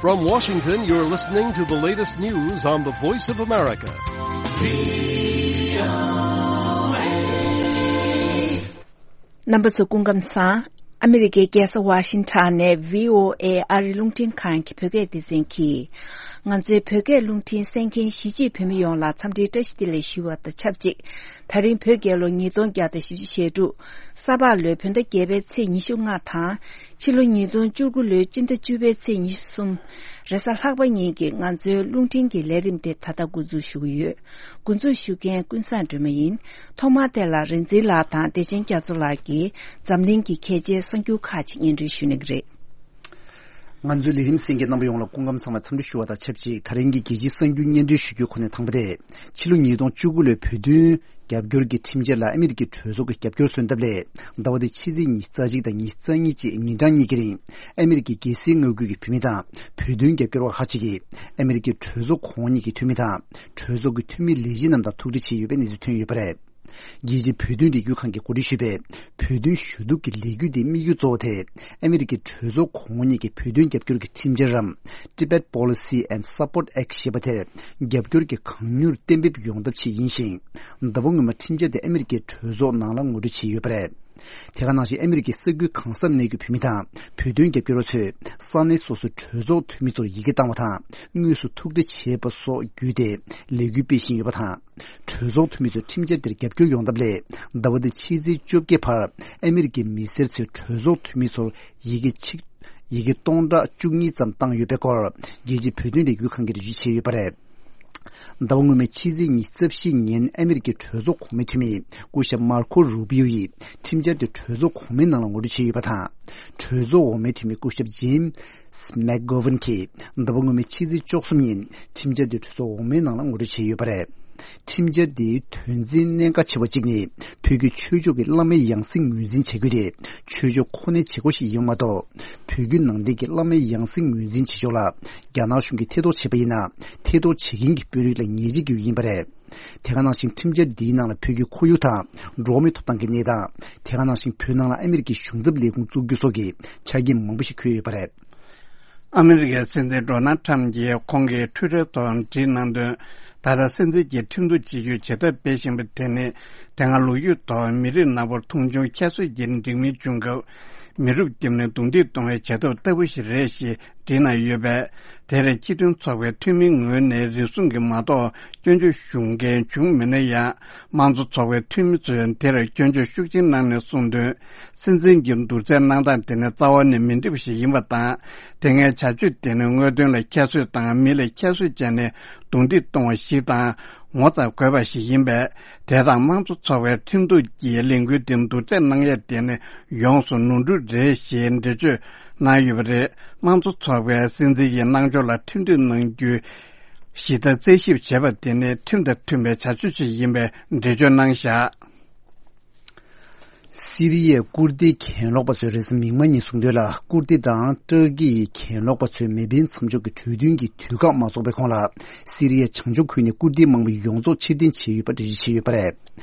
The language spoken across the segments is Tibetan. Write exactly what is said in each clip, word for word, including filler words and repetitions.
From Washington, you're listening to the latest news on the Voice of America. རྣམ་པ་ཚོ་སྐུ་ཁམས་བཟང་། ཨ་མི་རི་ཀའི་རྒྱལ་ས་ཝ་ཤིང་ཊོན་ནས་བྷི་ཨོ་ཨེ་ཨ་རིའི་རླུང་འཕྲིན་ཁང་གི་བོད་སྐད་སྡེ་ཚན་གྱིས། ང་ཚོའི་བོད་སྐད་རླུང་འཕྲིན་གསན་མཁན་གཞིས་བྱེས་བོད་མི་ཡོངས་ལ་འཚམས་འདྲིའི་བཀྲ་ཤིས་བདེ་ལེགས་ཞུ་བ་དང་ཆབས་ཅིག་ད་རིང་བོད་རྒྱལ་ལོ་ཉིས་སྟོང་བརྒྱ་དང་བཞི་བཅུ་ཞེ་དྲུག་ས་ཕག་ལོའི་བོད་ཟླ་བརྒྱད་པའི་ཚེས་ཉི་ཤུ་ལྔ་དང་། ཕྱི་ལོ་ཉིས་སྟོང་བཅུ་དགུ་ལོའི་སྤྱི་ཟླ་བཅུ་པའི་ཚེས་ཉི་ཤུ་གསུམ། རེས་གཟའ་ལྷག་པ་ཉིན་གྱི་ང་ཚོའི་རླུང་འཕྲིན་གྱི་ལས་རིམ་དེ་ད་ལྟ་འགོ་འཛུགས་ཞུ་གི་ཡོད། འགོ་འཛུགས་ཞུ་མཁན་ཀུན་བཟང་སྒྲོལ་མ་ཡིན། ཐོག་མར་དེ་ལ་རིག་འཛིན་ལགས་དང་བདེ་ཆེན་རྒྱ་མཚོ་ལགས་ཀྱིས་འཛམ་གླིང་གི་གལ་ཆེའི་གསར་འགྱུར་ཁག་ཅིག་སྙན་སྒྲོན་ཞུ་གནང་གི་རེད། ང་ཚོའི་ལས་རིམ་གསན་མཁན་རྣམ་པ་ཡོངས་ལ་སྐུ་ཁམས་བཟང་བའི་འཚམས་འདྲི་ཞུ་བ་དང་ཆབས་ཅིག་ད་རིང་གི་རྒྱལ་སྤྱིའི་གསར་འགྱུར་སྙན་སྒྲོན་ཞུ་རྒྱུའི་ཁོངས་ནས་དང་པོ་དེ། ཕྱི་ལོ་ཉིས་སྟོང་བཅུ་དགུ་ལོའི་བོད་དོན་རྒྱབ་སྐྱོར་གྱི་ཁྲིམས་འཆར་ལ་ཨ་མི་རི་ཀའི་གྲོས་ཚོགས་ཀྱི་རྒྱབ་སྐྱོར་སོན་ཐབས་སླད། ཟླ་བ་འདིའི་ཕྱི་ཚེས་ཉི་ཤུ་རྩ་གཅིག་དང་ཉི་ཤུ་རྩ་གཉིས་བཅས་ཉིན་གྲངས་གཉིས་ཀྱི་རིང་། ཨ་མི་རི་ཀའི་རྒྱལ་སའི་མངའ་ཁུལ་གྱི་བོད་མི་དང་། བོད་དོན་རྒྱབ་སྐྱོར་བ་ཁག་ཅིག་གིས། ཨ་མི་རི་ཀའི་གྲོས་ཚོགས་གོང་འོག་གཉིས་ཀྱི་འཐུས་མི་དང་། གྲོས་ཚོགས་ཀྱི་འཐུས་མི་ལས་བྱེད་རྣམས་དང་ཐུག་འཕྲད་བྱས་ཡོད་པའི་གནས་ཚུལ་ཐོན་ཡོད་པ་རེད། རྒྱལ་སྤྱིའི་བོད་དོན་ལས་འགུལ་ཁང་གིས་གོ་སྒྲིག་ཞུས་པའི། བོད་དོན་ཞུ་གཏུག་གི་ལས་འགུལ་འདིའི་དམིགས་ཡུལ་གཙོ་བོ་དེ། ཨ་མི་རི་ཀའི་གྲོས་ཚོགས་གོང་འོག་གཉིས་ཀྱི་བོད་དོན་རྒྱབ་སྐྱོར་གྱི་ཁྲིམས་འཆར་རམ། Tibet Policy and Support Act ཞེས་པ་དེར། རྒྱབ་སྐྱོར་གྱི་གང་མྱུར་གཏན་འབེབས་ཡོང་ཐབས་ཆེད་ཡིན་ཞིང་། ཟླ་བ་སྔོན་མ་ཁྲིམས་འཆར་དེ་ཨ་མི་རི་ཀའི་གྲོས་ཚོགས་ནང་ལ་ངོ་སྤྲོད་བྱས་ཡོད་པ་རེད། དེ་ག་ནང་བཞིན་ཨ་མི་རི་ཀའི་ས་ཁུལ་གང་སར་གནས་ཡོད་བོད་མི་དང་། བོད་དོན་རྒྱབ་སྐྱོར་བ་ཚོས། ས་གནས་སོ་སོའི་གྲོས་ཚོགས་འཐུས་མི་ཚོར་ཡི་གེ་བཏང་བ་དང་། དངོས་སུ་ཐུག་འཕྲད་བྱས་པ་སོགས་བརྒྱུད་དེ། ལས་འགུལ་སྤེལ་བཞིན་ཡོད་པ་དང་། གྲོས་ཚོགས་འཐུས་མི་ཚོས་ཁྲིམས་འཆར་དེར་རྒྱབ་སྐྱོར་ཡོང་ཐབས་སླད། ཟླ་བ་འདིའི་ཕྱི་ཚེས་བཅོ་བརྒྱད་བར། ཨ་མི་རི་ཀའི་མི་སེར་ཚོས་གྲོས་ཚོགས་འཐུས་མི་ཚོར་ཡི་གེ་ཆིག་ཡི་གེ་སྟོང་ཕྲག་བཅུ་གཉིས་ཙམ་བཏང་ཡོད་པའི་སྐོར། རྒྱལ་སྤྱིའི་བོད་དོན་ལས་འགུལ་ཁང་གིས་འགྲེལ་བརྗོད་བྱས་ཡོད་པ་རེད། ཟླ་བ་སྔོན་མའི་ཕྱི་ཚེས་ཉི་ཤུ་རྩ་བཞི་ཉིན་ཨ་མི་རི་ཀའི་གྲོས་ཚོགས་གོང་མའི་འཐུས་མི་སྐུ་ཞབས་མར་ཁོ་རུ་པིའོ་ཡིས་ཁྲིམས་འཆར་དེ་གྲོས་ཚོགས་གོང་མའི་ནང་ལ་ངོ་སྤྲོད་བྱས་ཡོད་པ་དང་། གྲོས་ཚོགས་འོག་མའི་འཐུས་མི་སྐུ་ཞབས་ཇེམ་སི་མེག་གྷོ་ཝན་གྱིས་ཟླ་བ་སྔོན་མའི་ཕྱི་ཚེས་བཅུ་གསུམ་ཉིན་ཁྲིམས་འཆར་དེ་གྲོས་ཚོགས་འོག་མའི་ནང་ལ་ངོ་སྤྲོད་བྱས་ཡོད་པ་རེད། ཁྲིམས་འཆར་དེའི་དོན་ཚན་གནད་འགག་ཆེ་བ་གཅིག་ནི། བོད་ཀྱི་ཆོས་ཕྱོགས་ཀྱི་བླ་མའི་ཡང་སྲིད་ངོས་འཛིན་བྱ་རྒྱུ་དེ། ཆོས་ཕྱོགས་ཁོ་ནའི་བྱེད་སྒོ་ཞིག་ཡིན་པ་མ་གཏོགས། བོད་བརྒྱུད་ནང་བསྟན་གྱི་བླ་མའི་ཡང་སྲིད་ངོས་འཛིན་བྱེད་ཕྱོགས་ལ། རྒྱ་ནག་གཞུང་གིས་ཐེ་གཏོགས་བྱས་པ་ཡིན་ན། ཐེ་གཏོགས་བྱེད་མཁན་གྱི་དཔོན་རིགས་ལ་ཉེས་ཆད་འགེལ་རྒྱུ་ཡིན་པ་རེད། དེ་ག་ནང་བཞིན་ཁྲིམས་འཆར་འདིའི་ནང་ལ་བོད་ཀྱི་ཁོར་ཡུག་དང་། འགྲོ་བ་མིའི་ཐོབ་ཐང་གི་གནས་སྟངས། དེ་ག་ནང་བཞིན་བོད་ནང་ལ་ཨ་མི་རི་ཀའི་གཞུང་ཚབ་ལས་ཁུངས་བཙུགས་རྒྱུ་སོགས་ཀྱི་ཆ་རྐྱེན་མང་པོ་ཞིག་འཁོད་ཡོད་པ་རེད། ཨ་མི་རི་ཀའི་སྲིད་འཛིན་ཌོ་ནལ་ཁྲམ་གྱིས་ཁོང་གི་ཊུའི་ཊར་ཐོག་བྲིས་གནང་དོན། ད་ལྟ་སྲིད་འཛིན་གྱིས་ཁྲིམས་གཏུག་བྱེད་རྒྱུའི་བྱེད་ཐབས་སྤེལ་བཞིན་པ་དེ་ནི། དེ་སྔ་ལོ་རྒྱུས་ཐོག་མི་རིགས་ནག་པོར་མཐོང་ཆུང་ཁྱད་གསོད་ཀྱི་འགྲིག་མིན་བྱུང་སྐབས། མི་རབས་བརྒྱབ་ནས་རྡུང་རྡེག་གཏོང་བའི་བྱེད་ཐབས་ལྟ་བུ་ཞིག་རེད་ཞེས་བྲིས་གནང་ཡོད་པས། དེར་སྤྱི་མཐུན་ཚོགས་པའི་འཐུས་མིའི་ངོས་ནས་རེ་ཟུང་གིས་མ་གཏོགས་སྐྱོན་བརྗོད་ཞུ་མཁན་བྱུང་མེད་ན་ཡང་། དམངས་གཙོ་ཚོགས་པའི་འཐུས་མི་ཚོས་དེར་སྐྱོན་བརྗོད་ཤུགས་ཆེན་གནང་ནས་གསུངས་དོན། སྲིད་འཛིན་གྱི་བསྡུར་ཚད་གནང་སྟངས་དེ་ནི་རྩ་བ་ནས་མི་འགྲིག་པ་ཞིག་ཡིན་པ་དང་། དེ་སྔའི་བྱ་སྤྱོད་དེ་ནི་དངོས་དོན་ལ་ཁྱད་གསོད་དང་མི་ལ་ཁྱད་གསོད་བྱས་ནས་རྡུང་རྡེག་གཏོང་བ་ཞིག་དང་། ངོ་ཚ་དགོས་པ་ཞིག་ཡིན་པས། དེ་དང་དམངས་གཙོ་ཚོགས་པའི་ཁྲིམས་གཏུག་གི་ལས་འགུལ་དེ་བསྡུར་ཚད་གནང་ཡས་དེ་ནི་ཡོངས་སུ་ནོར་འཁྲུལ་རེད་ཞེས་འགྲེལ་བརྗོད་གནང་ཡོད་པ་རེད། དམངས་གཙོ་ཚོགས་པའི་སྲིད་འཛིན་གྱི་གནང་ཕྱོགས་ལ་ཁྲིམས་གཏུག་གནང་རྒྱུའི་གཞི་རྩ་རྩད་ཞིབ་བྱས་པ་དེ་ནི་ཁྲིམས་དང་མཐུན་པའི་བྱ་སྤྱོད་ཅིག་ཡིན་པའི་འགྲེལ་བརྗོད་གནང་བཞག་སི་རི་ཡའི་ཀུར་ཏི་གྱེན་ལོག་པ་ཚོས་རེས་གཟའ་མིག་དམར་ཉིན་གསུངས་དོན་ལ། ཀུར་ཏི་དང་ཏུར་ཀི་ཡི་གྱེན་ལོག་པ་ཚོས་མེ་འཕེན་མཚམས་འཇོག་གི་གྲོས་མཐུན་གྱི་དུས་བཀག་མ་རྫོགས་པའི་གོང་ལ། སི་རི་ཡའི་བྱང་ཕྱོགས་ཁུལ་ནས་ཀུར་ཏིའི་དམག་མི་ཡོངས་རྫོགས་ཕྱིར་འཐེན་བྱས་ཡོད་པ་འགྲེལ་བརྗོད་བྱས་ཡོད་པ་རེད།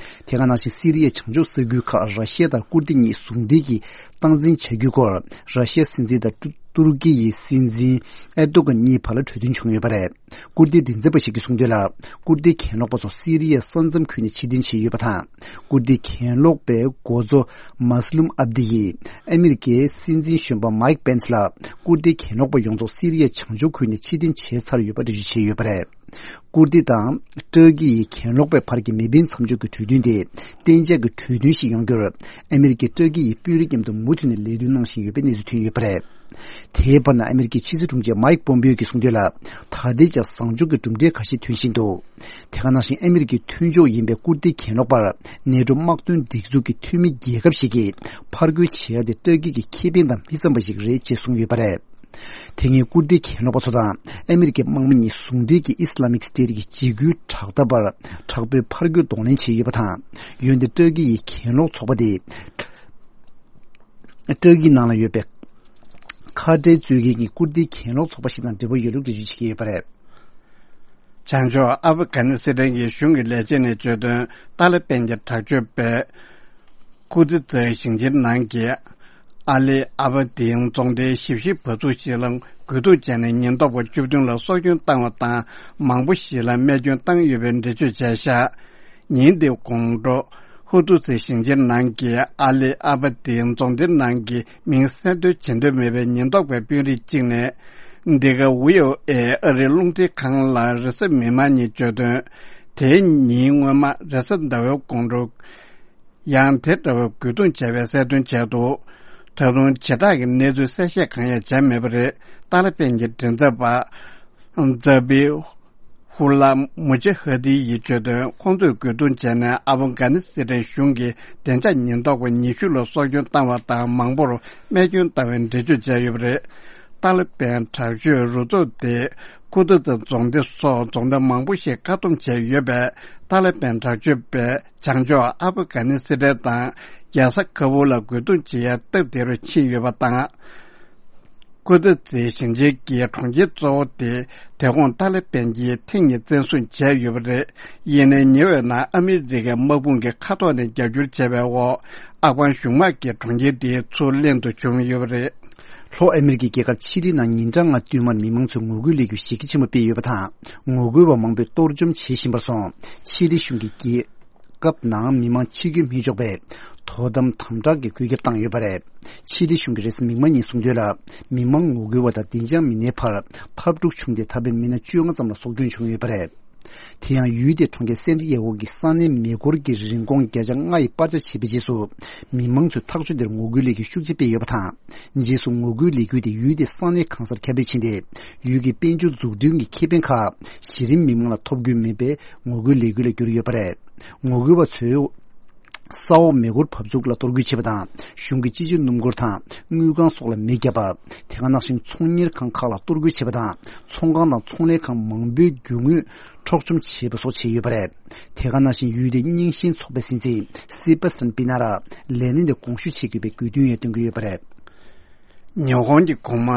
དེ་ག་ནང་བཞིན་སི་རི་ཡའི་བྱང་ཕྱོགས་ས་ཁུལ་ཁག་ར་ཤི་ཡ་དང་ཀུར་ཏི་གཉིས་ཟུང་འབྲེལ་གྱིས་སྟངས་འཛིན་བྱ་རྒྱུའི་སྐོར། ར་ཤི་ཡའི་སྲིད་འཛིན་དང་ཏུ་ཏུར་ཀི་ཡི་སྲིད་འཛིན་ཨེར་ཏོ་གྷན་གཉིས་བར་ལ་གྲོས་མཐུན་བྱུང་ཡོད་པ་རེད། ཀུར་ཏི་མགྲིན་ཚབ་པ་ཞིག་གིས་གསུངས་དོན་ལ། ཀུར་ཏི་གྱེན་ལོག་པ་ཚོ་སི་རི་ཡའི་ས་མཚམས་ཁུལ་ནས་ཕྱིར་འཐེན་བྱས་ཡོད་པ་དང་། ཀུར་ཏི་གྱེན་ལོག་པའི་འགོ་གཙོ་མཱ་སི་ལུམ་ཨབ་དི་ཡིས་ཨ་མི་རི་ཀའི་སྲིད་འཛིན་གཞོན་པ་མའིག་པེན་སི་ལ། ཀུར་ཏི་གྱེན་ལོག་པ་ཡོངས་རྫོགས་སི་རི་ཡའི་བྱང་ཕྱོགས་ཁུལ་ནས་ཕྱིར་འཐེན་བྱས་ཚར་ཡོད་པ་འགྲེལ་བརྗོད་བྱས་ཡོད་པ་རེད། ཀུར་ཏི་དང་ཏུར་ཀི་ཡི་གྱེན་ལོག་པའི་བར་གྱི་མེ་འཕེན་མཚམས་འཇོག་གི་གྲོས་མཐུན་དེ་གཏན་འཇགས་ཀྱི་གྲོས་མཐུན་ཞིག་ཡོང་རྒྱུར་ཨ་མི་རི་ཀས་ཏུར་ཀི་ཡི་དཔོན་རིགས་མཉམ་དུ་མུ་མཐུད་ནས་ལས་དོན་གནང་བཞིན་ཡོད་པའི་གནས་ཚུལ་ཐོན་ཡོད་པ་རེད། དེའི་བར་ན་ཨ་མི་རི་ཀའི་ཕྱི་སྲིད་དྲུང་ཆེ་མའིག་པོམ་པེའོ་གིས་གསུངས་དོན་ལ། ད་ལྟའི་ཆར་བཟང་ཕྱོགས་ཀྱི་གྲུབ་འབྲས་ཁ་ཤས་ཐོན་བཞིན་འདུག་དེ་ག་ནང་བཞིན་ཨ་མི་རི་ཀའི་མཐུན་ཕྱོགས་ཡིན་པའི་ཀུར་ཏི་གྱེན་ལོག་པར་ནེ་ཏྲོ་དམག་དོན་སྒྲིག་འཛུགས་ཀྱི་འཐུས་མི་རྒྱལ་ཁབ་ཞིག་གིས་ཕར་རྒོལ་བྱེད་ཡ་དེ་ཏུར་ཀི་གི་ཁེ་ཕན་དང་མི་འཚམ་པ་ཞིག་རེད་ཅེས་གསུངས་ཡོད་པ་རེད། དེ་སྔའི་ཀུར་ཏི་གྱེན་ལོག་པ་ཚོ་དང་ཨ་མི་རི་ཀའི་དམག་མི་གཉིས་ཟུང་འབྲེལ་གྱིས་ཨི་སི་ལ་མིག་སི་ཏེ་ཊི་གི་འཇིགས་སྐུལ་དྲག་འཐབ་པར་དྲག་པོའི་ཕར་རྒོལ་གདོང་ལེན་བྱས་ཡོད་པ་དང་། འོན་ཏེ་ཏུར་ཀི་ཡི་གྱེན་ལོག་ཚོགས་པ་དེས་ཏུར་ཀི་ནང་ལ་ཡོད་པའི་ཁ་བྲལ་རྩོད་མཁན་གྱི་ཀུར་ཏི་གྱེན་ལོག་ཚོགས་པ་ཞིག་དང་འབྲེལ་བ་ཡོད་ལུགས་འགྲེལ་བརྗོད་བྱེད་ཀྱི་ཡོད་པ་རེད། བྱང་ཕྱོགས་ཨབ་གྷ་ནི་སི་ཐན་གྱི་གཞུང་གི་ལས་བྱེད་ནས་བརྗོད་དོན། ཏཱ་ལི་པན་གྱི་དྲག་སྤྱོད་པས་ཀུར་ཏི་ཛའི་ཞིང་ཆེན་ནང་གི་ཨ་ལི་ཨ་བ་དིན་རྫོང་སྡེའི་ཞིབ་བཤེར་བ་ཚུགས་ཤིག་ལ་ རྒོལ་རྡུང་བྱས་ནས་ཉེན་རྟོག་པ་བཅུ་བདུན་ལ་སྲོག་སྐྱོན་བཏང་བ་དང་མང་པོ་ཞིག་ལ་རྨས་སྐྱོན་བཏང་ཡོད་པའི་འགྲེལ་བརྗོད་བྱས་བཞག་ཉིན་དེའི་གོང་དྲོ། ཧུ་ཏུ་སི་ཞིང་ཆེན་ནང་གི་ཨ་ལི་ཨ་བ་ཏི་རྫོང་སྡེ་ནང་གི་མིང་གསལ་འདོན་བྱེད་འདོད་མེད་པའི་ཉེན་རྟོག་པའི་དཔོན་རིགས་གཅིག་ནས། འདི་ག་ཝི་ཨོ་ཨེ་ཨ་རིའི་རླུང་འཕྲིན་ཁང་ལ་རེས་གཟའ་མིག་དམར་ཉིན་བརྗོད་དོན། དེའི་ཉིན་སྔོན་མ་རེས་གཟའ་ཟླ་བའི་དགོང་དྲོ། ཡང་དེ་འདྲ་བའི་རྒོལ་རྡུང་བྱས་པའི་གསལ་སྟོན་བྱས་འདུག་ད་དུང་བྱེ་བྲག་གི་གནས་ཚུལ་གསལ་བཤད་གང་ཡང་བྱས་མེད་པ་རེད། ཏཱ་ལི་བན་གྱི་མགྲིན་ཚབ་པ། ཛ་བི་ཧུ་ལ་མུ་ཇ་ཧ་དི་ཡིས་བརྗོད་དོན། ཁོང་ཚོས་རྒོལ་རྡུང་བྱས་ནས་ཨ་ཕོ་གྷ་ནི་སི་ཐན་གཞུང་གི་བདེ་འཇགས་ཉེན་རྟོག་པ་ཉི་ཤུ་ལ་སྲོག་སྐྱོན་བཏང་བ་དང་མང་པོར་རྨས་སྐྱོན་བཏང་བའི་འགྲེལ་བརྗོད་བྱས་ཡོད་པ་རེད། ཏཱ་ལི་བན་དྲག་སྤྱོད་རུ་ཚོགས་དེས་ཁུ་ཏུ་ཙ་རྫོང་སྡེ་སོགས་རྫོང་སྡེ་མང་པོ་ཞིག་བཀག་སྡོམ་བྱས་ཡོད་པས། ཏཱ་ལི་བན་དྲག་སྤྱོད་པས་བྱང་ཕྱོགས་ཨ་ཕ་གྷ་ནི་སི་ཐན་དང་རྒྱལ་ས་ཁ་བུལ་ལ་རྒོལ་རྡུང་བྱེད་ཡ་སྟབས་བདེ་རུ་ཕྱིན་ཡོད་པ་དང་། ཀུ་ཏུ་ཙི་ཞིང་ཆེན་གྱི་གྲོང་ཁྱེར་གཙོ་བོ་དེ་དེ་གོང་ཏཱ་ལི་བན་གྱིས་ཐེངས་གཉིས་བཙན་བཟུང་བྱས་ཡོད་པ་རེད། ཡིན་ནའི་ཉེ་བའི་ནང་ཨ་མི་རི་ཀའི་དམག་དཔུང་གི་མཁའ་ཐོག་ནས་རྒྱབ་སྐྱོར་བྱས་པའི་འོག་ཨབ་གྷན་གཞུང་དམག་གིས་གྲོང་ཁྱེར་དེའི་ཚུར་ལེན་དུ་བྱུང་ཡོད་པ་རེད། ལྷོ་ཨ་མི་རི་ཀའི་རྒྱལ་ཁབ་ཆི་ལི་ནང་ཉིན་གྲངས་ལྔ་བསྟུད་མར་མི་མང་ཚོས་ངོ་རྒོལ་ལས་འགུལ་གཞི་རྒྱ་ཆེན་པོ་སྤེལ་ཡོད་པ་དང་། ངོ་རྒོལ་བ་མང་པོས་གཏོར་བཅོམ་བྱེད་བཞིན་པར་སོང་། ཆི་ལི་གཞུང་གིས་རྒྱལ་ཁབ་ནང་མི་མང་ཕྱིར་འགྱུར་མི་ཆོག་པའི་དོ་དམ་དམ་དྲག་གི་བཀོད་ཁྱབ་བཏང་ཡོད་པ་རེད། ཕྱི་དྲིལ་གཞུང་གིས་རེས་གཟའ་མིག་དམར་ཉིན་གསུངས་དོན་ལ། མི་མང་ངོ་རྒོལ་བ་དང་བདེ་འཇགས་མི་སྣའི་བར་འཐབ་འཁྲུག་བྱུང་སྟེ་ད་ཕན་མི་སྣ་བཅོ་ལྔ་ཙམ་ལ་སྲོག་སྐྱོན་བྱུང་ཡོད་པ་རེད། དེ་ཡང་ཡུལ་དེའི་གྲོང་ཁྱེར་སན་ཏི་ཡ་གོ་གི་ས་གནས་མེ་འཁོར་གྱི་རིན་གོང་བརྒྱ་ཆ་ལྔ་ཡི་སྤར་ཆ་བྱས་པའི་རྗེས་སུ། མི་མང་ཚོས་ཐག་གཅོད་དེར་ངོ་རྒོལ་ལས་འགུལ་ཤུགས་ཆེ་སྤེལ་ཡོད་པ་དང་། རྗེས་སུ་ངོ་རྒོལ་ལས་འགུལ་དེ་ཡུལ་དེའི་ས་གནས་གང་སར་ཁྱབ་སྤེལ་ཕྱིན་ཏེ། ཡུལ་གྱི་དཔལ་འབྱོར་འཛུགས་སྐྲུན་གྱི་ཁེ་ཕན་ཁག་གཞི་རིམ་མི་མང་ལ་ཐོབ་ཀྱི་མེད་པའི་ངོ་རྒོལ་ལས་འགུལ་ལ་གྱུར་ཡོད་པ་རེད། ངོ་རྒོལ་བ་ཚོས་ས་འོག་མེ་འཁོར་བབས་ཚུགས་ལ་གཏོར་རྒོལ་བྱས་པ་དང་། གཞུང་གི་སྤྱི་སྤྱོད་སྣུམ་འཁོར་དང་དངུལ་ཁང་སོགས་ལ་མེ་བརྒྱབ་པ། དེ་ག་ནང་བཞིན་ཚོང་གཉེར་ཁང་ཁག་ལ་གཏོར་རྒོལ་བྱས་པ་དང་། ཚོང་ཁང་དང་ཚོང་ལས་ཁང་མང་པོའི་རྒྱུ་དངོས་འཕྲོག་བཅོམ་བྱས་པ་སོགས་བྱས་ཡོད་པ་རེད། དེ་ག་ནང་བཞིན་ཡུལ་དེའི་རྙིང་ཞེན་ཚོགས་པའི་སྲིད་འཛིན་སི་པ་སན་པི་ན་ར་ལས་གནས་དེ་དགོངས་ཞུ་བྱེད་དགོས་པའི་དགོས་འདུན་ཡང་བཏོན་གྱི་ཡོད་པ་རེད། ཉི་ཧོང་གི་གོང་མ་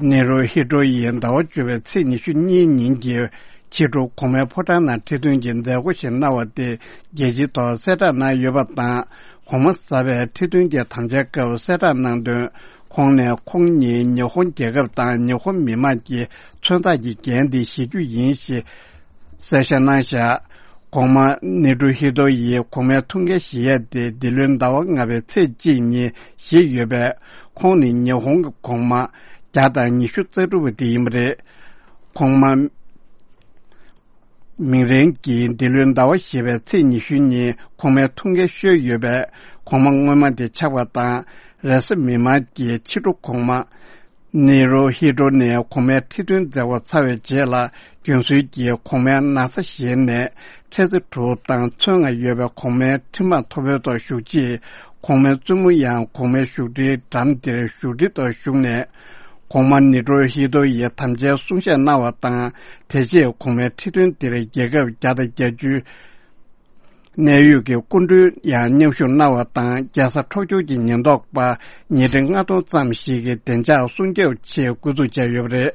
ནེ་རུ་ཧི་ཏོ་ཡིས་ཟླ་བ་བཅུ་པའི་ཚེས་ཉི་ཤུ་གཉིས་ཉིན་གྱི་ཕྱི་དྲོ་གོང་མའི་ཕོ་བྲང་ནང་ཁྲི་སྟོན་གྱི་མཛད་སྒོ་ཞིག་གནང་བ་དེ་རྒྱལ་སྤྱིའི་ཐོག་གསལ་བསྒྲགས་གནང་ཡོད་པ་དང་། གོང་མ་གསར་པས་ཁྲི་སྟོན་གྱི་དམ་བཅའི་སྐབས་གསལ་བསྒྲགས་གནང་དོན། ཁོང་ནས་ཁོང་ཉིད་ཉི་ཧོང་རྒྱལ་ཁབ་དང་ཉི་ཧོང་མི་དམངས་ཀྱི་མཚོན་རྟགས་ཀྱི་འགན་དེ་བཞེས་རྒྱུ་ཡིན་ཞེས། གསལ་བཤད་གནང་བཞག་གོང་མ་ནེ་ཏུ་ཧི་ཏོ་ཡིས་གོང་མའི་ཐུགས་འགན་བཞེས་ཡས་དེ་འདི་ལོའི་ཟླ་བ་ལྔ་པའི་ཚེས་གཅིག་ཉིན་བཞེས་ཡོད་པས། ཁོང་ནི་ཉི་ཧོང་གི་གོང་མ་བརྒྱ་དང་ཉི་ཤུ་རྩ་དྲུག་པ་དེ་ཡིན་པ་རེད། གོང་མ་མིང་རན་གྱིས་འདི་ལོའི་ཟླ་བ་བཞི་པའི་ཚེས་ཉི་ཤུ་ཉིན་གོང་མའི་ཐུགས་འགན་བཞེས་ཡོད་པས། གོང་མ་སྔོན་མ་དེ་ཆགས་པ་དང་། རེས་གཟའ་མིག་དམར་གྱི་ཕྱི་དྲོ་གོང་མ། ནེ་རུ་ཧི་ཏོ་ནས་གོང་མའི་ཁྲི་སྟོན་མཛད་སྒོ་ཚར་བའི་རྗེས་ལ། རྒྱུན་སྲོལ་གྱིས་གོང་མའི་ན་བཟའ་བཞེས་ནས། འཕྲལ་ཚེ་དྲུག་དང་ཚོན་ལྔ་ཡོད་པའི་གོང་མའི་ཁྲི་མར་མཐོ་པོའི་ཐོག་བཞུགས་རྗེས། གོང་མའི་བཙུན་མོ་ཡང་གོང་མའི་བཞུགས་ཁྲིའི་འགྲམ་དེར་བཞུགས་ཁྲི་ཐོག་བཞུགས་ནས། གོང་མ་ནེ་རུ་ཧི་ཏོ་ཡིས་དམ་བཅའི་གསུང་བཤད་གནང་བ་དང་། དེ་རྗེས་གོང་མའི་ཁྲི་སྟོན་དེར་རྒྱལ་ཁབ་བརྒྱ་དང་བརྒྱད་ཅུའི་གནད་ཡོད་ཀྱི་སྐུ་མགྲོན་ཡང་མཉམ་ཞུགས་གནང་བ་དང་། རྒྱལ་ས་ཊོ་ཀྱོ་གྱི་ཉེན་རྟོག་པ་ཉིས་ཁྲི་ལྔ་སྟོང་ཙམ་ཞིག་གིས་བདེ་འཇགས་སྲུང་སྐྱོབ་ཆེད་སྐུ་འཛུགས་བྱས་ཡོད་པ་རེད།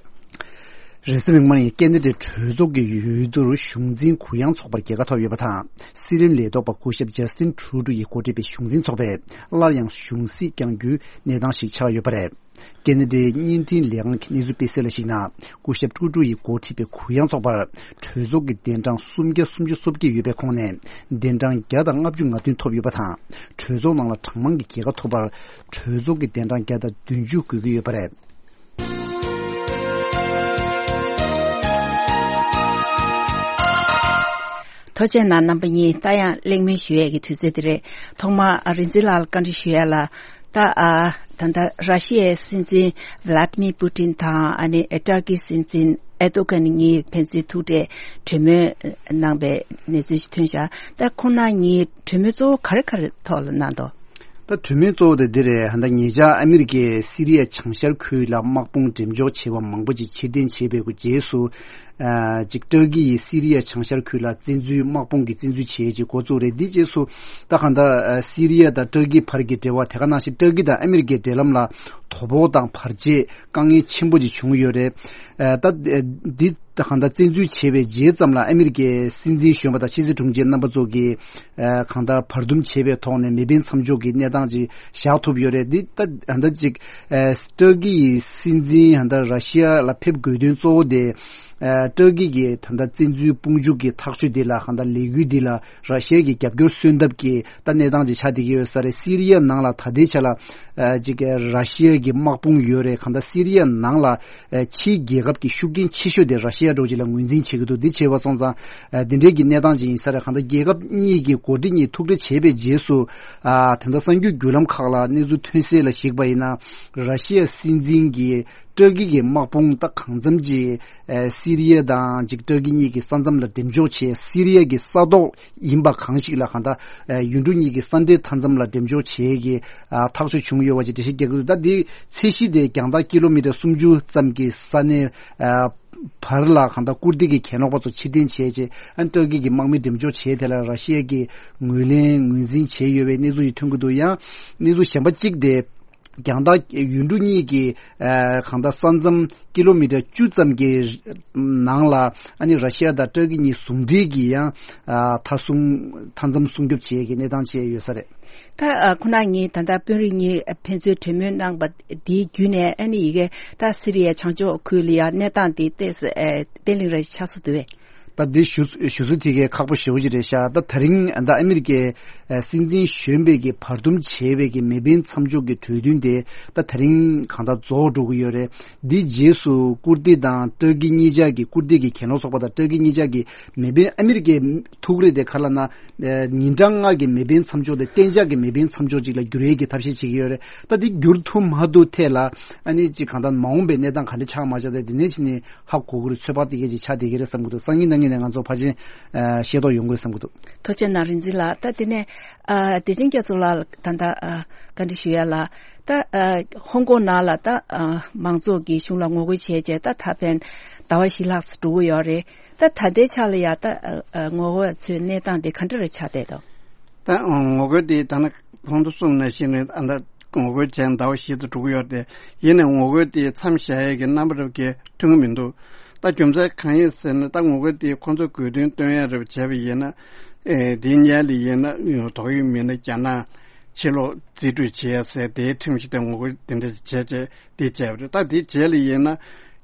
རེས་གཟའ་མིག་དམར་ཉིན་ཀེ་ན་ཌའི་གྲོས་ཚོགས་ཀྱི་འོས་བསྡུར་གཞུང་འཛིན་གུ་ཡངས་ཚོགས་པར་རྒྱལ་ཁ་ཐོབ་ཡོད་པ་དང་། སྲིད་བློན་ལས་ཐོག་པ་སྐུ་ཞབས་ཇ་སི་ཏིན་ཁྲུ་ཏྲུ་ཡིས་འགོ་ཁྲིད་པའི་གཞུང་འཛིན་ཚོགས་པས་སླར་ཡང་གཞུང་སྲིད་བསྐྱང་རྒྱུའི་གནས་སྟངས་ཤིག་ཆགས་ཡོད་པ་རེད། ཀེ་ན་ཌའི་བརྙན་འཕྲིན་ལས་ཁང་གི་གནས་ཚུལ་སྤེལ་གསལ་ལ་གཞིགས་ན། སྐུ་ཞབས་ཀྲུ་ཀྲུ་ཡིས་འགོ་ཁྲིད་པའི་གུ་ཡངས་ཚོགས་པར་གྲོས་ཚོགས་ཀྱི་གདན་གྲངས་སུམ་བརྒྱ་སུམ་ཅུ་སོ་བརྒྱད་ཡོད་པའི་ཁོངས་ནས་གདན་གྲངས་བརྒྱ་དང་ལྔ་བཅུ་ང་བདུན་ཐོབ་ཡོད་པ་དང་། གྲོས་ཚོགས་ནང་ལ་གྲངས་མང་གི་རྒྱལ་ཁ་ཐོབ་པར་གྲོས་ཚོགས་ཀྱི་གདན་གྲངས་བརྒྱ་དང་བདུན་ཅུ་དགོས་ཀྱི་ཡོད་པ་རེད། ཐུགས་རྗེ་གནང་རྣམ་པ་གཉིས། ད་ཡང་གླེང་མོལ་ཞུ་ཡས་ཀྱི་དུས་ཚོད་དེ་རེད། ཐོག་མར་ཨ་རིག་འཛིན་ལགས་ལ་བཀའ་འདྲི་ཞུ་ཡས་ལ། ད་ཨ་ད་ལྟ་ར་ཤི་ཡའི་སྲིད་འཛིན་ཝི་ལ་ཏི་མིར་པུ་ཏིན་དང་ཨ་ནི་ཨེ་ཏར་ཀིའི་སྲིད་འཛིན་ཨེར་ཏོ་གྷན་གཉིས་ཕན་ཚུན་ཐུག་འཕྲད་གྲོས་མོལ་གནང་པའི་གནས་ཚུལ་ཞིག་ཐོན་བཞག་ད་ཁོང་རྣམ་གཉིས་གྲོས་མོལ་གཙོ་བོ་ག་རེ་ག་རེ་ཐོག་ལ་གནང་འདུག་ད་གྲོས་མོལ་གཙོ་བོ་དེ་འདི་རེད། ད་ཉེ་ཆར་ཨ་མི་རི་ཀས་སི་རི་ཡ་བྱང་ཤར་ཁུལ་ལ་དམག་དཔུང་འགྲེམས་འཇོག་བྱས་པ་མང་པོ་ཅིག་ཕྱིར་འཐེན་བྱས་པའི་རྗེས་སུ། ཨ་ཅིག་ཏུར་ཀི་ཡིས་སི་རི་ཡ་བྱང་ཤར་ཁུལ་ལ་བཙན་འཛུལ་དམག་དཔུང་གི་བཙན་འཛུལ་བྱས་ཅིག་འགོ་བཙུགས་རེད། འདི་རྗེས་སུ་ད་གང་ལྟར་ཨ་སི་རི་ཡ་དང་ཏུར་ཀི་བར་གྱི་འབྲེལ་བ་དེ་ག་ནང་བཞིན་ཏུར་ཀི་དང་ཨ་མི་རི་ཀའི་འབྲེལ་ལམ་ལ་ དོ་ཕོག་དང་བར་ཆད་དཀའ་ངལ་ཆེན་པོ་ཅིག་བྱུང་ཡོད་རེད། ཨ་ད་འདི་གང་ལྟར་བཙན་འཛུལ་བྱས་པའི་རྗེས་ཙམ་ལ་ཨ་མི་རི་ཀའི་སྲིད་འཛིན་གཞོན་པ་དང་ཕྱི་སྲིད་དྲུང་ཆེ་རྣམ་པ་ཚོ་གིས་ཨ་གང་ལྟར་བར་འདུམ་བྱས་པའི་ཐོག་ནས་མེ་འཕེན་མཚམས་འཇོག་གི་གནས་སྟངས་ཅིག་བཞག་ཐུབ་ཡོད་རེད། འདི་ད་ད་ཅིག་ཨ་ཏུར་ཀི་ཡི་སྲིད་འཛིན་ད་ར་ཤི་ཡ་ལ་ཕེབས་དགོས་དོན་གཙོ་བོ་དེ་ཨ་ཏུར་ཀི་གི་ད་ལྟ་བཙན་འཛུལ་དཔུང་འཇུག་གི་ཐག་གཅོད་འདི་ལ་གང་ལྟར་ལས་འགུལ་འདི་ལ་ར་ཤི་ཡ་གི་རྒྱབ་སྐྱོར་སོན་ཐབས་ཀྱི་ད་གནས་སྟངས་ཅིག་ཆགས་བསྡད་ཀྱི་ཡོད་ས་རེད། སི་རི་ཡ་ནང་ལ་ད་ལྟའི་ཆ་ལ་ཨ་ཅིག་ར་ཤི་ཡ་གི་དམག་དཔུང་ཡོད་རེད། གང་ལྟར་སི་རི་ཡ་ནང་ལ་ཨ་ཕྱིའི་རྒྱལ་ཁབ་ཀྱི་ཤུགས་རྐྱེན་ཆེ་ཤོས་དེ་ར་ཤི་ཡ་འདྲ་བོ་ཅིག་ལ་ངོས་འཛིན་བྱེད་ཀྱི་འདུག་འདི་བྱས་པ་སོང་ཙང་ཨ་འདི་འདྲའི་གི་གནས་སྟངས་ཅིག་ཡིན་ས་རེད། གང་ལྟར་རྒྱལ་ཁབ་གཉིས་ཀྱི་འགོ་ཁྲིད་གཉིས་ཐུག་འཕྲད་བྱས་པའི་རྗེས་སུ་ཨ་ད་ལྟ་གསར་འགྱུར་བརྒྱུད་ལམ་ཁག་ལ་གནས་ཚུལ་ཐོན་གསལ་ལ་གཞིགས་པ་ཡིན་ན་ར་ཤི་ཡ་སྲིད་འཛིན་གྱི་ཏུར་ཀི་གི་དམག་དཔུང་ད་གང་འཚམ་ཅིག་ཨ་སི་རི་ཡ་དང་ཅིག་ཏུར་ཀི་གཉིས་ཀྱི་ས་མཚམས་ལ་འགྲེམས་འཇོག་བྱས། སི་རི་ཡ་གི་ས་ཐོག་ཡིན་པ་གང་ཞིག་ལ་གང་ལྟར་ཨ་ཡུལ་གྲུ་གཉིས་ཀྱི་ས་འབྲེལ་མཐའ་མཚམས་ལ་འགྲེམས་འཇོག་བྱེད་ཀྱི་ཨ་ཐག་གཅོད་བྱུང་ཡོད་པ་ཅིག་འགྲེལ་བཤད་རྒྱག་གི་འདུག་ད་འདི་ཚད་གཞི་དེ་རྒྱང་ཐག་ཀི་ལོ་མི་ཊར་སུམ་ཅུ་ཙམ་གྱི་ས་གནས་ཨ་བར་ལ་གང་ལྟར་ཀུར་ཏི་གི་གྱེན་ལོག་པ་ཚོ་ཕྱིར་འཐེན་བྱས་རྗེས་ཨ་ཏུར་ཀི་གི་དམག་མི་འགྲེམས་འཇོག་བྱས་དེ་ལ་ར་ཤི་ཡ་གིས་ངོས་ལེན་ངོས་འཛིན་བྱས་ཡོད་པའི་གནས་ཚུལ་ཞིག་ཐོན་གྱི་འདུག་ཡང་གནས་ཚུལ་གཞན་པ་གཅིག་དེ། རྒྱང་ཐག་ཡུལ་གྲུ་གཉིས་ཀྱི་ཨ་གང་ལྟར་ས་མཚམས་ཀི་ལོ་མི་ཊར་བཅུ་ཙམ་གྱི་ནང་ལ་ཨ་ནི་ར་ཤི་ཡ་དང་ཏུར་ཀི་གཉིས་ཟུང་འབྲེལ་གྱིས་ཡང་ཨ་མཐའ་སྲུང་མཐའ་མཚམས་སྲུང་སྐྱོབ་བྱེད་ཀྱི་གནས་སྟངས་བཅས་ཡོད་ས་རེད། ད་ཨ་ཁོ་ན་ངས་ད་ལྟ་དཔོན་རིགས་གཉིས་ཕན་ཚུན་གྲོས་མོལ་གནང་པ་དེའི་བརྒྱུད་ནས་ཨ་ནི་ཡི་གེ་ད་སི་རི་ཡའི་བྱང་ཕྱོགས་ཁུལ་ལ་ཡང་གནས་སྟངས་དེ་ཏོག་ཙམ་ཨ་བརྟན་ལྷིང་རེ་ཆགས་སོང་འདུག་བས། ད་འདི་ཞུ་ཞུ་ཚུལ་དེ་གའི་ཁག་པོ་ཞེ་པོ་ཅིག་རེད་ཤག་ད་དེ་རིང་ད་ཨ་མི་རི་ཀའི་ཨ་སྲིད་འཛིན་གཞོན་པས་ཀྱི་བར་འདུམ་བྱས་པའི་གི་མེ་འཕེན་མཚམས་འཇོག་གི་གྲོས་མཐུན་དེ་ད་དེ་རིང་གང་ལྟར་རྫོགས་འགྲོ་གི་ཡོད་རེད། འདི་རྗེས་སུ་ཀུར་ཏི་དང་ཏུར་ཀི་གཉིས་ཆར་གྱི་ཀུར་ཏི་གི་གྱེན་ལོག་ཚོགས་པ་དང་ཏུར་ཀི་གཉིས་ཆར་གྱི་མེ་འཕེན་ཨ་མི་རི་ཀའི་ཐུགས་རེ་དེ་ག་ལབ་ན་ཨ་ཉིན་གྲངས་ལྔ་གི་མེ་འཕེན་མཚམས་འཇོག་དེ་གཏན་འཇགས་ཀྱི་མེ་འཕེན་མཚམས་འཇོག་ཅིག་ལ་བསྒྱུར་ཡས་ཀྱི་ཐབས་ཤེས་བྱེད་ཀྱི་ཡོད་རེད། ད་འདི་བསྒྱུར་ཐུབ་མ་ཐུབ་ཐད་ལ་ཨ་ནི་ཅིག་གང་ལྟར་མ་འོངས་པའི་གནས་སྟངས་ག་འདྲ་ཆགས་མ་ཆགས་དེ་འདི་ནས་ཕྱིན་ནས། ཧ་གོ་གི་རེད། ཚོད་དཔག་དེ་གས་ཅིག་ཆགས་བསྡད་ཀྱི་རེད་བསམ་གྱི་འདུག་སང་ཉིན་གནངས་ཉིན་ནས་ང་ཚོ་ཕལ་ཆེར་ཨ་ཤེས་རྟོགས་ཡོང་གི་རེད་བསམ་གྱི་འདུག་ཐུགས་རྗེ་གནང་རིག་འཛིན་ལགས། ད་དེ་ནས་ཨ་བདེ་ཆེན་རྒྱ་མཚོ་ལགས་ད་ལྟ་ཨ་བཀའ་འདྲི་ཞུ་ཡ་ལ་ད་ཨ་ཧོང་ཀོང་ནང་ལ་ད་ཨ་མང་ཚོགས་ཀྱི་གཞུང་ལ་ངོ་རྒོལ་བྱས་རྗེས་ད་ད་ཕན་ཟླ་བ་བཞི་ལྷག་ཙམ་འགྲོ་གི་ཡོད་རེད། ད་ད་ལྟའི་ཆ་ལ་ཡ་ད་ཨ་ངོ་རྒོལ་ཚོའི་གནས་སྟངས་དེ་ག་འདྲ་རེ་ཆགས་བསྡད་འདུག་ད་ངོ་རྒོལ་དེ་ད་ནི་གོང་དུ་གསུངས་ནང་བཞིན་རེད། ཨ་ད་ངོ་རྒོལ་བྱས་ཟླ་བ་བཞི་ཙམ་འགྲོ་གི་ཡོད་དེ། ཡིན་ནའི་ངོ་རྒོལ་དེ་མཚམས་བཞག་ཡས་ཀྱི་རྣམ་པ་རབ་ཀྱི་ཐོན་གྱི་མི་འདུག་ད་རྒྱུ་མཚན་གང་ཡིན་ཟེར་ན་ད་ངོ་རྒོལ་དེ་ཁོང་ཚོས་དགོས་འདུན་བཏོན་ཡས་རབ་བྱས་པ་ཡིན་ན། ཨེ་དེའི་སྔོན་ལ་ཡིན་ན་དོགས་ཡོད་མི་སྣ་རྒྱ་ནག་ཕྱིར་ལོག་རྩིས་སྤྲོད་བྱེད་ཡས་ཟེར་དེའི་ཁྲིམས་གཞི་དེ་ངོ་རྒོལ་དེ་འདྲ་བྱས་བྱས་དེ་བྱས་པ་རེད། ད་དེ་རྗེས་ལ་ཡིན་ན་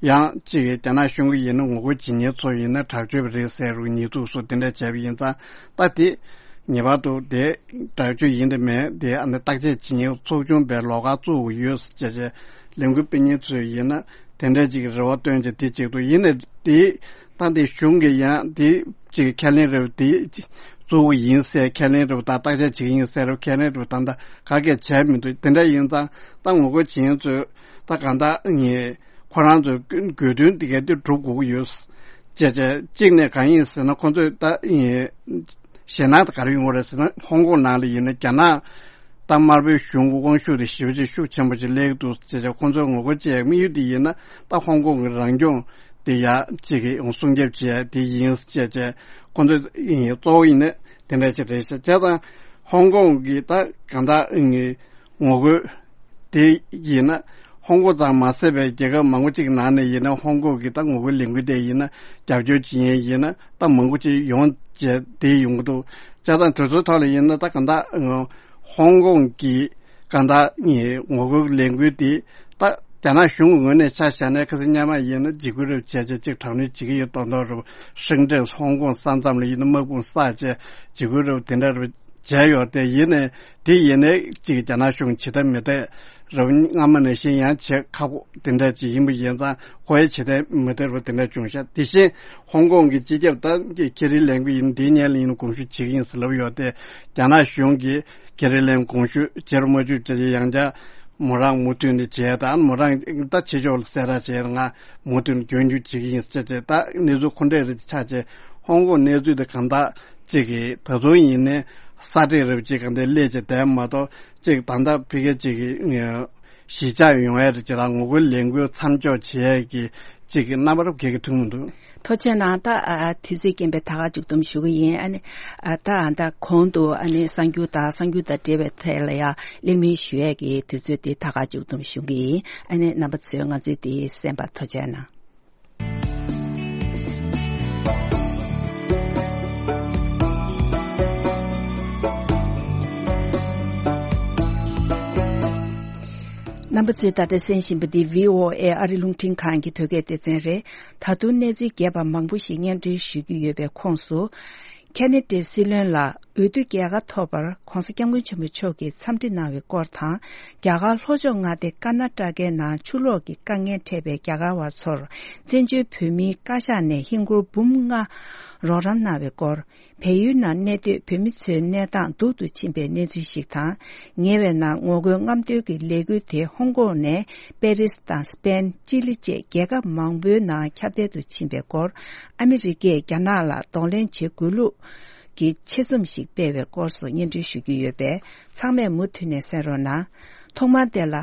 ཡང་གཅིག་རྒྱ་ནག་གཞུང་གི་ཡིན་ན་ངོ་རྒོལ་བྱེད་མཁན་ཚོ་ཡིན་ན་དྲག་སྤྱོད་པ་རེད་ཟེར་རུ་ཉེས་འཛུགས་སུ་དེ་འདྲ་བྱས་པ་ཡིན་ཙང་ད་དེ། ངེས་པར་དུ་དེ་དྲག་སྤྱོད་ཡིན་དེ་མེད་དེ་ཨ་ནི་བརྟག་དཔྱད་བྱེད་མཁན་ཚོགས་ཆུང་པའི་ལོགས་ཀ་བཙུགས་ཡོད་ཟེར་བྱས་ལས་འགུལ་སྤེལ་མཁན་ཚོས་ཡིན་ན་དེ་འདྲ་ཅིག་རེ་བ་བཏོན་བྱས་དེ་ཅིག་ཏུ་ཡིན་ནའི་དེ་ད་དེ་གཞུང་གིས་ཡང་དེ་ཅིག་ཁས་ལེན་རེ་བ་དེ་བཙུགས་ཡིན་ཟེར་ཁས་ལེན་རེ་བ་དང་བརྟག་དཔྱད་བྱེད་ཀྱི་ཡིན་ཟེར་རེ་བ་ཁས་ལེན་རེ་བ་དང་ད་ག་གས་བྱས་མི་འདུག་དེ་འདྲ་ཡིན་ཙང་ད་ངོ་རྒོལ་བྱེད་མཁན་ཚོས་ད་གང་ལྟར་ངས། ཁོ་རང་ཚོའི་དགོས་འདུན་དེ་གའི་དེ་སྒྲུབ་དགོས་ཀྱི་ཡོད། ཅེས་བྱས་གཅིག་ནས་གང་ཡིན་ཟེར་ན་ཁོ་ཚོས་ད་ཡིན། ཞེད་སྣང་དེ་ག་རེ་ཡོང་གི་རེད་ཟེར་ན་ཧོང་ཀོང་ནང་ལ་ཡིན་ན་རྒྱ་ནག་ད་དམར་པོའི་གཞུང་གི་དབང་ཤུགས་དེ་ཞེ་པོ་ཅིག་ཤུགས་ཆེན་པོ་ཅིག་སླེབས་ཀྱི་འདུག་ཅེས་བྱས་ཁོ་ཚོས་ངོ་རྒོལ་བྱེད་ཡག་དམིགས་ཡུལ་དེ་ཡིན་ན་ད་ཧོང་ཀོང་གི་རང་སྐྱོང་དེ་ཡག་ཅིག་གི་སྲུང་སྐྱོབ་བྱེད་ཡག་དེ་ཡིན་ཅེས་བྱས་ཁོ་ཚོས་ཡིན་གཙོ་བོ་ཡིན་ན་དེ་འདྲ་ཅིག་རེད་ཤག་བྱས་ཙང་ཧོང་ཀོང་གི་ད་གང་ལྟར་ངོ་རྒོལ། དེ་ཡིན་ན་ཧོང་ཀོང་ཙམ་མ་ཟད་པའི་རྒྱལ་ཁབ་མང་པོ་ཅིག་ནང་ནས་ཡིན་ན་ཧོང་ཀོང་གི་ད་ངོ་རྒོལ་ལས་འགུལ་དེ་ཡིན་ན་རྒྱབ་སྐྱོར་བྱེད་མཁན་ཡིན་ན་ད་མང་པོ་ཅིག་ཡོང་བྱས་དེ་ཡོང་གི་འདུག་བྱས་ཙང་དེ་ཚོའི་ཐོག་ལ་ཡིན་ན་ད་གང་ལྟར་ཧོང་ཀོང་གི་གང་ལྟར་ངོ་རྒོལ་ལས་འགུལ་དེ་ད་རྒྱ་ནག་གཞུང་གི་ངོས་ནས་ཆ་བཞག་ན་ཁ་སང་སྔོན་མ་ཡིན་ན་འཇིགས་སྐུལ་རེ་བྱས་བྱས་ཅིག་དྲག་གནོན་བྱེད་ཀྱི་ཡོད་མདོག་མདོག་རེད། ཧྲིན་ཀྲེན་ཧོང་ཀོང་ས་མཚམས་ལ་ཡིན་ན་དམག་དཔུང་བསགས་བྱས་འཇིགས་སྐུལ་རེ་དེ་འདྲ་རེ། བྱས་ཡོད་དེ་ཡིན་ནའི་དེ་ཡིན་ནའི་གཅིག་རྒྱ་ནག་གཞུང་ཇི་ལྟར་མི་ལྟར་རབ་སྔ་མ་ནང་བཞིན་ཡང་བྱེད་ཁག་པོ་དེ་འདྲ་ཅིག་ཡིན་པ་ཡིན་ཙང་ཁོ་ཡ་ཇི་ལྟར་མི་ལྟར་རུ་དེ་འདྲ་བྱུང་ཤག་དེ་བཞིན་ཧོང་ཀོང་གི་སྤྱི་ཁྱབ་ད་ཀེ་རི་ལེམ་གྱིས་ཡིན་དེའི་སྔོན་ལ་ཡིན་དགོངས་ཞུ་བྱེད་ཀྱི་ཡིན་ཟེར་ལབ་ཡོད་དེ་རྒྱ་ནག་གཞུང་གིས་ཀེ་རི་ལེམ་དགོངས་ཞུ་བྱེད་རུ་མ་བཅུག་བྱས་ཡང་བསྐྱར་མོ་རང་མུ་མཐུད་ནས་བྱས་དང་མོ་རང་ད་ཕྱི་ཕྱོགས་ལ་གསལ་བསྒྲགས་བྱས་ང་མུ་མཐུད་ནས་རྒྱུན་སྐྱོང་བྱེད་ཀྱི་ཡིན་ཟེར་བྱས་ད་གནས་ཚུལ་ཁོ་འདྲ་རེ་ཆགས་བྱས་ཧོང་ཀོང་གནས་ཚུལ་དེ་གང་ལྟར། གཅིག་གིས་ད་དུང་ཡིན་ནའི་ས་འདྲེ་རབ་ཅིག་གང་དེ་སླེབས་ཀྱི་བསྡད་མ་གཏོགས་གཅིག་ད་ལྟ་ཕི་གེ་གཅིག་གིས་གཞིས་ཆགས་ཡོང་ཡ་རེད་ཅེས་དང་ངོ་རྒོལ་ལས་འགུལ་མཚམས་འཇོག་བྱེད་ཡ་གི་ གཅིག་གི་རྣམ་པར་བགད་ཀྱི་ཐུག་མི་འདུག་ཐུགས་རྗེ་གནང་། ད་ཨ་དུས་ཚོད་རྐྱེན་པས་ད་ག་མཇུག་བསྡོམས་ཞུ་གི་ཡིན། ཨ་ནི་ཨ་ད་ཨ་ད་གོང་དུ་ཨ་ནི་གསར་འགྱུར་དང་གསར་འགྱུར་དང་འབྲེལ་བའི་ཐད་ལ་ཡང་གླེང་མོལ་ཞུ་ཡས་ཀྱི་དུས་ཚོད་དེ་ད་ག་མཇུག་བསྡོམས་ཞུ་གི་ཡིན། ཨ་ནི་རྣམ་པ་ཚོས་ང་ཚོའི་དེ་གསན་པར་ཐུགས་རྗེ་གནང་། རྣམ་པ་ཚོས་ད་ལྟ་གསན་བཞིན་པ་འདི་བྷི་ཨོ་ཨེ་ཨ་རི་རླུང་འཕྲིན་ཁང་གི་བོད་སྐད་སྡེ་ཚན་རེད། ད་དུང་གནས་ཚུལ་རྒྱས་པ་མང་པོ་ཞིག་སྙན་སྒྲོན་ཞུ་རྒྱུ་ཡོད་པའི་ཁོངས་སུ། ཁེ་ན་ཌའི་སྲིད་བློན་ལ་འོས་བསྡུ་རྒྱལ་ཁ་ཐོབ་པར་༧གོང་ས་༧སྐྱབས་མགོན་ཆེན་པོ་མཆོག་གིས་འཚམས་འདྲི་གནང་བའི་སྐོར་དང་། རྒྱ་གར་ལྷོ་ཕྱོགས་མངའ་སྡེ་ཀར་ན་ཊ་ཀའི་ནང་ཆུ་ལོག་གི་དཀའ་ངལ་འཕྲད་པའི་རྒྱ་གར་བ་ཚོར་བཙན་བྱོལ་བོད་མིའི་བཀའ་ཤག་ནས་ཧིན་སྒོར་འབུམ་ལྔ་རོགས་རམ་གནང་བའི་སྐོར། བལ་ཡུལ་ནང་གནས་སྡོད་བོད་མི་ཚོའི་གནས་སྟངས་སྡུག་ཏུ་ཕྱིན་པའི་གནས་ཚུལ་ཞིག་དང་། ཉེ་བའི་ནང་ངོ་རྒོལ་རྔམ་སྟོན་གྱི་ལས་འགུལ་དེ་ཧོང་ཀོང་ནས་པེ་རིས་དང་སི་པེན། ཅི་ལི་བཅས་རྒྱལ་ཁབ་མང་པོའི་ནང་ཁྱབ་གདལ་དུ་ཕྱིན་པའི་སྐོར། ཨ་མི་རི་ཀས་རྒྱ་ནག་ལ་གདོང་ལེན་བྱེད་དགོས་ལུགས་ཀྱི་ཆེད་རྩོམ་ཞིག་སྤེལ་བའི་སྐོར་སོགས་སྙན་སྒྲོན་ཞུ་རྒྱུ་ཡོད་པས། ཚང་མས་མུ་མཐུད་ནས་གསན་རོགས་གནང་། ཐོག་མར་དེ་ལ།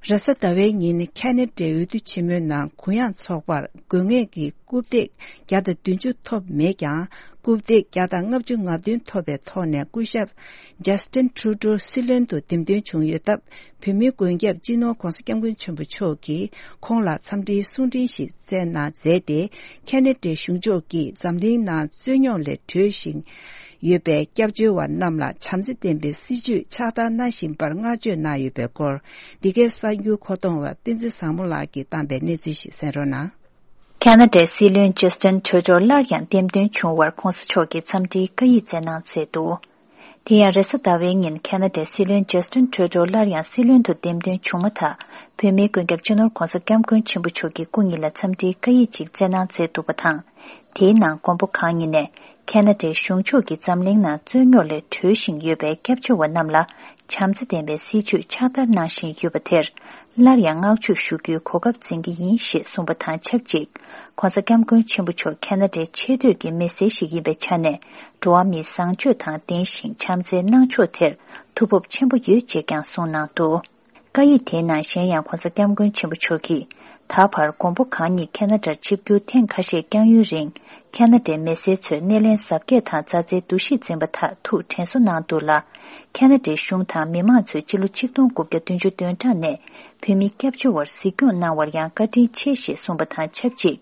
རེས་གཟའ་ཟླ་བའི་ཉིན་ཁེ་ན་ཌའི་འོས་བསྡུ་ཆེན་མོའི་ནང་གུ་ཡངས་ཚོགས་པར་དགོས་ངེས་ཀྱི་རྐུབ་སྟེགས་བརྒྱ་དང་བདུན་ཅུ་ཐོབ་མེད་ཀྱང་། རྐུབ་སྟེགས་བརྒྱ་དང་ལྔ་བཅུ་ང་བདུན་ཐོབ་པའི་ཐོག་ནས་སྐུ་ཞབས་ཇ་སི་ཊིན་ཊུ་རུ་ཌོ་སྲིད་བློན་དུ་འདེམས་ཐོན་བྱུང་ཡོད་སྟབས། བོད་མིའི་མགོན་སྐྱབས་སྤྱི་ནོར་༧གོང་ས་༧སྐྱབས་མགོན་ཆེན་པོ་མཆོག་གིས་ཁོང་ལ་འཚམས་འདྲིའི་གསུང་འཕྲིན་ཞིག་བསྩལ་གནང་མཛད་དེ། ཁེ་ན་ཌའི་གཞུང་ཕྱོགས་ཀྱིས་འཛམ་གླིང་ནང་རྩོད་རྙོག་ལས་གྲོལ་བཞིན་ཡོད་པའི་སྐྱབས་བཅོལ་བ་རྣམས་ལ་བྱམས་བརྩེ་ལྡན་པའི་སྲིད་བྱུས་ཕྱག་བསྟར་གནང་བཞིན་པར་བསྔགས་བརྗོད་གནང་ཡོད་པའི་སྐོར། འདི་གའི་གསར་འགྱུར་མཁོ་གཏོང་བ་བསྟན་འཛིན་བཟང་མོ་ལགས་ཀྱིས་བཏང་པའི་གནས་ཚུལ་ཞིག་གསན་རོགས་གནང་། ཁེ་ན་ཌའི་སྲིད་བློན་ཇ་སི་ཊིན་ཊུ་རུ་ཌོ་སླར་ཡང་འདེམས་ཐོན་བྱུང་བར་༧གོང་ས་མཆོག་གིས་འཚམས་འདྲིའི་བཀའ་ཡིག་བསྩལ་གནང་མཛད་འདུག་དེ་ཡང་རེས་གཟའ་ཟླ་བའི་ཉིན་ཁེ་ན་ཌའི་སྲིད་བློན་ཇ་སི་ཊིན་ཊུ་རུ་ཌོ་སླར་ཡང་སྲིད་བློན་དུ་འདེམས་ཐོན་བྱུང་མ་ཐག་བོད་མིའི་མགོན་སྐྱབས་སྤྱི་ནོར་༧གོང་ས་༧སྐྱབས་མགོན་ཆེན་པོ་མཆོག་གིས་སྐུ་ཉིད་ལ་འཚམས་འདྲིའི་བཀའ་ཡིག་ཅིག་བསྩལ་གནང་མཛད་འདུག་པ་དང་། དེའི་ནང་མགོན་པོ་གང་ཉིད་ནས་ཁེ་ན་ཌའི་གཞུང་ཕྱོགས་ཀྱིས་འཛམ་གླིང་ནང་རྩོད་རྙོག་ལས་གྲོལ་བཞིན་ཡོད་པའི་སྐྱབས་བཅོལ་བ་རྣམས་ལ་བྱམས་བརྩེ་ལྡན་པའི་སྲིད་བྱུས་ཕྱག་བསྟར་གནང་བཞིན་ཡོད་པ་དེར་སླར་ཡང་བསྔགས་བརྗོད་ཞུ་རྒྱུའི་གོ་སྐབས་འཛིན་གྱི་ཡིན་ཞེས་གསུངས་པ་དང་ཆབས་ཅིག ༸གོང་ས་༸སྐྱབས་མགོན་ཆེན་པོ་མཆོག་ཁེ་ན་ཌའི་ཆེས་མཐོའི་གི་མི་སེར་ཞིག་ཡིན་པའི་ཆ་ནས། འགྲོ་བ་མིའི་བཟང་སྤྱོད་དང་ལྡན་ཞིང་བྱམས་བརྩེའི་གནང་ཕྱོགས་དེར་ཐུགས་ཕོབ་ཆེན་པོ་ཡོད་ཅེས་ཀྱང་གསུངས་གནང་འདུག་བཀའ་ཡིག་དེའི་ནང་གཞན་ཡང་༸གོང་ས་༸སྐྱབས་མགོན་ཆེན་པོ་མཆོག་གིས། ད་བར་མགོན་པོ་གང་ཉིད་ཁེ་ན་ཌར་ཆིབས་བསྒྱུར་ཐེངས་ཁ་ཤས་བསྐྱངས་ཡུན་རིང་། ཁེ་ན་ཌའི་མི་སེར་ཚོས་སྣེ་ལེན་གཟབ་རྒྱས་དང་མཛའ་བརྩེའི་འདུ་ཤེས་འཛིན་པ་དག་ཐུགས་དྲན་གསོ་གནང་འདུག་ལ། ཁེ་ན་ཌའི་གཞུང་དང་མི་མང་ཚོས་སྤྱི་ལོ་ཆིག་སྟོང་དགུ་བརྒྱ་བདུན་ཅུ་དོན་གྲངས་ནས་བོད་མི་སྐྱབས་བཅོལ་བར་གཟིགས་སྐྱོང་གནང་བར་ཡང་བཀའ་དྲིན་ཆེ་ཞེས་གསུངས་པ་དང་ཆབས་ཅིག་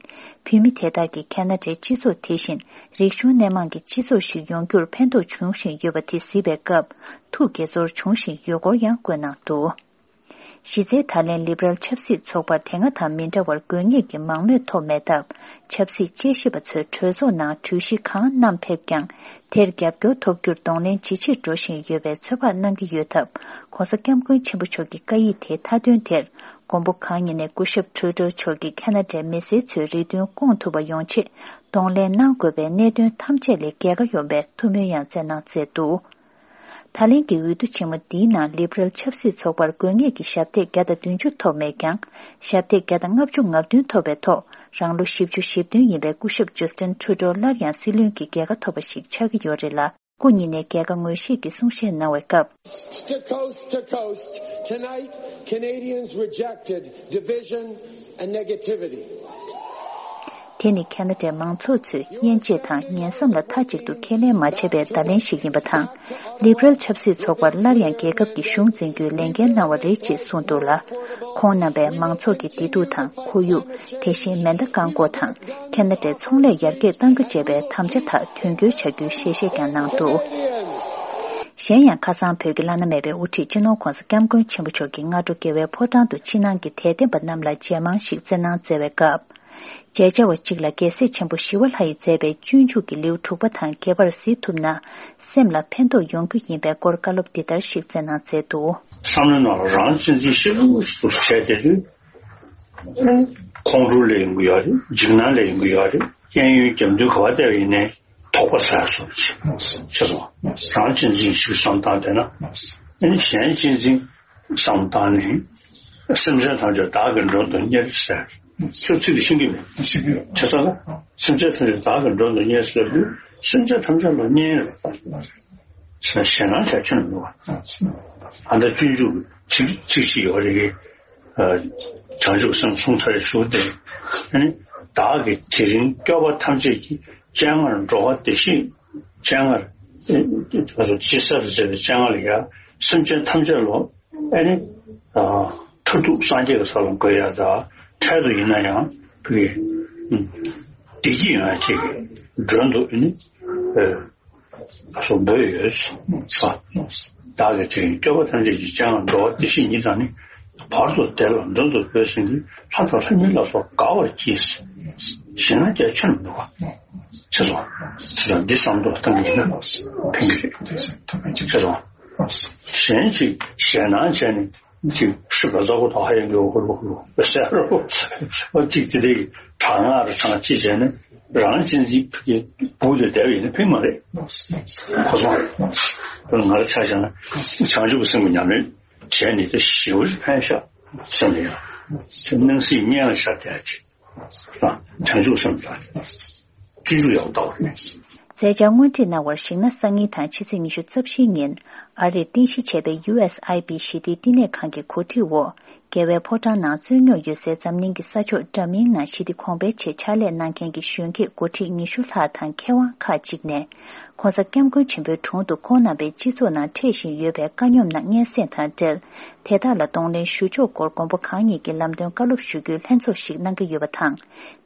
བོད་མི་དེ་དག་གིས་ཁེ་ན་ཌའི་སྤྱི་ཚོགས་དེ་བཞིན་རིག་གཞུང་སྣེ་མང་གི་སྤྱི་ཚོགས་ཤིག་ཡོང་རྒྱུར་ཕན་ཐོགས་འབྱུང་བཞིན་ཡོད་པ་དེ་གཟིགས་པའི་སྐབས་ཐུགས་དགྱེས་ཚོར་བྱུང་བཞིན་ཡོད་སྐོར་ཡང་བཀོད་གནང་འདུག་གཞི་རྩའི་ད་ལན་ལིབ་རལ་ཆབ་སྲིད་ཚོགས་པར་དེ་སྔ་དང་མི་འདྲ་བར་དགོས་ངེས་ཀྱི་མང་མོས་ཐོབ་མེད་སྟབས། ཆབ་སྲིད་དཔྱད་ཞིབ་པ་ཚོས་གྲོས་ཚོགས་ནང་གྲོས་གཞི་གང་བསྣམས་ཕེབས་ཀྱང་། དེར་རྒྱབ་སྐྱོར་ཐོབ་རྒྱུར་གདོང་ལེན་ཇེ་ཆེར་འགྲོ་བཞིན་ཡོད་པའི་ཚོད་དཔག་གནང་གི་ཡོད་སྟབས། ༸གོང་ས་༸སྐྱབས་མགོན་ཆེན་པོ་མཆོག་གི་བཀའ་ཡིག་དེའི་མཐའ་དོན་དེར། མགོན་པོ་གང་ཉིད་ནས་སྐུ་ཞབས་ཊུ་རུ་ཌོ་མཆོག་གིས་ཁེ་ན་ཌའི་མི་སེར་ཚོའི་རེ་འདུན་སྐོང་ཐུབ་པ་ཡོང་ཆེད། གདོང་ལེན་གནང་དགོས་པའི་གནད་དོན་ཐམས་ཅད་ལས་རྒྱལ་ཁ་ཡོང་བའི་ཐུགས་སྨོན་ཡང་བསྩལ་གནང་མཛད་འདུག་ད་ལན་གྱི་འོས་བསྡུ་ཆེན་མོ་འདིའི་ནང་ལིབ་རལ་ཆབ་སྲིད་ཚོགས་པར་དགོས་ངེས་ཀྱི་ཞབས་སྟེགས་བརྒྱ་དང་བདུན་ཅུ་ཐོབ་མེད་ཀྱང་། ཞབས་སྟེགས་བརྒྱ་དང་ལྔ་བཅུ་ང་བདུན་ཐོབ་པའི་ཐོག་རང་ལོ་བཞི་བཅུ་ཞེ་བདུན་ཡིན་པའི་སྐུ་ཞབས་ཇོ་སི་ཊིན་ཊུ་རུ་ཌོ་སླར་ཡང་སྲིད་བློན་གྱི་རྒྱལ་ཁ་ཐོབ་པ་ཞིག་ཆགས་ཀྱི་ཡོད་རེད་ལ། སྐུ་ཉིད་ནས་རྒྱལ་ཁ་ངོས་བཞེས་ཀྱི་གསུང་བཤད་གནང་བའི་སྐབས། To coast to coast, tonight, Canadians rejected division and negativity. དེ་ནི་ཁེ་ན་ཌའི་མང་ཚོགས་ཚོས་དབྱེ་འབྱེད་དང་ངན་བསམ་ལ་མཐའ་གཅིག་ཏུ་ཁས་ལེན་མ་བྱས་པའི་བརྡ་ལན་ཞིག་ཡིན་པ་དང་། ལིབ་རལ་ཆབ་སྲིད་ཚོགས་པར་སླར་ཡང་རྒྱལ་ཁབ་ཀྱི་གཞུང་འཛིན་རྒྱུའི་ལས་འགན་གནང་བ་རེད་ཅེས་གསུངས་འདུག་ལ། ཁོང་རྣམ་པས་མང་ཚོགས་ཀྱི་བདེ་སྡུག་དང་ཁོར་ཡུག་དེ་བཞིན་མེ་མདའ་བཀག་འགོག་དང་ཁེ་ན་ཌའི་ཚོང་ལས་ཡར་རྒྱས་གཏང་རྒྱུ་བཅས་པའི་དམ་བཅའ་དག་དོན་འཁྱོལ་བྱ་རྒྱུའི་ཞལ་བཞེས་ཀྱང་གནང་འདུག་གཞན་ཡང་ཁ་སང་བོད་ཀྱི་བླ་ན་མེད་པའི་དབུ་ཁྲིད་སྤྱི་ནོར་༸གོང་ས་༸སྐྱབས་མགོན་ཆེན་པོ་མཆོག་གིས་སྔ་དྲོ་རྒྱལ་བའི་ཕོ་བྲང་དུ་ཕྱི་ནང་གི་དད་ལྡན་པ་རྣམས་ལ་མཇལ་མང་ཞིག་བསྩལ་གནང་མཛད་པའི་སྐབས། མཇལ་བཅར་བ་གཅིག་ལ་རྒྱལ་སྲས་ཆེན་པོ་ཞི་བ་ལྷ་ཡིས་མཛད་པའི་སྤྱོད་འཇུག་གི་ལེའུ་དྲུག་པ་དང་རྒྱས་པར་གཟིགས་ཐུབ་ན། སེམས་ལ་ཕན་ཐོགས་ཡོང་རྒྱུ་ཡིན་པའི་སྐོར་བཀའ་སློབ་འདི་ལྟར་ཞིག་བསྩལ་གནང་མཛད་འདུག་བསམ་བློའི་ནང་ལ་རང་གཅེས་འཛིན་ཞེ་པོ་ཞིག་ཏུ་བྱས་བསྡད་དུས། ཁོང་ཁྲོ་ལས་ཡོང་གི་ཡོད་རེད། འཇིགས་སྣང་ལས་ཡོང་གི་ཡོད་རེད། གཡས་གཡོན་རྒྱབ་མདུན་ག་པར་བལྟས་པ་ཡིན་ནའི་དོགས་པ་ཟ་སོང་ཅི། ཤེས་སོང་། རང་གཅེས་འཛིན་ཞིག་བསམ་བཏང་བསྡད་ན། ཨ་ནི་གཞན་གཅེས་འཛིན་བསམ་བཏང་ནས། སེམས་ཅན་ཐམས་ཅད་བདག་གིས་མགྲོན་དུ་གཉེར་ཟེར། ཁྱོད་ཚིག་འདི་ཤེས་ཀྱི་མེད། ཤེས་ཀྱི་ཡོད། བྱས་ཙང་ན། སེམས་ཅན་ཐམས་ཅད་བདག་གིས་མགྲོན་དུ་གཉེར་ཟེར་དུས། སེམས་ཅན་ཐམས་ཅད་ལ་གཉེར་ཡོད་པ་རེད། ཞེད་སྣང་བྱ་ཁྱོན་མི་འདུག་བ། ཨ་ད་སྤྱོད་འཇུག་གི་ཚིག་ཚིག་ཅིག་ཡོད་རེད། ཨ། བྱང་ཆུབ་སེམས་གསུང་ཚར་ཞུ་སྟེ། ཨ་ནི་བདག་གིས་དེ་རིང་སྐྱོབ་པ་ཐམས་ཅད་ཀྱི། སྤྱན་སྔར་འགྲོ་བ་བདེ་གཤེགས་སྤྱན་སྔར། ཨ་ཅི་ས་རུ་ཅི་སྤྱན་སྔར་ཡ། སེམས་ཅན་ཐམས་ཅད་ལོ། ཨ་ནི། ཨ། མཐར་ཐུག་སངས་རྒྱས་ཀྱི་ས་ལ་འགོད་ཡ་ད། འཕྲལ་དུ་ཡིན་ན་ཡང་བུ་གི། ཨ། བདེ་སྐྱིད་ཡོང་ཡ་ཅིག་གི་མགྲོན་དུ་ཨ་ནི། ཨ། སོགས་འབོད་ཡོད་ས། བདག་གིས་དེ་རིང་སྐྱོབ་པ་ཐམས་ཅད་ཀྱི་སྤྱན་སྔར་འགྲོ་བ་བདེ་གཤེགས་ཉིད་དང་ནི། བར་དུ་བདེ་ལ་མགྲོན་དུ་བོས་ཟིན་གྱི། ལྷ་དང་ལྷ་མིན་ལ་སོགས་དགའ་བར་གྱིས། ཞེ་ན་རྒྱ་ཆེར་འདུག་ག་ཆེ་སོང་། ཆེ་སོང་། འདི་བསམ་བློ་བཏང་གི་ཡིན་ན་ཕན་གྱི་རེད། ཆེ་སོང་། གཞན་ཅིག་ཞེད་སྣང་བྱས་ནས་ཅིག་ཤི་བ་ཟ་གོ་ཐོག་ཧ་ཡང་གི་འོ་ལོ་ལོ་ཟེར་རོ། ཅིག་དེ་དེ་གྲང་ངར་གྲང་ཅི་བྱས་ནས་རང་གཅེས་འཛིན་གྱི་སྦུག་ཏུ་བསྡད་པ་ཡིན་ན་ཕན་མ་རེད། གོ་སོང་། ང་རང་ཆ་བཞག་ན་བྱང་ཆུབ་སེམས་ཀྱི་ཉམས་ལེན་བྱས་ནས་དེ་ཞེ་པོ་ཅིག་ཕན་ཤག་སེམས་ལ་ཡང་སེམས་སྣང་སྲིད་གཉེན་ལ་ཤར་བསྡད་ཅིག་བྱང་ཆུབ་སེམས་ལ་སྤྱོད་འཇུག་ཡག་པོ་ལྟ་བ་རེད། མཛད་འཆར་སྔོན་ཁྲིད་གནང་བར་གཞིགས་ན། སང་ཉིན་དང་ཕྱི་ཚེས་ཉི་ཤུ་རྩ་བཞིའི་ཉིན་ཨ་རིར་རྟེན་གཞི་བྱས་པའི་ཡུ་ཨེས་ཨའི་པི་ཞི་བདེའི་བསྟི་གནས་ཁང་གི་གོ་སྒྲིག་འོག་རྒྱལ་བའི་ཕོ་བྲང་ནང་རྩོད་རྙོག་ཡོད་སའི་འཛམ་གླིང་གི་ས་ཕྱོགས་འདྲ་མིན་ནང་ཞི་བདེ་གོང་འཕེལ་ཆེད་ཕྱག་ལས་གནང་མཁན་གྱི་གཞོན་སྐྱེས་འགོ་ཁྲིད་ཉི་ཤུ་ལྷག་དང་མཁས་དབང་ཁག་ཅིག་ནས། ྋགོང་ས་ྋསྐྱབས་མགོན་ཆེན་པོའི་དྲུང་དུ་ཁོང་རྣམ་པས་སྤྱི་ཚོགས་ནང་འཕྲད་བཞིན་ཡོད་པའི་དཀའ་རྙོག་རྣམས་སྙན་སེང་དང་འབྲེལ། དེ་དག་ལ་གདོང་ལེན་ཞུ་ཕྱོགས་སྐོར་མགོན་པོ་གང་ཉིད་ཀྱི་ལམ་སྟོན་བཀའ་སློབ་ཞུ་རྒྱུའི་ལྷན་ཚོགས་ཤིག་གནང་གི་ཡོད་པ་དང་།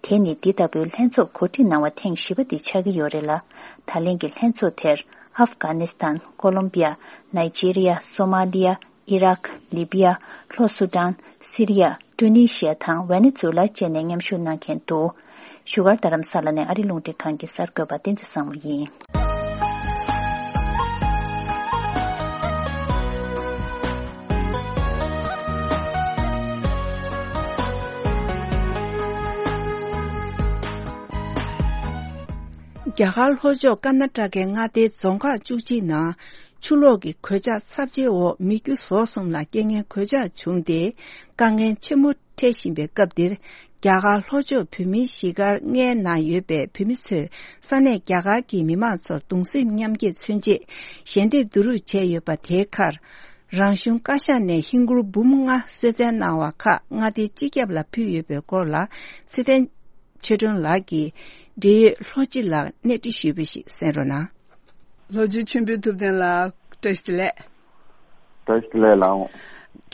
དེ་ནི་འདི་ལྟ་བུའི་ལྷན་ཚོགས་གོ་སྒྲིག་གནང་བ་ཐེངས་བཞི་པ་འདི་ཆགས་ཀྱི་ཡོད་རེད་ལ། ད་ལན་གྱི་ལྷན་ཚོགས་དེར་ཨབ་གྷ་ནི་སི་ཐན། ཀོ་ལོམ་བི་ཡ། ནའི་ཇི་རི་ཡ། སོ་མ་ལི་ཡ། ཨི་རག་ལི་བི་ཡ། ལྷོ་སུ་ཌན། སི་རི་ཡ། ཀྲུ་ནི་ཤི་ཡ་དང་ཝེ་ནེ་ཛུ་ལ་བཅས་ནས་མཉམ་ཞུགས་གནང་མཁན་འདུག་བཞུགས་སྒར་རྡ་རམ་ས་ལ་ནས་ཨ་རི་རླུང་འཕྲིན་ཁང་གི་གསར་འགོད་པ་བསྟན་འཛིན་བཟང་མོ་ཡིན། རྒྱ་གར་ལྷོ་ཕྱོགས་ཀར་ན་ཊ་ཀའི་མངའ་སྡེའི་རྫོང་ཁག་བཅུ་གཅིག་ནང་ཆུ་ལོག་གི་གོད་ཆག་ཚབས་ཆེའི་འོག་མི་རྒྱུ་ཟོག་གསུམ་ལ་རྐྱེན་ངན་གོད་ཆག་བྱུང་སྟེ། དཀའ་ངལ་ཆེན་པོ་འཕྲད་བཞིན་པའི་སྐབས་འདིར། རྒྱ་གར་ལྷོ་ཕྱོགས་བོད་མིའི་གཞིས་སྒར་ལྔའི་ནང་ཡོད་པའི་བོད་མི་ཚོས་ས་གནས་རྒྱ་གར་གྱི་མི་མང་ཚོར་གདུང་སེམས་མཉམ་སྐྱེད་མཚོན་ཆེད་ཞལ་འདེབས་བསྡུ་རུབ་བྱས་ཡོད་པ། དེའི་ཁར། རང་གཞུང་བཀའ་ཤག་ནས་ཧིན་སྒོར་འབུམ་ལྔ་གསོལ་སྩལ་གནང་བ་ཁག་མངའ་སྡེའི་སྤྱི་ཁྱབ་ལ་ཕུལ་ཡོད་པའི་སྐོར་ལ། ཚེ་བརྟན་ཆོས་སྒྲོན་ལགས་ཀྱིས་འབྲེལ་ཡོད་ལྷོ་སྤྱི་ལ་གནས་འདྲི་ཞུས་པ་ཞིག་གསན་རོགས་གནང་། ལྷོ་སྤྱི་མཆོད་འབུལ་ཐུབ་བསྟན་ལགས། བཀྲ་ཤིས་བདེ་ལེགས། བཀྲ་ཤིས་བདེ་ལེགས་ལགས།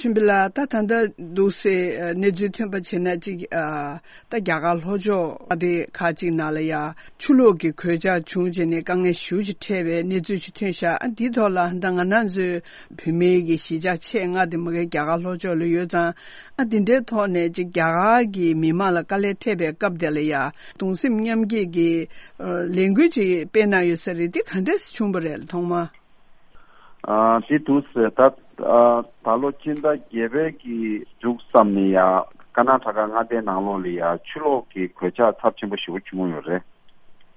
མཆོད་འབུལ་ལགས། ད་ད་ལྟ་འདུག་སེ་གནས་ཚུལ་ཐོན་པ་བྱས་ན་ཅིག་ཨ། ད་རྒྱ་གར་ལྷོ་ཕྱོགས་མངའ་སྡེ་ཁག་ཅིག་ནང་ལ་ཡ་ཆུ་ལོག་གི་གོད་ཆག་བྱུང་བྱས་ནས་དཀའ་ངལ་ཞེ་པོ་ཅིག་འཕྲད་པའི་གནས་ཚུལ་ཞིག་ཐོན་ཤག་ཨ། འདིའི་ཐོག་ལ་ད་ང་རང་ཚོའི་བོད་མིའི་གི་གཞིས་ཆགས་ཆེད་མངའ་སྡེ་མ་གི་རྒྱ་གར་ལྷོ་ཕྱོགས་ལ་ཡོད་ཙང་། ཨ། འདི་འདྲའི་ཐོག་ནས་ཅིག་རྒྱ་གར་གྱི་མི་མང་ལ་དཀའ་ལས་འཕྲད་པའི་སྐབས་དེ་ལ་ཡ་གདུང་སེམས་མཉམ་སྐྱེད་ཀྱི་ལས་འགུལ་ཅིག་སྤེལ་གནང་ཡོད་ས་རེད། འདི་ག་འདྲས་བྱུང་བ་རེད་ཐོག་མ། ཨ། དེ་འདུག་ཟེར། ད་ཨ། ད་ལོ་སྤྱི་ཟླ་བརྒྱད་པའི་གི་མཇུག་ཙམ་ནས་ཡ་ཀར་ན་ཊ་ཀ་མངའ་སྡེའི་ནང་ལོགས་ལ་ཡ་ཆུ་ལོག་གི་གོད་ཆག་ཚབས་ཆེན་པོ་ཞེ་པོ་བྱུང་ཡོད་རེད།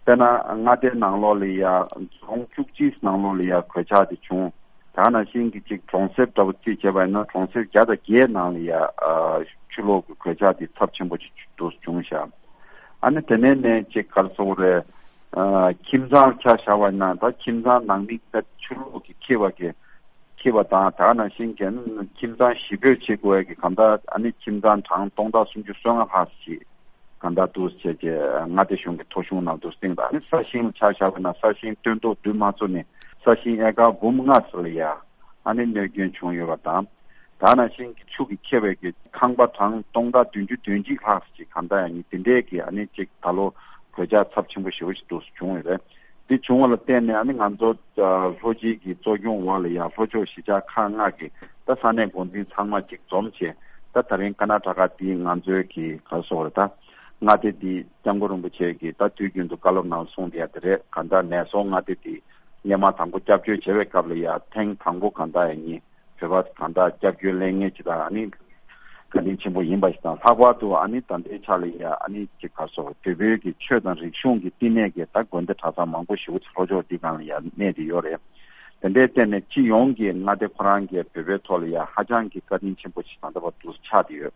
དཔེར་ན་མངའ་སྡེའི་ནང་ལོགས་ལ་ཡ་རྫོང་བཅུ་གཅིག་ནང་ལོགས་ལ་ཡ་གོད་ཆག་དེ་བྱུང་། ད་ནང་བཞིན་གྱི་ཅིག་གྲོང་གསེབ་འདྲ་པོ་རྩིས་བྱས་པ་ཡིན་ན་གྲོང་གསེབ་བརྒྱ་དང་བརྒྱད་ནང་ལ་ཡ་ཨ། ཆུ་ལོག་གི་གོད་ཆག་དེ་ཚབས་ཆེན་པོ་ཅིག་འདུག་བྱུང་ཤག་ཨ་ནི་དེ་ནས་ནས་ཅིག་ག་རེ་ཟེར་དགོས་རེད། ཨ། ཁྱིམ་ཚང་ཆ་བཞག་པ་ཡིན་ན་ད་ཁྱིམ་ཚང་ནང་མི་ད་ཆུ་ལོག་གིས་ཁྱེར་བ་གི་ཁྱེར་བ་དང་། ད་ནང་བཞིན་གྱི་ཁྱིམ་ཚང་བཞི་པོས་བྱེད་དགོས་ཀྱི་གང་ལྟར་ཨ་ནི་ཁྱིམ་ཚང་གྲངས་སྟོང་ཕྲག་སུམ་ཅུ་སོ་ལྔ་ལྷག་ཞིག་གང་ལྟར་འདུག་བྱས་རྗེས་མངའ་སྡེ་གཞུང་གི་ཐོ་གཞུང་ནང་དུ་བཏིང་། ད་ཨ་ནི་ས་ཞིང་ཆ་བཞག་པ་ཡིན་ན་ས་ཞིང་སྟོན་ཐོག་བསྡུ་མ་ཚུགས་ནས་ས་ཞིང་ཨེ་ཀར་འབུམ་ལྔ་ཙམ་ལ་ཡ་ཨ་ནི་གནོད་སྐྱོན་བྱུང་ཡོད་པ་དང་། ད་ནང་བཞིན་གྱི་ཆུ་གིས་ཁྱེར་བའི་གི་ཁང་པ་གྲངས་སྟོང་ཕྲག་བདུན་ཅུ་དོན་གཅིག་ལྷག་ཅིག་གང་ལྟར་ཡང་ནི་དེ་འདྲའི་གི་ཨ་ནི་ཅིག་ད་ལོ་གོད་ཆག་ཚབས་ཆེན་པོ་ཞེ་པོ་ཞིག་འདུག་བྱུང་ཡོད་རེད། འདི་བྱུང་བ་ལ་བརྟེན་ནས་ཨ་ནི་ང་ཚོ་ལྷོ་སྤྱི་གི་གཙོ་སྐྱོང་འོག་ལ་ཡ་ལྷོ་ཕྱོགས་གཞིས་ཆགས་ཁག་ལྔ་གི་ད་ས་གནས་འགོ་འཛིན་ཚང་མ་ཅིག་འཛོམས་བྱས། ད་ད་རིང་ཀར་ན་ཊ་ཀ་འདི་ང་ཚོའི་གི་ག་རེ་ཟེར་དགོས་རེད། ད་མངའ་སྡེ་འདི་སྐྱབས་མགོན་རིན་པོ་ཆེ་གིས་ད་དུས་རྒྱུན་དུ་བཀའ་སློབ་ནང་གསུངས་བསྡད་ཡ་དེ་རེད། གང་ལྟར་ནས་སོང་མངའ་སྡེ་འདི་སྔོན་མ་དང་པོ་སྐྱབས་བཅོལ་བྱེད་པའི་སྐབས་ལ་ཡ་ཐེངས་དང་པོ་གང་ལྟར་ཡ་ནི་བོད་པ་གང་ལྟར་སྐྱབས་བཅོལ་སླེབས་མཁན་ཅིག་དང་ཨ་ནི་བཀའ་དྲིན་ཆེན་པོ་ཡིན་པ་ཞིག་དང་། ལྷག་པར་དུ་ཨ་ནི་ད་ལྟའི་ཆ་ལ་ཡ་ཨ་ནི་ཅིག་ག་རེ་ཟེར་དགོས། བོད་པའི་གི་ཆོས་དང་རིག་གཞུང་གི་བསྟི་གནས་ཀྱི་ད་དགོན་སྡེ་གྲྭ་ཚང་མང་པོ་ཞིག་ལྷོ་ཕྱོགས་འདི་སྒང་ལ་ཡ་གནས་བསྡད་ཡོད་རེད། དེ་འདྲའི་སྟེང་ནས་སྤྱི་ཡོངས་ཀྱི་མངའ་སྡེ་ཁོ་རང་གི་བོད་པའི་ཐོག་ལ་ཡ་ཧ་ཅང་གི་བཀའ་དྲིན་ཆེན་པོ་ཞིག་ད་ལྟ་བར་དུ་ཆགས་བསྡད་ཡོད།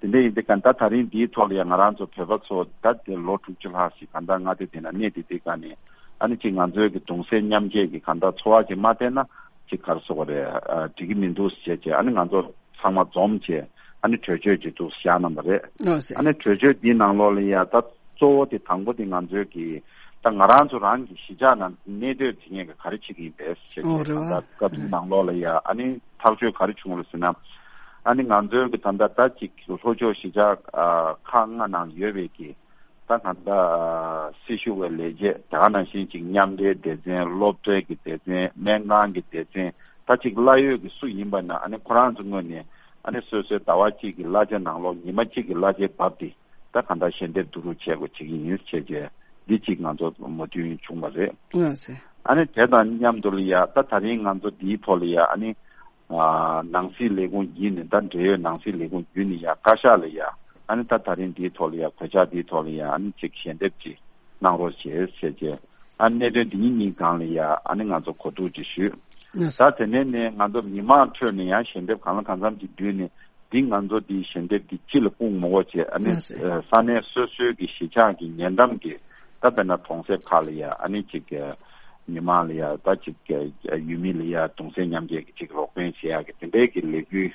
དེ་འདྲ་ཡིན་དུས་གང་ལྟར་ད་རིང་འདིའི་ཐོག་ལ་ཡང་ང་རང་ཚོ་བོད་པ་ཚོ་ད་དེ་ལོ་དྲུག་ཅུ་ལྷག་ཞིག་གང་ལྟར་མངའ་སྡེ་དེ་ན་གནས་བསྡད་དུས་གང་ནས་ཨ་ནི་ཅིག་ང་ཚོའི་གི་གདུང་སེམས་མཉམ་སྐྱེད་ཀྱི་གང་ལྟར་འཚོ་བ་ཅིག་མ་བསྟེན་ན་ཅིག་ག་རེ་ཟེར་དགོས་རེད། ཨ། འགྲིག་གི་མི་འདུག་ཟེར་བྱས་ཨ་ནི་ང་ཚོ་ཚང་མ་འཛོམས་བྱས་ ཨ་ནི་གྲོས་ཆོད་ཅིག་ཏུ་བཞག་གནང་བ་རེད། ཨོ་ཟེར། ཨ་ནི་གྲོས་ཆོད་འདིའི་ནང་ལོགས་ལ་ཡ་ད་གཙོ་བོ་དེ་དང་པོ་དེ་ང་ཚོའི་གི་ད་ང་རང་ཚོ་རང་གི་གཞིས་ཆགས་ནང་གནས་སྡོད་བྱེད་མཁན་གྱི་ག་རེ་བྱེད་ཀྱི་ཡིན་པས་ཟེར་ཨོ་གྱི་རེད་ད་བ། ལྟ་སྐབས་དེའི་ནང་ལོགས་ལ་ཡ་ཨ་ནི་ཐག་གཅོད་ག་རེ་བྱུང་ལ་ཟེར་ན། ཨ་ནི་ང་ཚོའི་གི་ད་ལྟ་ད་ཅིག་ལྷོ་ཕྱོགས་གཞིས་ཆགས་ཨ་ཁག་ལྔ་ནང་ཡོད་པའི་གི་ད་གང་ལྟར་སྲི་ཞུ་བའི་ལས་བྱེད་དེ་ག་ནང་བཞིན་ཅིག་མཉམ་འབྲེལ་སྡེ་ཚན། སློབ་གྲྭའི་གི་སྡེ་ཚན། སྨན་ཁང་གི་སྡེ་ཚན། ད་ཅིག་གླ་ཡོད་ཀྱི་སུ་ཡིན་པ་ན་ཨ་ནི་ཁོ་རང་ཚོ་ངོས་ནས་ཨ་ནི་སོ་སོའི་ཟླ་བ་གཅིག་གི་གླ་ཆ་ནང་ལོགས་ཉི་མ་གཅིག་གི་གླ་ཆའི་བབ་དེ་ད་གང་ལྟར་ཞལ་འདེབས་བསྡུ་རུབ་བྱེད་དགོས་བྱེད་ཀྱི་ཡིན་བྱས་རྗེས་འདི་གཅིག་ང་ཚོ་མོས་མཐུན་བྱུང་བ་རེད། ལགས་སེ། ཨ་ནི་དེ་དང་མཉམ་དུ་ལ་ཡ་ད་ད་རིང་ང་ཚོ་འདིའི་ཐོག་ལ་ཡ་ཨ་ནི་ནང་སྲིད་ལས་ཁུངས་བརྒྱུད་ནས་ད་འབྲེལ་ཡོད་ནང་སྲིད་ལས་ཁུངས་བརྒྱུད་ནས་ཡ་བཀའ་ཤག་ལ་ཡ་ཨ་ནི་ད་ད་རིང་འདིའི་ཐོག་ལ་ཡ་གོད་ཆག་འདིའི་ཐོག་ལ་ཡ་ཨ་ནི་ཅིག་ཞལ་འདེབས་ཅིག་གནང་རོགས་བྱེད་ཟེར་བྱས་ཨ་གནད་དོན་འདི་གཉིས་གཉིས་སྒང་ལ་ཡ་ཨ་ནི་ང་ཚོ་གོ་བསྡུར་ཅིག་ཞུས། ད་དེ་ནས་ནས་ང་ཚོ་མི་མང་ཁྲོད་ནས་ཡང་ཞལ་འདེབས་གང་ལ་གང་འཚམ་ཅིག་བསྡུས་ནས་འདི་ང་ཚོ་འདི་ཞལ་འདེབས་འདི་སྤྱི་ལ་སྤུངས་མི་དགོས་བྱས་ཨ་ནི་ལགས་སེ། ས་གནས་སོ་སོའི་གི་གཞིས་ཆགས་ཀྱི་ཉེ་འགྲམ་གྱི་ད་དཔེར་ན་གྲོང་གསེབ་ཁག་ལ་ཡ་ཨ་ནི་ཅིག་མི་མང་ལ་ཡ་ད་ཅིག་ཡུལ་མི་ལ་ཡ་གདུང་སེམས་མཉམ་སྐྱེད་ཀྱི་ཅིག་རོགས་ཕན་བྱེད་ཡག་གི་དེ་འདྲའི་གི་ལས་འགུལ་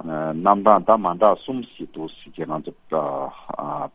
རྣམ་གྲངས་ད་མ་འདྲ་གསུམ་ཞིག་འདུག་ཟེར་བྱས་ང་ཚོ་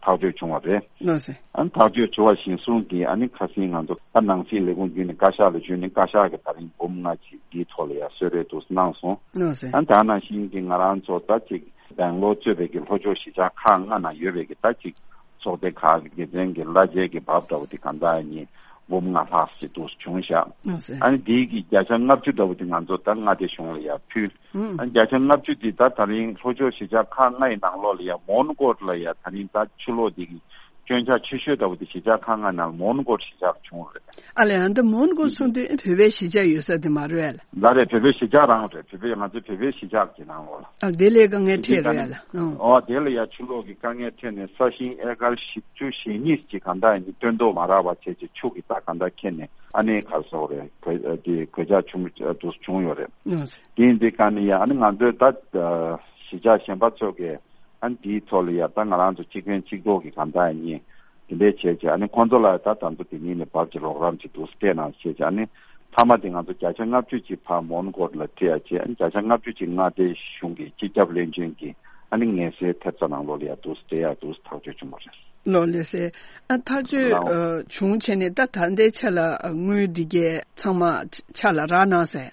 ཐག་གཅོད་བྱུང་བ་རེད། ལགས་སེ། ཨ་ནི་ཐག་གཅོད་བྱུང་བ་གཞིར་བཟུང་གིས་ཨ་ནི་ཁ་སང་ང་ཚོ་ད་ནང་སྲིད་ལས་ཁུངས་བརྒྱུད་ནས་བཀའ་ཤག་ལ་ཞུས་ནས་བཀའ་ཤག་གིས་ད་རིང་འབུམ་ལྔ་ཅིག་འདིའི་ཐོག་ལ་ཡ་གསོལ་རས་འདུག་གནང་སོང་། ལགས་སེ། ཨ་ནི་ད་ནང་བཞིན་གྱི་ང་རང་ཚོ་ད་ཅིག་སྦེང་ལོར་གཙོས་པའི་གི་ལྷོ་ཕྱོགས་གཞིས་ཆགས་ཁག་ལྔ་ནང་ཡོད་པའི་གི་ད་ཅིག་ཚོགས་སྡེ་ཁག་གི་སྡེ་ཚན་གྱི་གླ་ཆའི་གི་བབ་འདྲ་བོ་དེ་གང་ལྟར་ཡིན་འབུམ་ལྔ་ལྷག་ཅིག་འདུག་བྱུང་ཤག་ལགས་སེ། ཨ་ནི་དེའི་གི་བརྒྱ་ཆ་ལྔ་བཅུ་འདྲ་བོ་དེ་ང་ཚོ་ད་མངའ་སྡེ་གཞུང་ལ་ཡ་ཕུལ། ཨུམ། ཨ་ནི་བརྒྱ་ཆ་ལྔ་བཅུ་དེ་ད་ད་རིང་ལྷོ་ཕྱོགས་གཞིས་ཆགས་ཁག་ལྔ་ཡི་ནང་ལོགས་ལ་ཡ་མོན་གྷོ་ལ་ཡ་ད་རིང་ད་ཆུ་ལོག་དེ་གི་སྐྱོན་ཆ་ཆེ་ཤོས་འདྲ་བོ་དེ་གཞིས་ཆགས་ཁག་ལྔ་ནང་མོན་གྷོ་གཞིས་ཆགས་བྱུང་རེད། ཨ་ལས་ཨ་འདི་མོན་གྷོ་གསུང་དུས་བོད་པའི་གཞིས་ཆགས་ཡོད་ས་དེ་མ་རེད་ལ། ལ་རེད། བོད་པའི་གཞིས་ཆགས་རང་རེད། བོད་པའི་ང་ཚོའི་བོད་པའི་གཞིས་ཆགས་ཀྱི་ནང་ལོགས་ལ། ཨ་དེ་ལས་དཀའ་ངལ་འཕྲད་རེད་ལ། ཨོ་དེ་ལ་ཡ་ཆུ་ལོག་གི་དཀའ་ངལ་འཕྲད་ནས་ས་ཞིང་ཨེ་ཀར་བཞི་བཅུ་ཞེ་གཉིས་ཀྱི་གང་ལྟར་ཡིན་སྟོན་ཐོག་མ་རག་པ་བྱས་ཀྱི་ཆུ་གི་རྟགས་གང་ལྟར་ཁྱེར་ནས་ཨ་ནི་གར་སོགས་རེད་གོད་དེ་གོད་ཆག་བྱུང་དུ་བྱུང་ཡོད་རེད། ཨ་དེ་ཡིན་དུས་ཀ་ནས་ཡ་ཨ་ནི་ང་ཚོའི་ད་གཞིས་ཆགས་གཞན་པ་ཚོ་གི་ཨ་ནི་དེའི་ཐོག་ལ་ཡ་ད་ང་རང་ཚོ་གཅིག་ཕན་གཅིག་གྲོགས་ཀྱི་གང་ལྟར་ཡིན། དེ་འདྲའི་བྱས་བྱས་ཨ་ནི་ཁོང་ཚོ་ལ་ད་ད་ཚོ་དེ་ཉིད་ནས་བབ་ཀྱི་རོགས་རམ་ཅིག་འདུག་སྤྲད་གནང་བྱས་བྱས་ཨ་ནི་མཐའ་མ་དེ་ང་ཚོ་བརྒྱ་ཆ་ལྔ་བཅུ་ཅིག་ཕར་མོན་གྷོ་ལ་སྤྲད་ཡ་བྱས་ཨ་ནི་བརྒྱ་ཆ་ལྔ་བཅུ་ཅིག་མངའ་སྡེ་གཞུང་གི་སྤྱི་ཁྱབ་བློན་ཆེན་གྱི་ཨ་ནི་ངལ་སེལ་ཐེབས་རྩ་ནང་ལོགས་ལ་ཡ་འདུག་སྤྲད་ཡ་འདུག་ཐག་གཅོད་བྱུང་བ་རེད། ལགས་ལགས་སེ། ཨ་ཐག་གཅོད་ལའོ། ཨ་བྱུང་བྱས་ནས་ད་ད་ལྟའི་ཆ་ལ་ཨ་དངུལ་འདི་གས་ཚང་མ་ཆ་ལ་རག་གནང་ཟེར།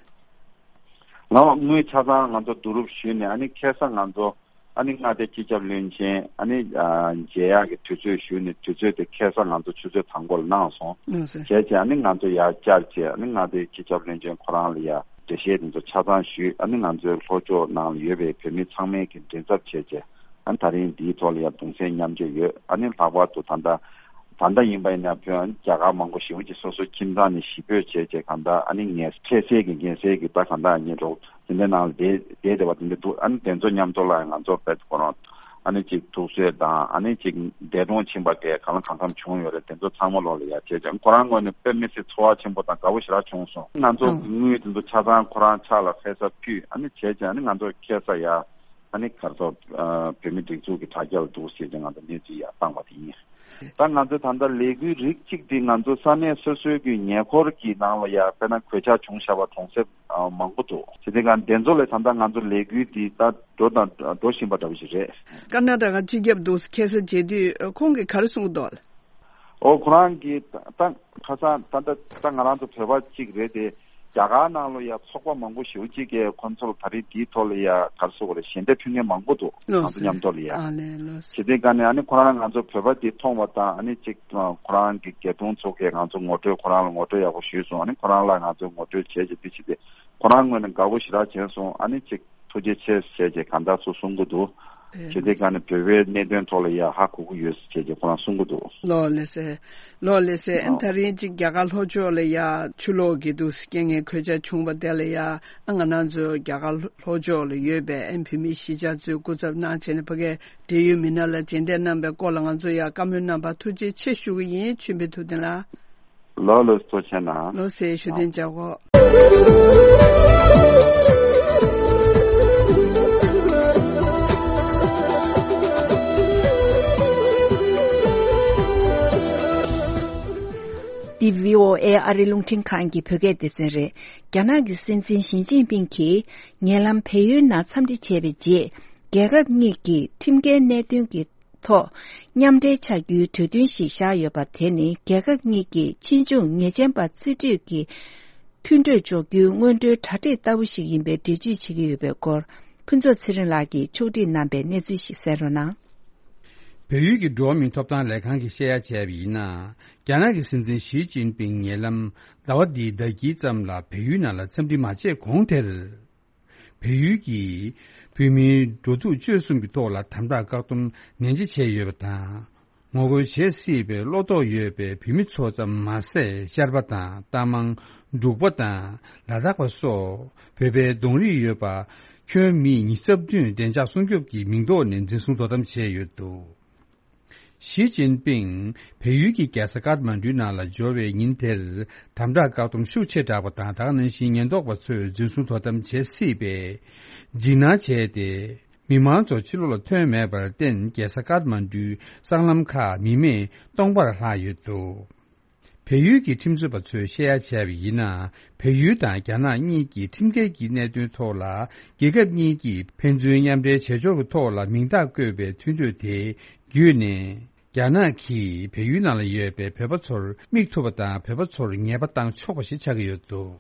ལའོ་དངུལ་ཆ་ཚང་ང་ཚོ་བསྡུ་རུབ་ཞུས་ནས་ཨ་ནི་ཁ་སང་ང་ཚོ་ཨ་ནི་མངའ་སྡེ་སྤྱི་ཁྱབ་བློན་ཆེན་ཨ་ནི་ཨ་མཇལ་ཡག་གི་དུས་ཚོད་ཞུས་ནས་དུས་ཚོད་དེ་ཁ་སང་ང་ཚོ་ཆུ་ཚོད་དང་པོ་ལ་གནང་སོང་། ལགས་སེ། བྱས་བྱས་ཨ་ནི་ང་ཚོ་ཡར་བཅར་བྱས་ཨ་ནི་མངའ་སྡེའི་སྤྱི་ཁྱབ་བློན་ཆེན་ཁོ་རང་ལ་ཡ་འགྲེལ་བཤད་དེ་ཚོ་ཆ་ཚང་ཞུས། ཨ་ནི་ང་ཚོའི་ལྷོ་ཕྱོགས་ནང་ལ་ཡོད་པའི་བོད་མི་ཚང་མས་ཀྱི་མགྲིན་ཚབ་བྱས་བྱས་ཨ་ནི་ད་རིང་འདིའི་ཐོག་ལ་ཡ་གདུང་སེམས་མཉམ་སྐྱེད་ཡོད། ཨ་ནི་ལྷག་པར་དུ་ད་ལྟ་ད་ལྟ་ཡིན་པ་ཡིན་ན་བོད་རྒྱ་གར་མང་པོ་ཞེ་པོ་ཅིག་སོ་སོའི་ཁྱིམ་ཚང་ནས་གཞིས་སྤོས་བྱས་བྱས་གང་ལྟར་ཨ་ནི་ངལ་འཕྲད་སའི་གི་འགན་སའི་གི་ད་གང་ལྟར་ཨ་ནི་རོགས་དེ་འདྲའི་ནང་ལ་བསྡད་བསྡད་བསྡད་པ་དེ་འདྲ་འདུག་ཨ་ནི་དེ་ཚོ་མཉམ་དུ་ལ་ང་ཚོ་བེད་ཁོ་རང་ཨ་ནི་ཅིག་ཐུགས་གསོས་དང་ཨ་ནི་ཅིག་འདས་གྲོངས་ཕྱིན་པ་གས་གང་ལ་གང་འཚམ་བྱུང་ཡོད་རེད། དེ་ཚོ་ཚང་མ་ལོག་ལ་ཡ་བྱས་ཀྱང་ཁོ་རང་ངོས་ནས་དཔེ་མི་སྲིད་ཚོར་བ་ཆེན་པོ་དང་དགའ་པོ་ཞེ་དྲག་བྱུང་སོང་། ང་ཚོ་ཨང་། དངུལ་དེ་ཚོ་ཆ་ཚང་ཁོ་རང་ཕྱག་ལ་ཕེབས་ས་ཕུལ་ཨ་ནི་བྱས་ཀྱང་ཨ་ནི་ང་ཚོ་ཁ་སང་ཡ། ཨ་ནི་གར་སོགས་བོད་མི་སྒྲིག་འཛུགས་ཀྱི་དྲ་རྒྱ་ལ་འདུག་ཟེར་ཏེ་ང་ཚོ་གནས་ཚུལ་ཡར་བཏང་བ་དེ་ཡིན། ད་ང་ཚོ་ད་ལྟ་ལས་འགུལ་རིགས་གཅིག་དེ་ང་ཚོ་ས་གནས་སོ་སོའི་གི་ཉེ་འཁོར་གྱི་ནང་ལ་ཡར་དཔེར་ན་གོད་ཆག་བྱུང་བཞག་པ་གྲོང་གསེབ་མང་པོ་འདུག་བྱས་ཙང་དེ་ཚོ་ལ་ད་ལྟ་ང་ཚོ་ལས་འགུལ་དེ་ད་འགྲོ་དང་འགྲོ་བཞིན་པ་འདྲ་བོ་ཞིག་རེད། ཀར་ནཱ་ཊ་ཀ་སྤྱི་ཁྱབ་འདུག་ཁ་སང་མཇལ་དུས་ཁོང་གིས་ག་རེ་གསུངས་འདུག་ཨོ་ཁོ་རང་གིས་ད་ཁ་སང་ད་ལྟ་ད་ང་རང་ཚོ་བོད་པ་གཅིག་རེད་དེ། རྒྱ་གར་ནང་ལ་ཡ་ཚོགས་པ་མང་པོ་ཞེ་པོ་ཅིག་གིས་ཁོང་ཚོ་ལ་ད་རེས་འདིའི་ཐོག་ལ་ཡ་ག་རེ་ཟེར་དགོས་རེད། ཞལ་འདེབས་ཕུལ་མཁན་མང་པོ་འདུག་ང་ཚོ་མཉམ་དུ་ལ་ཡ། ཨ་ལས་ལོས། བྱས་ཙང་ཨ་ནི་ཁོ་རང་ང་ཚོ་བོད་པ་འདི་མཐོང་བ་དང་ཨ་ནི་ཅིག་ཁོ་རང་གི་སྐྱིད་གྲོང་ཚོ་གིས་ང་ཚོ་ངོ་སྤྲོད་ཁོ་རང་ལ་ངོ་སྤྲོད་ཡག་པོ་ཞུས་སོང་། ཨ་ནི་ཁོ་རང་ལ་ང་ཚོ་ངོ་སྤྲོད་བྱས་ཀྱི་འདི་བྱས་ཏེ་ཁོ་རང་ངོས་ནས་དགའ་པོ་ཞེ་དྲག་བྱས་སོང་། ཨ་ནི་ཅིག་ཐུགས་རྗེ་ཆེ་ཟེར་བྱས་གང་ལྟར་ཚུར་གསུང་གི་འདུག་ཨེ། བྱས་ཙང་ཨ་ནི་བོད་པའི་གནད་དོན་ཐོག་ལ་ཡ་ཧ་གོ་གི་ཡོད་ཟེར་བྱས་ཀྱི་ཁོ་རང་གསུང་གི་འདུག་ལགས་ལགས་སེ། ལགས་ལགས་སེ། ཨ་ནི་ད་རིང་ཅིག་རྒྱ་གར་ལྷོ་ཕྱོགས་ལ་ཡ་ཆུ་ལོག་གི་འདུག་སེ་རྐྱེན་ངན་གོད་ཆག་བྱུང་བ་དེ་ལ་ཡ་ཨ་ང་རང་ཚོ་རྒྱ་གར་ལྷོ་ཕྱོགས་ལ་ཡོད་པའི་ཨ་ནི་བོད་མི་གཞིས་ཆགས་ཚོས་སྐུ་ཚབ་གནང་བྱས་ནས་ཕ་གིའི་འབྲེལ་ཡོད་མི་སྣ་ལ་མཇལ་འཕྲད་གནང་བའི་སྐོར་ལ་ང་ཚོ་ཡ་བཀའ་མོལ་གནང་བར་ཐུགས་རྗེ་ཆེ་ཞུ་གི་ཡིན། ཆོས་འཕེལ་ཐུབ་བསྟན་ལགས། ལགས་ལགས་སོ། ཐུགས་རྗེ་ཆེ་གནང་། ལགས་སེ། ཞུ་དོན་བྱ་གོ། འདི་བྷི་ཨོ་ཨེ་ཨ་རི་རླུང་འཕྲིན་ཁང་གི་བོད་སྐད་སྡེ་ཚན་རེད། རྒྱ་ནག་གི་སྲིད་འཛིན་ཞི་ཅིན་ཕིང་གིས་ཉེ་ལམ་བལ་ཡུལ་ནང་འཚམས་འདྲི་བྱས་པའི་རྗེས། རྒྱལ་ཁབ་གཉིས་ཀྱིས་ཁྲིམས་འགལ་གནད་དོན་གྱི་ཐོག་མཉམ་འབྲེལ་བྱ་རྒྱུའི་གྲོས་མཐུན་ཞིག་བཞག་ཡོད་པ། དེ་ནི་རྒྱལ་ཁབ་གཉིས་ཀྱི་ཕྱིས་འབྱུང་ཉེས་ཅན་པ་རྩིས་སྤྲོད་ཀྱི་མཐུན་གྲོས་འཇོག་རྒྱུའི་སྔོན་འགྲོའི་གྲ་སྒྲིག་ལྟ་བུ་ཞིག་ཡིན་པའི་འགྲེལ་བརྗོད་བྱེད་ཀྱི་ཡོད་པའི་སྐོར། ཕུན་ཚོགས་ཚེ་རིང་ལགས་ཀྱིས་ཕྱོགས་སྒྲིག་གནང་པའི་གནས་ཚུལ་ཞིག་གསན་རོགས་གནང་། བལ་ཡུལ་གྱི་འགྲོ་བ་མིའི་ཐོབ་ཐང་ལས་ཁང་གིས་བཤད་ཡ་བྱས་པ་ཡིན་ན། རྒྱ་ནག་གི་སྲིད་འཛིན་ཞི་ཅིན་ཕིང་ཉེ་ལམ་ཟླ་བ་འདིའི་ཟླ་དཀྱིལ་ཙམ་ལ་བལ་ཡུལ་ནང་ལ་འཚམས་འདྲི་མ་བྱས་གོང་དེར། བལ་ཡུལ་གྱིས་བོད་མིའི་འགྲོ་འདུག་སྤྱོད་གསུམ་གྱི་ཐོག་ལ་དམ་དྲག་བཀག་སྡོམ་ནན་ཆེ་བྱས་ཡོད་པ་དང་། ངོ་རྒོལ་བྱེད་སྲིད་པའི་བློ་དོགས་ཡོད་པའི་བོད་མི་ཚོ་ཙམ་མ་ཟད། ཤར་པ་དང་རྟ་མང་། འབྲུག་པ་དང་ལ་དྭགས་པ་སོགས་བོད་པའི་གདོང་རིས་ཡོད་པ། ཁྱོན་མི་ཉི་ཤུ་རྩ་བདུན་བདེ་འཇགས་སྲུང་སྐྱོབ་ཀྱི་མིང་ཐོག་ནས་འཛིན་བཟུང་དོ་དམ་བྱས་ཡོད་འདུག། ཞི་ཅིན་ཕིང་བལ་ཡུལ་གྱི་རྒྱལ་ས་ཀཏ་མན་ཌུ་ནང་ལ་འབྱོར་བའི་ཉིན་དེར། དམ་དྲག་བཀག་སྡོམ་ཤུགས་ཆེ་དྲགས་པ་དང་། ད་ག་ནང་བཞིན་ཉེན་རྟོག་པ་ཚོས་འཛིན་བཟུང་དོ་དམ་བྱེད་སྲིད་པའི་འཇིགས་སྣང་བྱས་ཏེ། མི་མང་ཚོ་ཕྱི་ལོགས་ལ་ཐོན་མེད་པར་བརྟེན། རྒྱལ་ས་ཀཏ་མན་ཌུའི་སྲང་ལམ་ཁག་མི་མེད་སྟོང་པར་ལྷག་ཡོད་འདུག། བལ་ཡུལ་གྱི་ཁྲིམས་རྩོད་པ་ཚོས་བཤད་ཡ་བྱས་པ་ཡིན་ན། བལ་ཡུལ་དང་རྒྱ་ནག་གཉིས་ཀྱིས་ཁྲིམས་འགལ་གྱི་གནད་དོན་ཐོག་ལ། རྒྱལ་ཁབ་གཉིས་ཀྱིས་ཕན་ཚུན་མཉམ་འབྲེལ་བྱེད་ཕྱོགས་ཀྱི་ཐོག་ལ་མིང་རྟགས་བཀོད་པའི་མཐུན་གྲོས་དེ་བརྒྱུད་ནས། རྒྱ་ནག་གིས་བལ་ཡུལ་ནང་ལ་ཡོད་པའི་བོད་པ་ཚོར་མིག་ཐུབ་པ་དང་། བོད་པ་ཚོར་ཉེས་པ་བཏང་ཆོག་པ་ཞིག་ཆགས་ཀྱི་ཡོད་འདུག།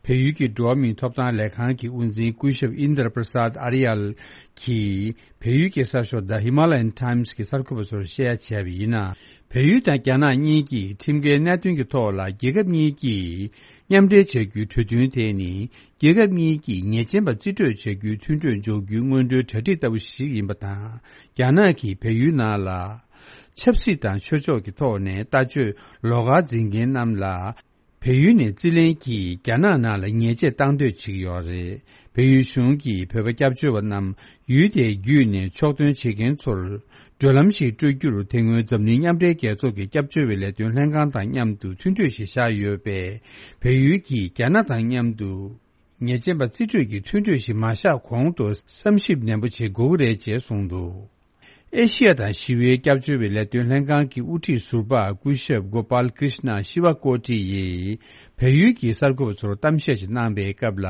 བལ་ཡུལ་གྱི་འགྲོ་བ་མིའི་ཐོབ་ཐང་ལས་ཁང་གི་དབུ་འཛིན་སྐུ་ཞབས་ཨིན་དར་པྲ་སཱད་ཨ་རི་ཡལ་གྱིས། བལ་ཡུལ་གྱི་གསར་ཤོག་The Himalayan Times་གྱི་གསར་འགོད་པ་ཚོར་བཤད་ཡ་བྱས་པ་ཡིན་ན། བལ་ཡུལ་དང་རྒྱ་ནག་གཉིས་ཀྱིས་ཁྲིམས་འགལ་གནད་དོན་གྱི་ཐོག་ལ་རྒྱལ་ཁབ་གཉིས་ཀྱིས་མཉམ་འབྲེལ་བྱ་རྒྱུའི་གྲོས་མཐུན་དེ་ནི། རྒྱལ་ཁབ་གཉིས་ཀྱིས་ཉེས་ཅན་པ་རྩིས་སྤྲོད་བྱ་རྒྱུའི་མཐུན་གྲོས་འཇོག་རྒྱུའི་སྔོན་འགྲོའི་གྲ་སྒྲིག་ལྟ་བུ་ཞིག་ཡིན་པ་དང་། རྒྱ་ནག་གིས་བལ་ཡུལ་ནང་ལ་ཆབ་སྲིད་དང་ཆོས་ཕྱོགས་ཀྱི་ཐོག་ནས་ལྟ་སྤྱོད་ལོགས་ཀར་འཛིན་མཁན་རྣམས་ལ། བལ་ཡུལ་ནས་རྩིས་ལེན་གྱིས་རྒྱ་ནག་ནང་ལ་ཉེས་ཆད་བཏང་འདོད་བྱེད་ཀྱི་ཡོད་རེད། བལ་ཡུལ་གཞུང་གིས་བོད་པ་སྐྱབས་བཅོལ་བ་རྣམས་ཡུལ་དེ་བརྒྱུད་ནས་ཕྱོགས་ཐོན་བྱེད་མཁན་ཚོར་བགྲོད་ལམ་ཞིག་སྤྲོད་རྒྱུར། དེ་སྔོན་འཛམ་གླིང་མཉམ་འབྲེལ་རྒྱལ་ཚོགས་ཀྱི་སྐྱབས་བཅོལ་བའི་ལས་དོན་ལྷན་ཁང་དང་མཉམ་དུ་མཐུན་གྲོས་ཤིག་བཞག་ཡོད་པས། བལ་ཡུལ་གྱིས་རྒྱ་ནག་དང་མཉམ་དུ་ཉེས་ཅན་པ་རྩིས་སྤྲོད་ཀྱི་མཐུན་གྲོས་ཤིག་མ་བཞག་གོང་དུ་བསམ་ཞིབ་ནན་པོ་བྱེད་དགོས་ཀྱི་རེད་ཅེས་གསུངས་འདུག། ཨེ་ཤི་ཡ་དང་ཞི་བའི་སྐྱབས་བཅོལ་བའི་ལས་དོན་ལྷན་ཁང་གི་དབུ་ཁྲིད་ཟུར་པ་སྐུ་ཞབས་གོ་པཱལ་ཀྲིཤ་ན་ཤི་ཝ་ཀོ་ཏི་ཡིས་བལ་ཡུལ་གྱི་གསར་འགོད་པ་ཚོར་གཏམ་བཤད་ཅིག་གནང་པའི་སྐབས་ལ།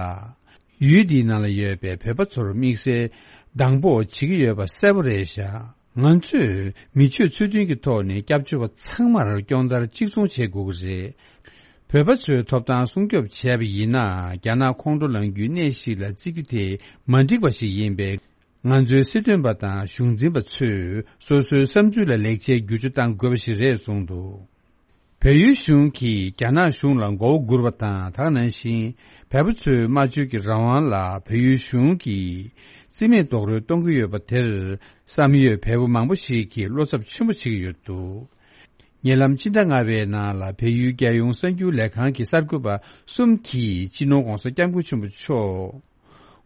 ཡུལ་འདིའི་ནང་ལ་ཡོད་པའི་བོད་པ་ཚོར་དམིགས་བསལ་སྡང་པོ་བྱེད་ཀྱི་ཡོད་པ་གསལ་པོ་རེད་བཞག། ང་ཚོས་མི་ཆོས་ཚུལ་མཐུན་གྱི་ཐོག་ནས་སྐྱབས་བཅོལ་བ་ཚང་མར་སྐྱོང་བརྡར་གཅིག་མཚུངས་བྱེད་དགོས་ཀྱི་རེད། བོད་པ་ཚོའི་ཐོབ་ཐང་སྲུང་སྐྱོབ་བྱས་པ་ཡིན་ན། རྒྱ་ནག་ཁོང་ཁྲོ་ལངས་རྒྱུའི་གནས་ཤིག་ལ་བརྩི་རྒྱུ་དེ་མ་འགྲིག་པ་ཞིག་ཡིན་པས། ང་ཚོའི་སྲིད་དོན་པ་དང་གཞུང་འཛིན་པ་ཚོས་སོ་སོའི་བསམ་ཚུལ་ལ་ལེགས་ཆའི་བསྒྱུར་བཅོས་གཏང་དགོས་པ་ཞིག་རེད་གསུངས་འདུག། བལ་ཡུལ་གཞུང་གིས་རྒྱ་ནག་གཞུང་ལ་མགོ་བོ་སྒུར་བ་དང་། དེ་ག་ནང་བཞིན་བལ་པོ་ཚོའི་སྨྲ་བརྗོད་ཀྱི་རང་དབང་ལ་བལ་ཡུལ་གཞུང་གིས་རྩིས་མེད་རྡོག་རོལ་གཏོང་གི་ཡོད་པ་དེར། བསམ་ཡོད་བལ་པོ་མང་པོ་ཞིག་གིས་བློ་འཚབ་ཆེན་པོ་བྱེད་ཀྱི་ཡོད་འདུག། ཉེ་ལམ་ཕྱི་ཟླ་ལྔ་པའི་ནང་ལ་བལ་ཡུལ་རྒྱལ་ཡོངས་གསར་འགྱུར་ལས་ཁང་གི་གསར་འགོད་པ་གསུམ་གྱིས་སྤྱི་ནོར་༧གོང་ས་༧སྐྱབས་མགོན་ཆེན་པོ་མཆོག་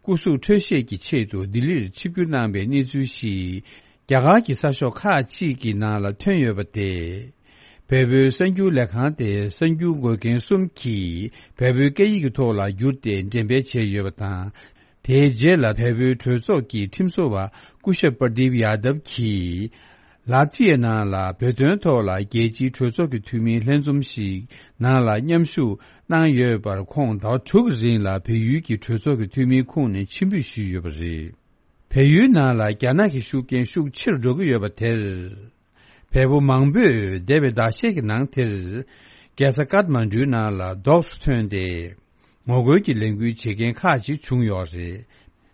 སྐུ་གཟུགས་འཕྲོད་བཞེས་ཀྱི་ཆེད་དུ་ལྡི་ལིར་ཆིབས་བསྒྱུར་གནང་པའི་གནས་ཚུལ་ཞིག་རྒྱ་གར་གྱི་གསར་ཤོག་ཁག་ཅིག་གི་ནང་ལ་ཐོན་ཡོད་པ་དེ། བལ་པོའི་གསར་འགྱུར་ལས་ཁང་དེའི་གསར་འགྱུར་འགོད་མཁན་གསུམ་གྱིས་བལ་པོའི་སྐད་ཡིག་གི་ཐོག་ལ་བསྒྱུར་ཏེ་འགྲེམས་སྤེལ་བྱས་ཡོད་པ་དང་། དེའི་རྗེས་ལ་བལ་པོའི་གྲོས་ཚོགས་ཀྱི་ཁྲིམས་བཟོ་བ་སྐུ་ཞབས་པར་དིབ་ཡ་དབ་ཀྱིས། ལ་ཏི་ཡའི་ནང་ལ་བོད་དོན་ཐོག་ལ་རྒྱལ་སྤྱིའི་གྲོས་ཚོགས་ཀྱི་འཐུས་མིའི་ལྷན་འཛོམས་ཤིག་ནང་ལ་མཉམ་ཞུགས་གནང་ཡོད་པར། ཁོང་ཟླ་བ་དྲུག་གི་རིང་ལ་བལ་ཡུལ་གྱི་གྲོས་ཚོགས་ཀྱི་འཐུས་མིའི་ཁོངས་ནས་ཕྱིར་འབུད་ཞུས་ཡོད་པ་རེད། བལ་ཡུལ་ནང་ལ་རྒྱ་ནག་གི་ཤུགས་རྐྱེན་ཤུགས་ཆེ་རུ་འགྲོ་གི་ཡོད་པ་དེར། བལ་པོ་མང་པོས་འདས་པའི་ཟླ་ཤས་ཀྱི་ནང་དེར། རྒྱལ་ས་ཀཏ་མན་ཌུའི་ནང་ལ་རྡོག་སུ་ཐོན་ཏེ། ངོ་རྒོལ་གྱི་ལས་འགུལ་བྱེད་མཁན་ཁག་ཅིག་བྱུང་ཡོད་རེད།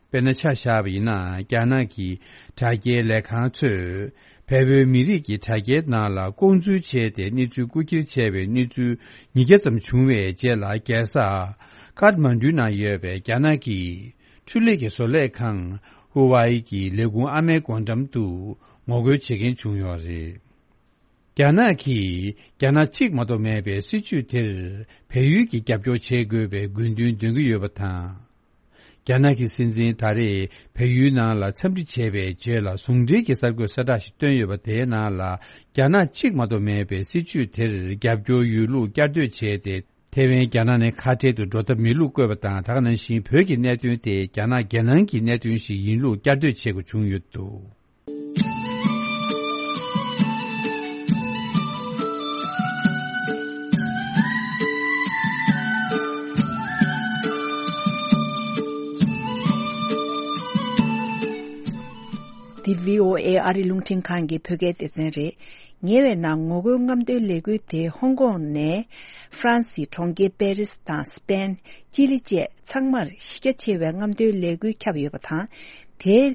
དཔེར་ན་ཆ་བཞག་པ་ཡིན་ན། རྒྱ་ནག་གི་དྲ་རྒྱའི་ལས་ཁང་ཚོས་བལ་པོའི་མི་རིགས་ཀྱི་དྲ་རྒྱའི་ནང་ལ་ལྐོག་འཛུལ་བྱས་ཏེ་གནས་ཚུལ་རྐུ་འཁྱེར་བྱས་པའི་གནས་ཚུལ་ཉིས་བརྒྱ་ཙམ་བྱུང་བའི་རྗེས་ལ། རྒྱལ་ས་ཀཏ་མན་ཌུའི་ནང་ཡོད་པའི་རྒྱ་ནག་གི་འཕྲུལ་ལས་ཀྱི་བཟོ་ལས་ཁང་ཧུ་ཝའེ་གི་ལས་ཁུངས་ཨ་མའི་སྒོ་འགྲམ་དུ་ངོ་རྒོལ་བྱེད་མཁན་བྱུང་ཡོད་རེད། རྒྱ་ནག་གིས་རྒྱ་ནག་གཅིག་མ་གཏོགས་མེད་པའི་སྲིད་བྱུས་དེར་བལ་ཡུལ་གྱིས་རྒྱབ་སྐྱོར་བྱེད་དགོས་པའི་དགོས་འདུན་འདོན་གྱི་ཡོད་པ་དང་། རྒྱ་ནག་གི་སྲིད་འཛིན་ད་རེས་བལ་ཡུལ་ནང་ལ་འཚམས་འདྲི་བྱས་པའི་རྗེས་ལ་ཟུང་འབྲེལ་གྱི་གསར་འགོད་གསལ་བསྒྲགས་ཤིག་བཏོན་ཡོད་པ། དེའི་ནང་ལ། རྒྱ་ནག་གཅིག་མ་གཏོགས་མེད་པའི་སྲིད་བྱུས་དེར་རྒྱབ་སྐྱོར་ཡོད་ལུགས་བསྐྱར་ཟློས་བྱས་ཏེ། ཐེ་ཝན་རྒྱ་ནག་ནས་ཁ་བྲལ་དུ་འགྲོ་ཐབས་མེད་ལུགས་བཀོད་པ་དང་། དེ་ག་ནང་བཞིན་བོད་ཀྱི་གནད་དོན་དེ་རྒྱ་ནག་རྒྱལ་ནང་གི་གནད་དོན་ཞིག་ཡིན་ལུགས་བསྐྱར་ཟློས་བྱེད་དགོས་བྱུང་ཡོད་འདུག། འདི་བྷི་ཨོ་ཨེ་ཨ་རིའི་རླུང་འཕྲིན་ཁང་གི་བོད་སྐད་སྡེ་ཚན་རེད། ཉེ་བའི་ནང་ངོ་རྒོལ་རྔམ་སྟོན་ལས་འགུལ་དེ་ཧོང་ཀོང་ནས་ཧྥ་རན་སིའི་གྲོང་ཁྱེར་པེ་རིས་དང་སྤེན། ཅི་ལི་བཅས་ཚང་མར་གཞི་རྒྱ་ཆེ་བའི་རྔམ་སྟོན་ལས་འགུལ་ཁྱབ་ཡོད་པ་དང་། དེའི་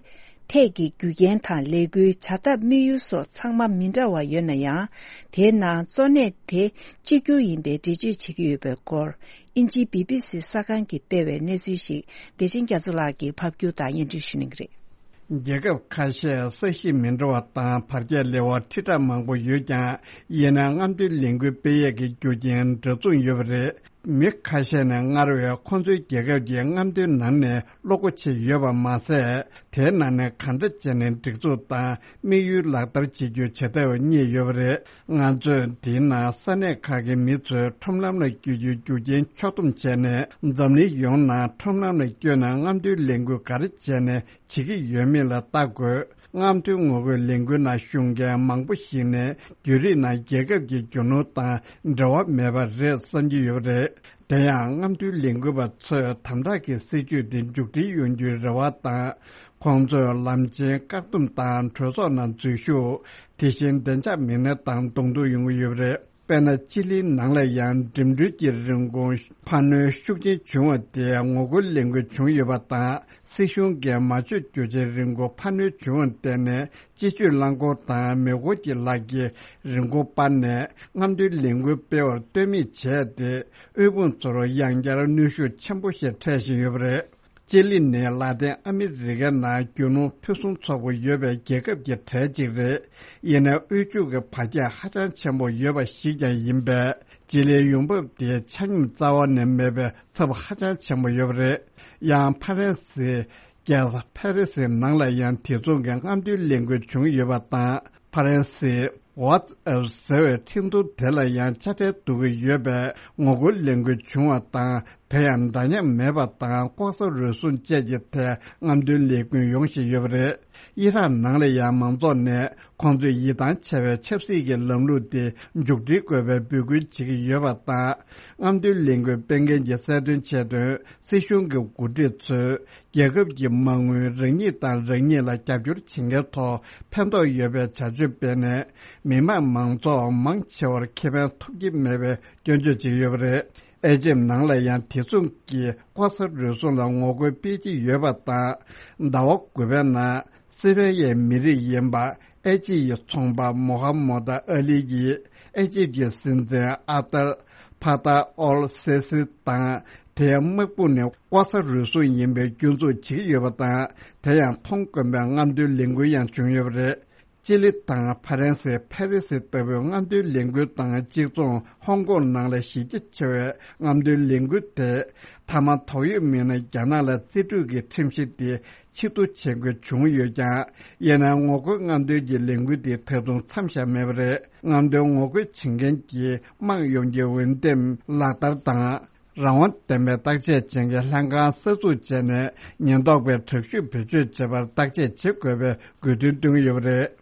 ཐད་ཀྱི་རྒྱུ་རྐྱེན་དང་ལས་འགུལ་བྱ་ཐབས་དམིགས་ཡུལ་སོགས་ཚང་མ་མི་འདྲ་བ་ཡོད་ན་ཡང་། དེའི་ནང་གཙོ་གནད་དེ་གཅིག་གྱུར་ཡིན་པའི་འགྲེལ་བརྗོད་བྱེད་ཀྱི་ཡོད་པའི་སྐོར། དབྱིན་ཇིའི་བི་བི་སི་གསར་ཁང་གིས་སྤེལ་བའི་གནས་ཚུལ་ཞིག་བདེ་ཆེན་རྒྱ་མཚོ་ལགས་ཀྱིས་ཕབ་སྒྱུར་དང་སྙན་སྒྲོན་ཞུ་གནང་གི་རེད། རྒྱལ་ཁབ་ཁ་ཤས་ས་གཞི་མི་འདྲ་བ་དང་བར་ཁྱད་ལེ་བ་ཁྲི་ཕྲག་མང་པོ་ཡོད་ཀྱང་། ཡིན་ནའང་རྔམ་སྟོན་ལས་འགུལ་སྤེལ་ཡས་ཀྱི་རྒྱུ་རྐྱེན་འདྲ་མཚུངས་ཡོད་པ་རེད། མི་ཁ་ཤས་ནས་སྔར་བས་ཁོང་ཚོའི་རྒྱལ་ཁབ་ཀྱི་རྔམ་སྟོན་ནང་ནས་བློ་སྒོ་ཕྱེ་ཡོད་པ་མ་ཟད། དེའི་ནང་ནས་གང་འདྲ་བྱས་ནས་སྒྲིག་འཛུགས་དང་དམིགས་ཡུལ་ལག་བསྟར་བྱེད་རྒྱུ་ཇེ་ཐག་ཉེ་ཡོད་པ་རེད། ང་ཚོས་དེའི་ནང་ས་གནས་ཁག་གི་མི་ཚོས་ཁྲོམ་ལམ་ལ་བསྐྱོད་རྒྱུའི་རྒྱུ་རྐྱེན་ཕྱོགས་བསྡོམས་བྱས་ནས། འཛམ་གླིང་ཡོངས་ནང་ཁྲོམ་ལམ་ལ་བསྐྱོད་ནས་རྔམ་སྟོན་ལས་འགུལ་ག་རེ་བྱས་ནས་བྱེད་ཀྱི་ཡོད་མེད་ལ་བལྟ་དགོས། རྔམ་སྟོན་ངོ་རྒོལ་ལས་འགུལ་ནང་ཞུགས་མཁན་མང་པོ་ཞིག་ནས་བརྒྱུད་རིམ་ནང་རྒྱལ་ཁབ་ཀྱི་རྒྱུ་ནོར་དང་འབྲེལ་བ་མེད་པ་རེད་བསམ་གྱི་ཡོད་པ་རེད། དེ་ཡང་རྔམ་སྟོན་ལས་འགུལ་བ་ཚོས་དམ་དྲག་གི་སྲིད་བྱུས་དེ་མཇུག་སྒྲིལ་ཡོང་རྒྱུའི་རེ་བ་དང་། ཁོང་ཚོས་ལམ་ཆེན་བཀག་སྡོམ་དང་གྲོས་ཚོགས་ནང་འཛུལ་ཞུགས། དེ་བཞིན་བདེ་འཇགས་མི་སྣ་དང་གདོང་ཐུག་ཡོང་གི་ཡོད་པ་རེད། དཔེར་ན། ཅི་ལིའི་ནང་ལ་ཡང་འགྲིམ་འགྲུལ་གྱི་རིན་གོང་འཕར་སྣོན་ཤུགས་ཆེན་བྱུང་བ་དེ་ངོ་རྒོལ་ལས་འགུལ་བྱུང་ཡོད་པ་དང་། སྲིད་གཞུང་གིས་མ་བཅོས་རྒྱུ་ཆའི་རིན་གོང་འཕར་སྣོན་བྱུང་བར་བརྟེན་ནས། སྤྱི་སྤྱོད་རླངས་འཁོར་དང་མེ་འཁོར་གྱི་ལག་གི་རིན་གོང་སྤར་ནས། རྔམ་སྟོན་ལས་འགུལ་སྤེལ་བར་ལྟོས་མེད་བྱས་ཏེ། དབུལ་ཕོངས་ཚོར་ཡང་བསྐྱར་གནོན་ཤུགས་ཆེན་པོ་ཞིག་འཕྲད་བཞིན་ཡོད་པ་རེད། ཅི་ལི་ནི་ལ་ཏིན་ཨ་མི་རི་ཀའི་ནང་རྒྱུ་ནོར་ཕུན་སུམ་ཚོགས་པོ་ཡོད་པའི་རྒྱལ་ཁབ་ཀྱི་གྲས་གཅིག་རེད། ཡིན་ནའི་དབུལ་ཕྱུག་གི་བར་ཁྱད་ཧ་ཅང་ཆེན་པོ་ཡོད་པ་ཞིག་ཀྱང་ཡིན་པས། ཅི་ལིའི་ཡོང་འབབ་དེ་ཆ་སྙོམས་རྩ་བ་ནས་མེད་པའི་ཚབས་ཧ་ཅང་ཆེན་པོ་ཡོད་པ་རེད། ཡང་ཕ་རན་སིའི་རྒྱལ་ས་ཕ་རི་སིའི་ནང་ལ་ཡང་དེ་མཚུངས་ཀྱི་རྔམ་སྟོན་ལས་འགུལ་བྱུང་ཡོད་པ་དང་། ཕ་རན་སིའི་WhatsApp་ཟེར་བའི་འཕྲིན་ཐུང་དེ་ལ་ཡང་དཔྱ་ཁྲལ་བསྡུ་གི་ཡོད་པས། ངོ་རྒོལ་ལས་འགུལ་བྱུང་བ་དང་། དེ་ཡང་འདྲ་མཉམ་མེད་པ་དང་། ལྐོག་ཟ་རུལ་སུངས་བཅས་ཀྱི་ཐད་རྔམ་སྟོན་ལས་འགུལ་ཡོང་བཞིན་ཡོད་པ་རེད། ཨི་རག་ནང་ལ་ཡང་མང་ཚོགས་ནས་ཁོང་ཚོས་ཡིད་ཐང་ཆད་པའི་ཆབ་སྲིད་ཀྱི་ལམ་ལུགས་དེ་མཇུག་སྒྲིལ་དགོས་པའི་འབོད་སྐུལ་བྱེད་ཀྱི་ཡོད་པ་དང་། རྔམ་སྟོན་ལས་འགུལ་སྤེལ་མཁན་གྱིས་གསལ་སྟོན་བྱས་དོན། སྲིད་གཞུང་གི་འགོ་ཁྲིད་ཚོས་རྒྱལ་ཁབ་ཀྱི་མ་དངུལ་རང་ཉིད་དང་རང་ཉིད་ལ་རྒྱབ་སྐྱོར་བྱེད་མཁན་ཐོག་ཕན་ཐོགས་ཡོད་པའི་བྱ་སྤྱོད་སྤེལ་ནས། མི་དམངས་མང་ཚོགས་མང་ཆེ་བར་ཁེ་ཕན་ཐོབ་ཀྱི་མེད་པའི་སྐྱོན་བརྗོད་བྱེད་ཀྱི་ཡོད་པ་རེད། ཨེ་ཇིབ་ནང་ལ་ཡང་དེ་མཚུངས་ཀྱི་ལྐོག་ཟ་རུལ་སུངས་ལ་ངོ་རྒོལ་སྤེལ་གྱི་ཡོད་པ་དང་། ཟླ་བ་དགུ་པའི་ནང་སི་པེན་ཡའི་མི་རིགས་ཡིན་པ་ཨེ་ཇིབ་ཡི་ཚོང་པ་མོ་ཧ་མོ་ད་ཨ་ལི་ཡིས་ཨེ་ཇིབ་ཀྱི་སྲིད་འཛིན་ཨབ་ཏལ་ཕ་ཏཱ་ཨོལ་སེ་སི་དང་། དེའི་དམག་དཔུང་ནི་ལྐོག་ཟ་རུལ་སུངས་ཡིན་པའི་སྐྱོན་འཛུགས་བྱེད་ཀྱི་ཡོད་པ་དང་། དེ་ཡང་མཐོང་དཀོན་པའི་རྔམ་སྟོན་ལས་འགུལ་ཡང་བྱུང་ཡོད་པ་རེད། ཅི་ལི་དང་ཕ་རན་སི། ཕ་རི་སི་ལྟ་བུའི་རྔམ་སྟོན་ལས་འགུལ་དང་གཅིག་མཚུངས། ཧོང་ཀོང་ནང་ལ་གཞི་རྒྱ་ཆེ་བའི་རྔམ་སྟོན་ལས་འགུལ་དེ། མཐའ་མ་དོགས་ཡོད་མི་སྣ་རྒྱ་ནག་ལ་རྩིས་སྤྲོད་ཀྱི་ཁྲིམས་གཞི་དེ་ཕྱིར་བསྡུ་བྱེད་དགོས་བྱུང་ཡོད་ཀྱང་། ཡིན་ནའང་ངོ་རྒོལ་རྔམ་སྟོན་གྱི་ལས་འགུལ་དེ་ད་དུང་མཚམས་བཞག་མེད་པ་རེད། རྔམ་སྟོན་ངོ་རྒོལ་བྱེད་མཁན་གྱིས་དམངས་ཡོངས་ཀྱི་འོས་འདེམས་ལག་བསྟར་དང་། རང་དབང་ལྡན་པའི་བརྟག་དཔྱད་བྱེད་མཁན་ལྷན་ཁང་གསར་འཛུགས་བྱས་ནས། ཉེན་རྟོག་པས་དྲག་ཤུགས་བེད་སྤྱོད་བྱེད་པར་བརྟག་དཔྱད་བྱེད་དགོས་པའི་དགོས་འདུན་བཏོན་ཡོད་པ་རེད།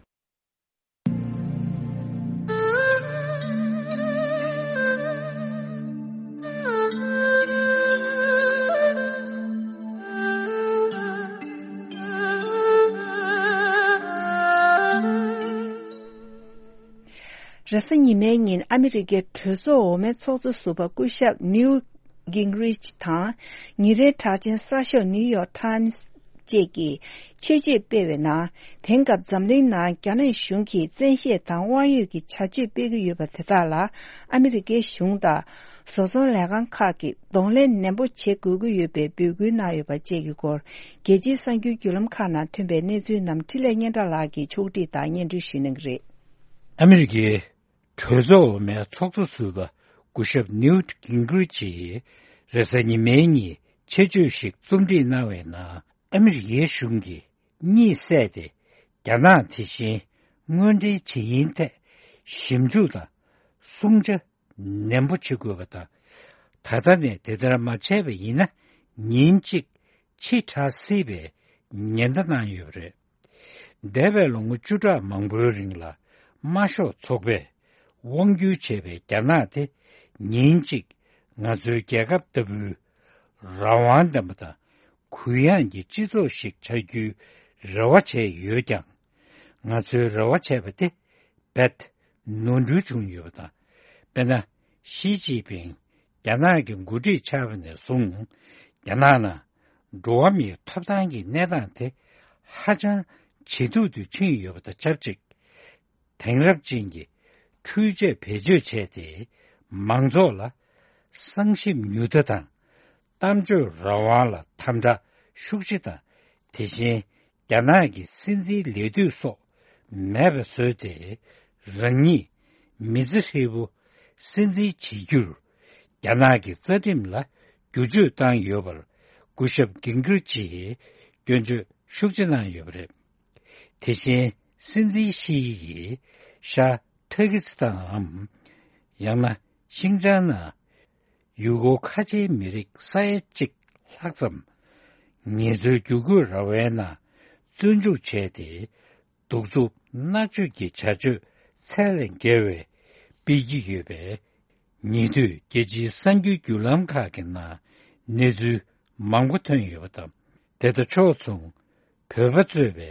རེས་གཟའ་ཉི་མའི་ཉིན་ཨ་མི་རི་ཀའི་གྲོས་ཚོགས་འོག་མའི་ཚོགས་གཙོ་ཟུར་པ་སྐུ་ཞབས་ནིའུ་གིང་རིཆ་དང་། ཉིན་རེའི་གྲགས་ཅན་གསར་ཤོག་ནིའུ་ཡོག་ཊའིམ་སི་བཅས་ཀྱིས་ཆེད་བརྗོད་སྤེལ་བའི་ནང་། དེང་སྐབས་འཛམ་གླིང་ནང་རྒྱ་ནག་གཞུང་གིས་བཙན་ཤེད་དང་དབང་ཡོད་ཀྱི་བྱ་སྤྱོད་སྤེལ་གྱི་ཡོད་པ་དེ་དག་ལ། ཨ་མི་རི་ཀའི་གཞུང་དང་བཟོ་ཚོང་ལས་ཁང་ཁག་གིས་གདོང་ལེན་ནན་པོ་བྱེད་དགོས་ཀྱི་ཡོད་པའི་འབོད་སྐུལ་གནང་ཡོད་པ་བཅས་ཀྱི་སྐོར། རྒྱལ་སྤྱིའི་གསར་འགྱུར་བརྒྱུད་ལམ་ཁག་ནང་ཐོན་པའི་གནས་ཚུལ་རྣམས་འཕྲིན་ལས་སྙན་གྲགས་ལགས་ཀྱིས་ཕྱོགས་སྒྲིག་དང་སྙན་སྒྲོན་ཞུ་གནང་གི་རེད། ཨ་མི་རི་ཀའི་གྲོས་ཚོགས་འོག་མའི་ཚོགས་གཙོ་ཟུར་པ་སྐུ་ཞབས་ནིའུ་ཊི་གིང་རིཆ་ཡིས་རེས་གཟའ་ཉི་མའི་ཉིན་ཆེད་བརྗོད་ཞིག་རྩོམ་སྒྲིག་གནང་བའི་ནང་། ཨ་མི་རི་ཀའི་གཞུང་གིས་གཉིད་སད་དེ་རྒྱ་ནག་དེ་བཞིན་དངོས་འབྲེལ་བྱེད་ཡུན་ཐད་ཞིབ་འཇུག་དང་སྲུང་བྱ་ནན་པོ་བྱེད་དགོས་པ་དང་། ད་ལྟ་ནས་དེ་ལྟར་མ་བྱས་པ་ཡིན་ན། ཉིན་གཅིག་ཕྱི་དྲགས་སྲིད་པའི་ཉེན་བརྡ་གནང་ཡོད་པ་རེད། འདས་པའི་ལོ་ངོ་བཅུ་ཕྲག་མང་པོའི་རིང་ལ། དམར་ཤོག་ཚོགས་པས་དབང་སྒྱུར་བྱས་པའི་རྒྱ་ནག་དེ། ཉིན་གཅིག་ང་ཚོའི་རྒྱལ་ཁབ་ལྟ་བུའི་རང་དབང་ལྡན་པ་དང་གུ་ཡངས་ཀྱི་སྤྱི་ཚོགས་ཤིག་ཆགས་རྒྱུའི་རེ་བ་བྱས་ཡོད་ཀྱང་། ང་ཚོའི་རེ་བ་བྱས་པ་དེ་རྦད་ནོར་འཁྲུལ་བྱུང་ཡོད་པ་དང་། དཔེར་ན། ཞི་ཅིན་ཕིང་རྒྱ་ནག་གི་འགོ་ཁྲིད་ཆགས་པ་ནས་བཟུང་། རྒྱ་ནག་ནང་འགྲོ་བ་མིའི་ཐོབ་ཐང་གི་གནས་སྟངས་དེ་ཧ་ཅང་ཇེ་སྡུག་ཏུ་ཕྱིན་ཡོད་པ་དང་ཆབས་ཅིག་དེང་རབས་ཅན་གྱི་འཕྲུལ་ཆས་བེད་སྤྱོད་བྱས་ཏེ། མང་ཚོགས་ལ་གསང་ཞིབ་ཉུང་མཐའ་དང་། གཏམ་བརྗོད་རང་དབང་ལ་དམ་དྲག་ཤུགས་ཆེ་དང་། དེ་བཞིན་རྒྱ་ནག་གི་སྲིད་འཛིན་ལས་དུས་སོགས་མེད་པ་བཟོས་ཏེ། རང་ཉིད་མི་ཚེ་ཧྲིལ་པོ་སྲིད་འཛིན་བྱེད་རྒྱུར་རྒྱ་ནག་གི་རྩ་ཁྲིམས་ལ་བསྒྱུར་བཅོས་བཏང་ཡོད་པར་སྐུ་ཞབས་གིན་གིར་ཅིས་སྐྱོན་བརྗོད་ཤུགས་ཆེ་གནང་ཡོད་པ་རེད། དེ་བཞིན་སྲིད་འཛིན་ཞི་ཡིས་ཤར་ཐ་ཀི་སི་ཐན་འམ། ཡང་ན་ཤིང་ཅང་ནང་ཡུ་གུར་ཁ་ཆེའི་མི་རིགས་ས་ཡ་གཅིག་ལྷག་ཙམ་ངལ་རྩོལ་བསྒྱུར་བཀོད་ར་བའི་ནང་བཙོན་འཇུག་བྱས་ཏེ། གདུག་རྩུབ་མནར་གཅོད་ཀྱི་བྱ་སྤྱོད་ཚད་ལས་བརྒལ་བའི་སྤེལ་གྱི་ཡོད་པས། ཉེ་དུས་རྒྱལ་སྤྱིའི་གསར་འགྱུར་བརྒྱུད་ལམ་ཁག་གི་ནང་གནས་ཚུལ་མང་པོ་ཐོན་ཡོད་པ་དང་། དེ་དང་ཕྱོགས་མཚུངས་བོད་པ་གཙོས་པའི་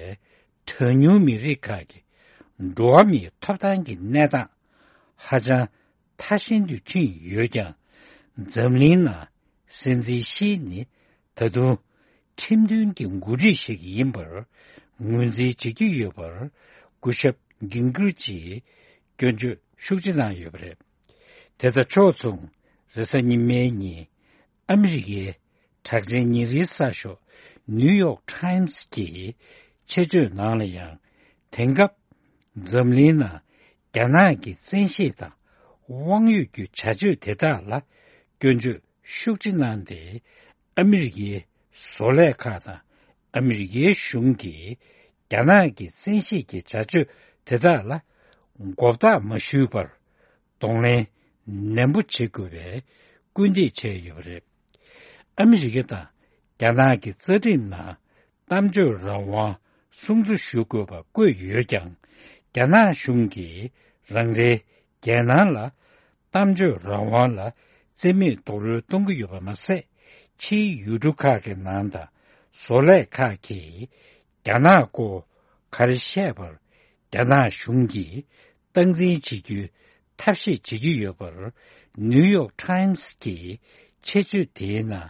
གྲངས་ཉུང་མི་རིགས་ཁག་གི་འགྲོ་བ་མིའི་ཐོབ་ཐང་གི་གནས་སྟངས་ཧ་ཅང་ཐ་ཤིན་ཏུ་ཕྱིན་ཡོད་ཀྱང་། འཛམ་གླིང་ནང་སྲིད་འཛིན་ཞི་ནི་ད་དུང་ཁྲིམས་མཐུན་གྱི་འགོ་ཁྲིད་ཞིག་ཡིན་པར་ངོས་འཛིན་བྱེད་ཀྱི་ཡོད་པར་སྐུ་ཞབས་གིན་གིར་ཅིས་སྐྱོན་བརྗོད་ཤུགས་ཆེ་གནང་ཡོད་པ་རེད། དེ་དང་ཕྱོགས་མཚུངས་རེས་གཟའ་ཉི་མའི་ཉིན་ཨ་མི་རི་ཀའི་གྲགས་ཅན་ཉིན་རེའི་གསར་ཤོག་ནིའུ་ཡོག་ཊའིམ་སི་གི་ཆེད་བརྗོད་ནང་ལ་ཡང་། དེང་སྐབས་འཛམ་གླིང་ནང་རྒྱ་ནག་གི་བཙན་ཤེད་དང་དབང་ཡོད་ཀྱི་བྱ་སྤྱོད་དེ་དག་ལ་སྐྱོན་བརྗོད་ཤུགས་ཆེ་གནང་སྟེ། ཨ་མི་རི་ཀའི་བཟོ་ལས་ཁག་དང་ཨ་མི་རི་ཀའི་གཞུང་གིས་རྒྱ་ནག་གི་བཙན་ཤེད་ཀྱི་བྱ་སྤྱོད་དེ་དག་ལ་མགོ་བཏགས་མ་ཞུས་པར་གདོང་ལེན་ནན་པོ་བྱེད་དགོས་པའི་སྐུལ་འདེད་བྱས་ཡོད་པ་རེད། ཨ་མི་རི་ཀ་དང་རྒྱ་ནག་གི་རྩ་ཁྲིམས་ནང་གཏམ་བརྗོད་རང་དབང་སྲུང་བརྩི་ཞུ་དགོས་པ་བཀོད་ཡོད་ཀྱང་། རྒྱ་ནག་གཞུང་གིས་རང་རེའི་རྒྱལ་ནང་ལ་གཏམ་བརྗོད་རང་དབང་ལ་རྩིས་མེད་རྡོག་རོལ་གཏོང་གི་ཡོད་པ་མ་ཟད། ཕྱིའི་ཡུལ་གྲུ་ཁག་གི་ནང་དང་བཟོ་ལས་ཁག་གིས་རྒྱ་ནག་སྐོར་ག་རེ་བཤད་པར་རྒྱ་ནག་གཞུང་གིས་སྟངས་འཛིན་བྱེད་རྒྱུའི་ཐབས་ཤེས་བྱེད་ཀྱི་ཡོད་པར་ནིའུ་ཡོག་ཊའིམ་སི་གི་ཆེད་བརྗོད་དེའི་ནང་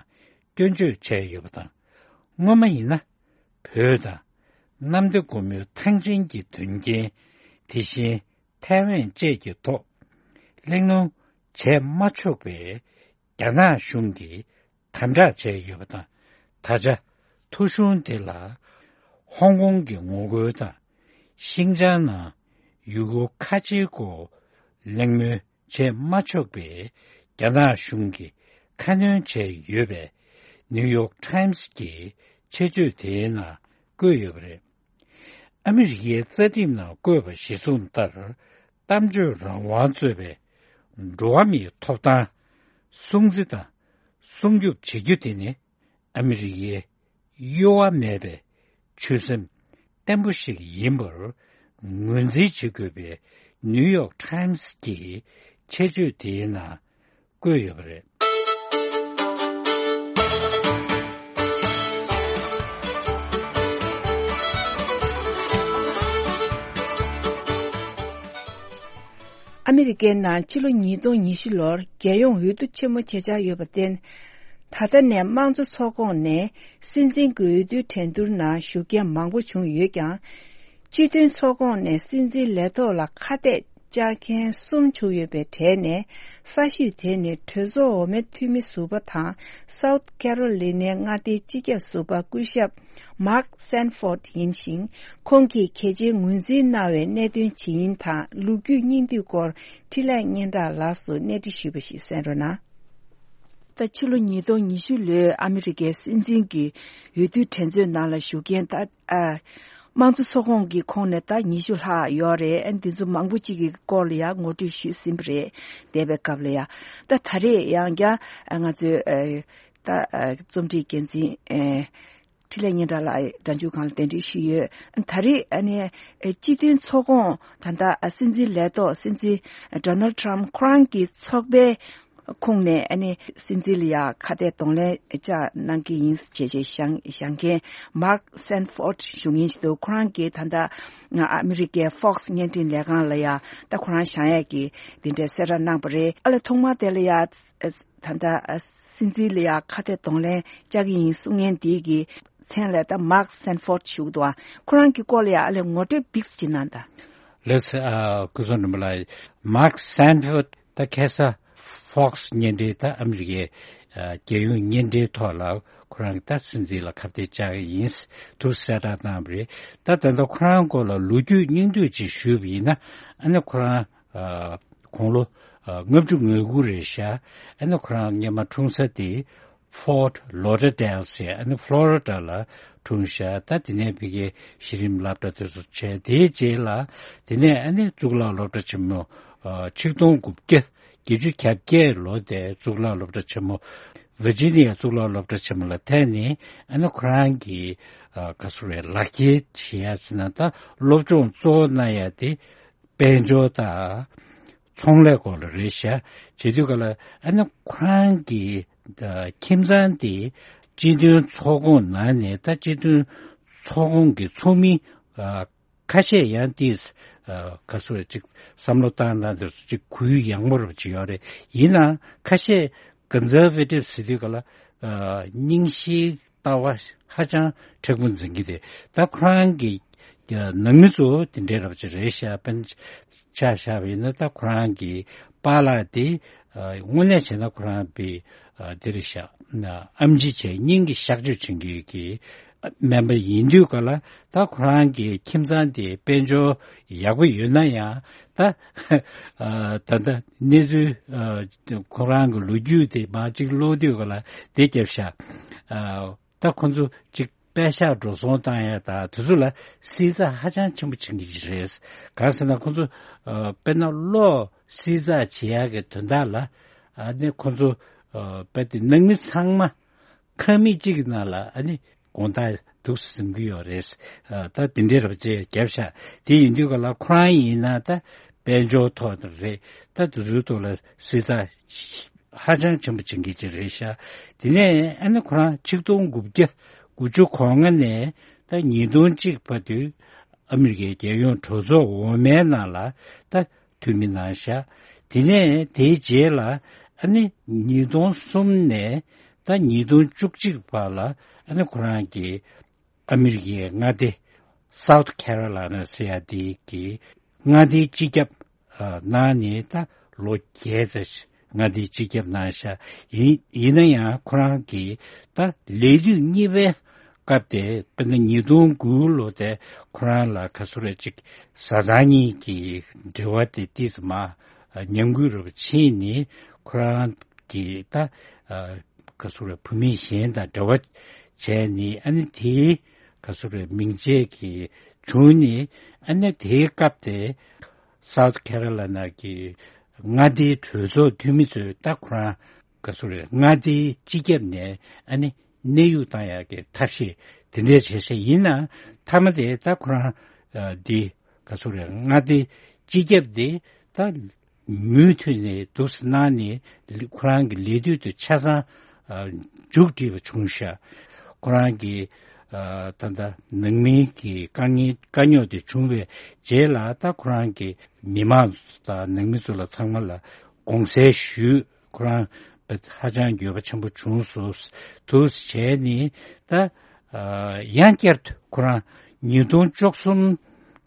སྐྱོན་བརྗོད་བྱས་ཡོད་པ་དང་། སྔོན་མ་ཡིན་ན་བོད་དང་གནམ་བདེ་སྒོ་མོའི་ཐང་ཆེན་གྱི་དོན་རྐྱེན། དེ་བཞིན་ཐའེ་ཝན་བཅས་ཀྱི་ཐོག་གླེང་སློང་བྱས་མ་ཆོག་པའི་རྒྱ་ནག་གཞུང་གིས་དམ་དྲག་བྱས་ཡོད་པ་དང་། ད་ཆ་ཐོ་གཞུང་དེ་ལ་ཧོང་ཀོང་གི་ངོ་རྒོལ་དང་ཤིང་ཅང་ནང་ཡུ་གུར་ཁ་ཆེའི་སྐོར་གླེང་མོལ་བྱས་མ་ཆོག་པའི་རྒྱ་ནག་གཞུང་གིས་ཁ་སྣོན་བྱས་ཡོད་པས། ནིའུ་ཡོག་ཊའིམ་སི་གི་ཆེད་བརྗོད་དེའི་ནང་བཀོད་ཡོད་པ་རེད། ཨ་མི་རི་ཀའི་རྩ་ཁྲིམས་ནང་བཀོད་པ་གཞིར་བཟུང་ལྟར། གཏམ་བརྗོད་རང་དབང་གཙོས་པའི་འགྲོ་བ་མིའི་ཐོབ་ཐང་སྲུང་བརྩི་དང་སྲུང་སྐྱོབ་བྱེད་རྒྱུ་དེ་ནི་ཨ་མི་རི་ཀའི་གཡོ་བ་མེད་པའི་ཆོད་སེམས་བརྟན་པོ་ཞིག་ཡིན་པར་ངོས་འཛིན་བྱེད་དགོས་པའི་ནིའུ་ཡོག་ཊའིམ་སི་གི་ཆེད་བརྗོད་དེའི་ནང་བཀོད་ཡོད་པ་རེད། ཨ་མི་རི་ཀའི་ནང་ཕྱི་ལོ་ཉིས་སྟོང་ཉི་ཤུ་ལོར་རྒྱལ་ཡོངས་འོས་བསྡུ་ཆེན་མོ་ཆེ་ཆགས་ཡོད་པར་བརྟེན། ད་ལྟ་ནས་དམངས་གཙོ་ཚོགས་ཁོངས་ནས་སྲིད་འཛིན་གྱི་འོས་བསྡུའི་འགྲན་བསྡུར་ནང་ཞུགས་མཁན་མང་པོ་བྱུང་ཡོད་ཀྱང་། སྤྱི་མཐུན་ཚོགས་ཁོངས་ནས་སྲིད་འཛིན་ལས་ཐོག་ལ་ཁ་གཏད་བཅག་མཁན་གསུམ་བྱུང་ཡོད་པའི་གྲས་ནས། གསར་ཤོས་དེ་ནི་གྲོས་ཚོགས་འོག་མའི་འཐུས་མི་ཟུར་པ་དང་སའུ་ཐི་ཁེ་རོ་ལི་ནའི་མངའ་སྡེའི་སྤྱི་ཁྱབ་ཟུར་པ་སྐུ་ཞབས་མཱག་སན་ཕོར་ཡིན་ཞིང་། ཁོང་གིས་གལ་ཆེའི་ངོས་འཛིན་གནང་བའི་གནད་དོན་ཇི་ཡིན་དང་ལོ་རྒྱུས་སྙིང་བསྡུས་སྐོར་འཕྲིན་ལས་སྙན་གྲགས་ལགས་སུ་གནས་འདྲི་ཞུས་པ་ཞིག་གསན་རོགས་གནང་། ད་ཕྱི་ལོ་ཉིས་སྟོང་ཉི་ཤུ་ལོའི་ཨ་མི་རི་ཀའི་སྲིད་འཛིན་གྱི་འོས་བསྡུའི་འགྲན་རྩོད་ནང་ལ་ཞུགས་མཁན་ད་ཨ་དམངས་གཙོ་ཚོགས་ཁོངས་ཀྱི་ཁོངས་ནས་ད་ཉི་ཤུ་ལྷག་ཡོད་རེད། ཨ་འདི་ཚོ་མང་པོ་གཅིག་གི་སྐོར་ལ་ཡང་ངོ་སྤྲོད་ཞུས་ཟིན་པ་རེད། འདས་པའི་སྐབས་ལ་ཡང་ད་ད་རེས་ཡང་བསྐྱར་ཨ་ང་ཚོའི་ཨ་ད་ཨ་རྩོམ་སྒྲིག་འགན་འཛིན་ཨ་འཕྲིན་ལས་སྙན་གྲགས་ལགས་སྒྲ་འཇུག་ཁང་ལ་གདན་འདྲེན་ཞུས་ཡོད། ད་རེས་ཨ་ནི་ཨ་སྤྱི་མཐུན་ཚོགས་ཁོངས་ད་ལྟ་ཨ་སྲིད་འཛིན་ལས་ཐོག་སྲིད་འཛིན་ཌོ་ནལ་ཌི་ཊརམ་ཕི་ཁོ་རང་གི་ཚོགས་པའི་ ཁོངས་ནས་ཨ་ནི་སྲིད་འཛིན་ལ་ཡ་ཁ་གཏད་གདོང་ལེན་བཅའ་གནང་གི་ཡིན་ཞེས་བྱས་བཞེངས་བཞེངས་མཁན་Mark Sanford་ཞུ་མཁན་ཞིག་འདུག་ཁོ་རང་གིས་ད་ལྟ་ཨ་མི་རི་ཀའི་Fox བརྙན་འཕྲིན་ལས་ཁང་ལ་ཡ་ད་ཁོ་རང་བཞེངས་ཡས་ཀྱི་དེ་འདྲའི་གསལ་བསྒྲགས་གནང་པ་རེད། ཨ་ལས་ཐོག་མར་དེ་ལ་ཡ་ད་ལྟ་སྲིད་འཛིན་ལ་ཡ་ཁ་གཏད་གདོང་ལེན་བཅའ་གི་ཡིན་གསུང་མཁན་དེ་གི་མཚན་ལ་ད་Mark Sanford ཞུ་གི་འདུག་ཨ་ཁོ་རང་གི་སྐོར་ལ་ཡ་ཨ་ལས་ངོ་སྤྲོད་བིགས་ཅིག་གནང་དང་། ལགས་སོ། ཨ་སྐུ་ཚོགས་འདྲ་མོ་ལ། Mark Sanford ད་ཁ་སང་Fox བརྙན་འཕྲིན་ད་ཨ་མི་རི་ཀའི་ཨ་རྒྱལ་ཡོངས་བརྙན་འཕྲིན་ཐོག་ལ་ཁོ་རང་གི་ད་སྲིད་འཛིན་ལ་ཁ་གཏད་བཅག་གི་ཡིན་འདུག་གསལ་བསྒྲགས་གནང་བ་རེད། ད་ད་ལྟ་ཁོ་རང་སྐོར་ལ་ལོ་རྒྱུས་སྙིང་བསྡུས་ཅིག་ཞུས་པ་ཡིན་ན། ཨ་ནི་ཁོ་རང་ཨ་དགུང་ལོ་ཨ་ལྔ་བཅུ་ང་དགུ་རེད་ཤག་ཨ་ནི་ཁོ་རང་སྔོན་མ་འཁྲུངས་ས་དེ་Fort Lauderdale ཟེར་ཨ་ནི་Florida ལ་འཁྲུངས་ཤག་ད་དེ་ནས་ཕ་གིའི་གཞི་རིམ་སློབ་གྲྭ་དེ་ཚོ་བྱས། དེའི་རྗེས་ལ་དེ་ནས་ཨ་ནི་གཙུག་ལག་སློབ་གྲྭ་ཆེན་མོ་ཨ་ཆིག་སྟོང་དགུ་བརྒྱ་བརྒྱད་ཅུ་གྱ་བརྒྱད་ལོ་དེ་གཙུག་ལག་སློབ་གྲྭ་ཆེན་མོ་Virginia གཙུག་ལག་སློབ་གྲྭ་ཆེན་མོ་ལ་ཐོན་ནས། ཨ་ནི་ཁོ་རང་གི་ཨ་ག་ཟེར་རེད། ལག་ཁྱེར་བྱེད་ཡ་ཟེར་ན་ད་སློབ་སྦྱོང་གཙོ་བོ་གནང་ཡ་དེ་དཔལ་འབྱོར་དང་ཚོང་ལས་སྐོར་ལ་རེད་ཤག་བྱེད་དུས་ག་ལ་ཨ་ནི་ཁོ་རང་གི་ཨ་ཁྱིམ་ཚང་དེ་སྤྱི་མཐུན་ཚོགས་ཁོངས་ནང་ནས་ད་སྤྱི་མཐུན་ཚོགས་ཁོངས་ཀྱི་ཚོགས་མི་ཨ་ཁ་ཤས་ཡང་དེས་ཨ་ག་ཟེར་རེད། ཅིག་བསམ་བློ་བཏང་སྟངས་དེ་ཚོ་ཅིག་གུ་ཡངས་པོ་རུ་ཅིག་ཡོད་རེད། ཡིན་ནའང་ཁ་ཤས་Conservative ཟེར་དུས་ག་ལ་ཨ་རྙིང་ཞིག་ལྟ་བ་ཧ་ཅང་མཁྲེགས་པོ་འཛིན་གྱི་རེད། ད་ཁོ་རང་གི་ནང་མི་ཚོ་དེ་འདྲའི་རབ་ཅིག་རེད་ཤག་དཔེར་ན་ཆ་བཞག་པ་ཡིན་ན་ད་ཁོ་རང་གི་པཱ་ལགས་དེ་དངོས་གནས་བྱས་ན་ཁོ་རང་པའི་དེ་རེད་ཤག་ཨམ་ཆི་བྱས་སྙིང་གི་གཤག་བཅོས་བྱེད་མཁན་གྱི་སྨན་པ་ཡིན་དུས་ག་ལ་ད་ཁོ་རང་གི་ཁྱིམ་ཚང་དེ་དཔལ་འབྱོར་ཡག་པོ་ཡོད་ན་ཡང་ད་ད་ལྟ་གནས་ཚུལ་ཁོ་རང་གི་ལོ་རྒྱུས་དེ་མར་ཅིག་ཀློག་དུས་ག་ལ་དེ་རྒྱབ་ཤག་ད་ཁོ་ཚོ་ཅིག་པད་ཤག་འགྲོ་སོང་བཏང་ཡ་དང་དེ་ཚོ་ལ་བསྲི་ཚགས་ཧ་ཅང་ཆེན་པོ་བྱེད་ཀྱི་རེད། གང་ཟེར་ན་ཁོ་ཚོ་ཨ་དཔེར་ན་གློག་བསྲི་ཚགས་བྱེད་ཡ་གི་དོན་དག་ལ་ཨ་ནི་ཁོ་ཚོ་ཨ་དཔེ་དེ་ནང་མི་ཚང་མ་ཁང་མིག་གཅིག་གི་ནང་ལ་ཨ་ནི་དགོང་དག་འདུག་སེ་ཟིན་གྱི་ཡོད་རེད། ཨ་ད་དེ་འདྲའི་རབ་ཅིག་བརྒྱབ་ཤག་དེ་ཡིན་དུས་ག་ལ་ཁོ་རང་ཡིན་ན་ད་དཔལ་འབྱོར་ཐོག་ནས་རེད། ད་དེ་ཚོའི་ཐོག་ལ་བསྲི་ཚགས་ཧ་ཅང་ཆེན་པོ་བྱེད་མཁན་ཅིག་རེད་ཤག་དེ་ནས་ཨ་ནི་ཁོ་རང་ཆིག་སྟོང་དགུ་བརྒྱ་དགུ་བཅུ་གོ་ལྔ་ནས་ད་ཉིས་སྟོང་གཅིག་བར་དུ་ཨ་མི་རི་ཀའི་རྒྱལ་ཡོངས་གྲོས་ཚོགས་འོག་མའི་ནང་ལ་ད་འཐུས་མི་གནང་ཤག་དེ་ནས་དེའི་རྗེས་ལ་ཨ་ནི་ཉིས་སྟོང་གསུམ་ནས་ད་ཉིས་སྟོང་བཅུ་གཅིག་བར་ལ་ཨ་ནི་ཁོ་རང་གིས་ཨ་མི་རི་ཀའི་མངའ་སྡེ་South Carolina ཟེར་ཡ་དེ་གི་མངའ་སྡེའི་སྤྱི་ཁྱབ་ཨ་གནང་ནས་ད་ལོ་བརྒྱད་ཙམ་ཞིག་མངའ་སྡེའི་སྤྱི་ཁྱབ་གནང་ཤག་ཡིན་ཡིན་ན་ཡང་ཁོ་རང་གིས་ད་ལས་དུས་གཉིས་པའི་སྐབས་དེ་དཔེར་ན་ཉིས་སྟོང་དགུ་ལོ་དེ་ཁོ་རང་ལ་ག་ཚོད་རེ་ཅིག་བཟའ་ཚང་གཉིས་ཀྱི་འབྲེལ་བ་དེ་ཏོག་ཙམ་མར་ཉམས་རྒུད་རུ་ཕྱིན་ནས་ཁོ་རང་གིས་ད་ཨ་ག་ཚོད་རེ་བུད་མེད་གཞན་དང་འབྲེལ་བ་བྱས་ནས་ཨ་ནི་དེའི་ག་ཚོད་རེ་མིང་ཆད་ཀྱི་བྱུང་ནས་ཨ་ནི་དེའི་སྐབས་དེ་South Carolina གི་མངའ་སྡེའི་གྲོས་ཚོགས་འཐུས་མི་ཚོས་ད་ཁོ་རང་ག་ཚོད་རེད། མངའ་སྡེའི་སྤྱི་ཁྱབ་ནས་ཨ་ནི་གནས་དབྱུང་བཏང་ཡག་གི་ཐབས་ཤེས་དེ་འདྲས་བྱས་ཤག་ཡིན་ནའང་མཐའ་མ་དེ་ད་ཁོ་རང་ཨ་འདི་ག་ཚོད་རེད། མངའ་སྡེའི་སྤྱི་ཁྱབ་དེ་ད་མུ་མཐུད་ནས་འདུག་སེ་གནང་ནས་ལི་ཁོ་རང་གི་ལས་དུས་དེ་ཆ་ཚང་ཨ་མཇུག་སྒྲིལ་བ་བྱུང་ཤག་ཁོ་རང་གི་ཨ་ད་ལྟ་ནང་མིའི་གི་དཀའ་ངལ་དཀའ་རྙོག་དེ་བྱུང་བའི་རྗེས་ལ་ད་ཁོ་རང་གི་མི་མང་དང་ནང་མི་ཚོ་ལ་ཚང་མ་ལ་དགོངས་སེལ་ཞུས། ཁོ་རང་ཧ་ཅང་འགྱོད་པ་ཆེན་པོ་བྱུང་སོང་། འདུག་སེ་བྱས་ནས་ད་ཨ་ཡང་བསྐྱར་དུ་ཁོ་རང་ཉིས་སྟོང་བཅུ་གསུམ་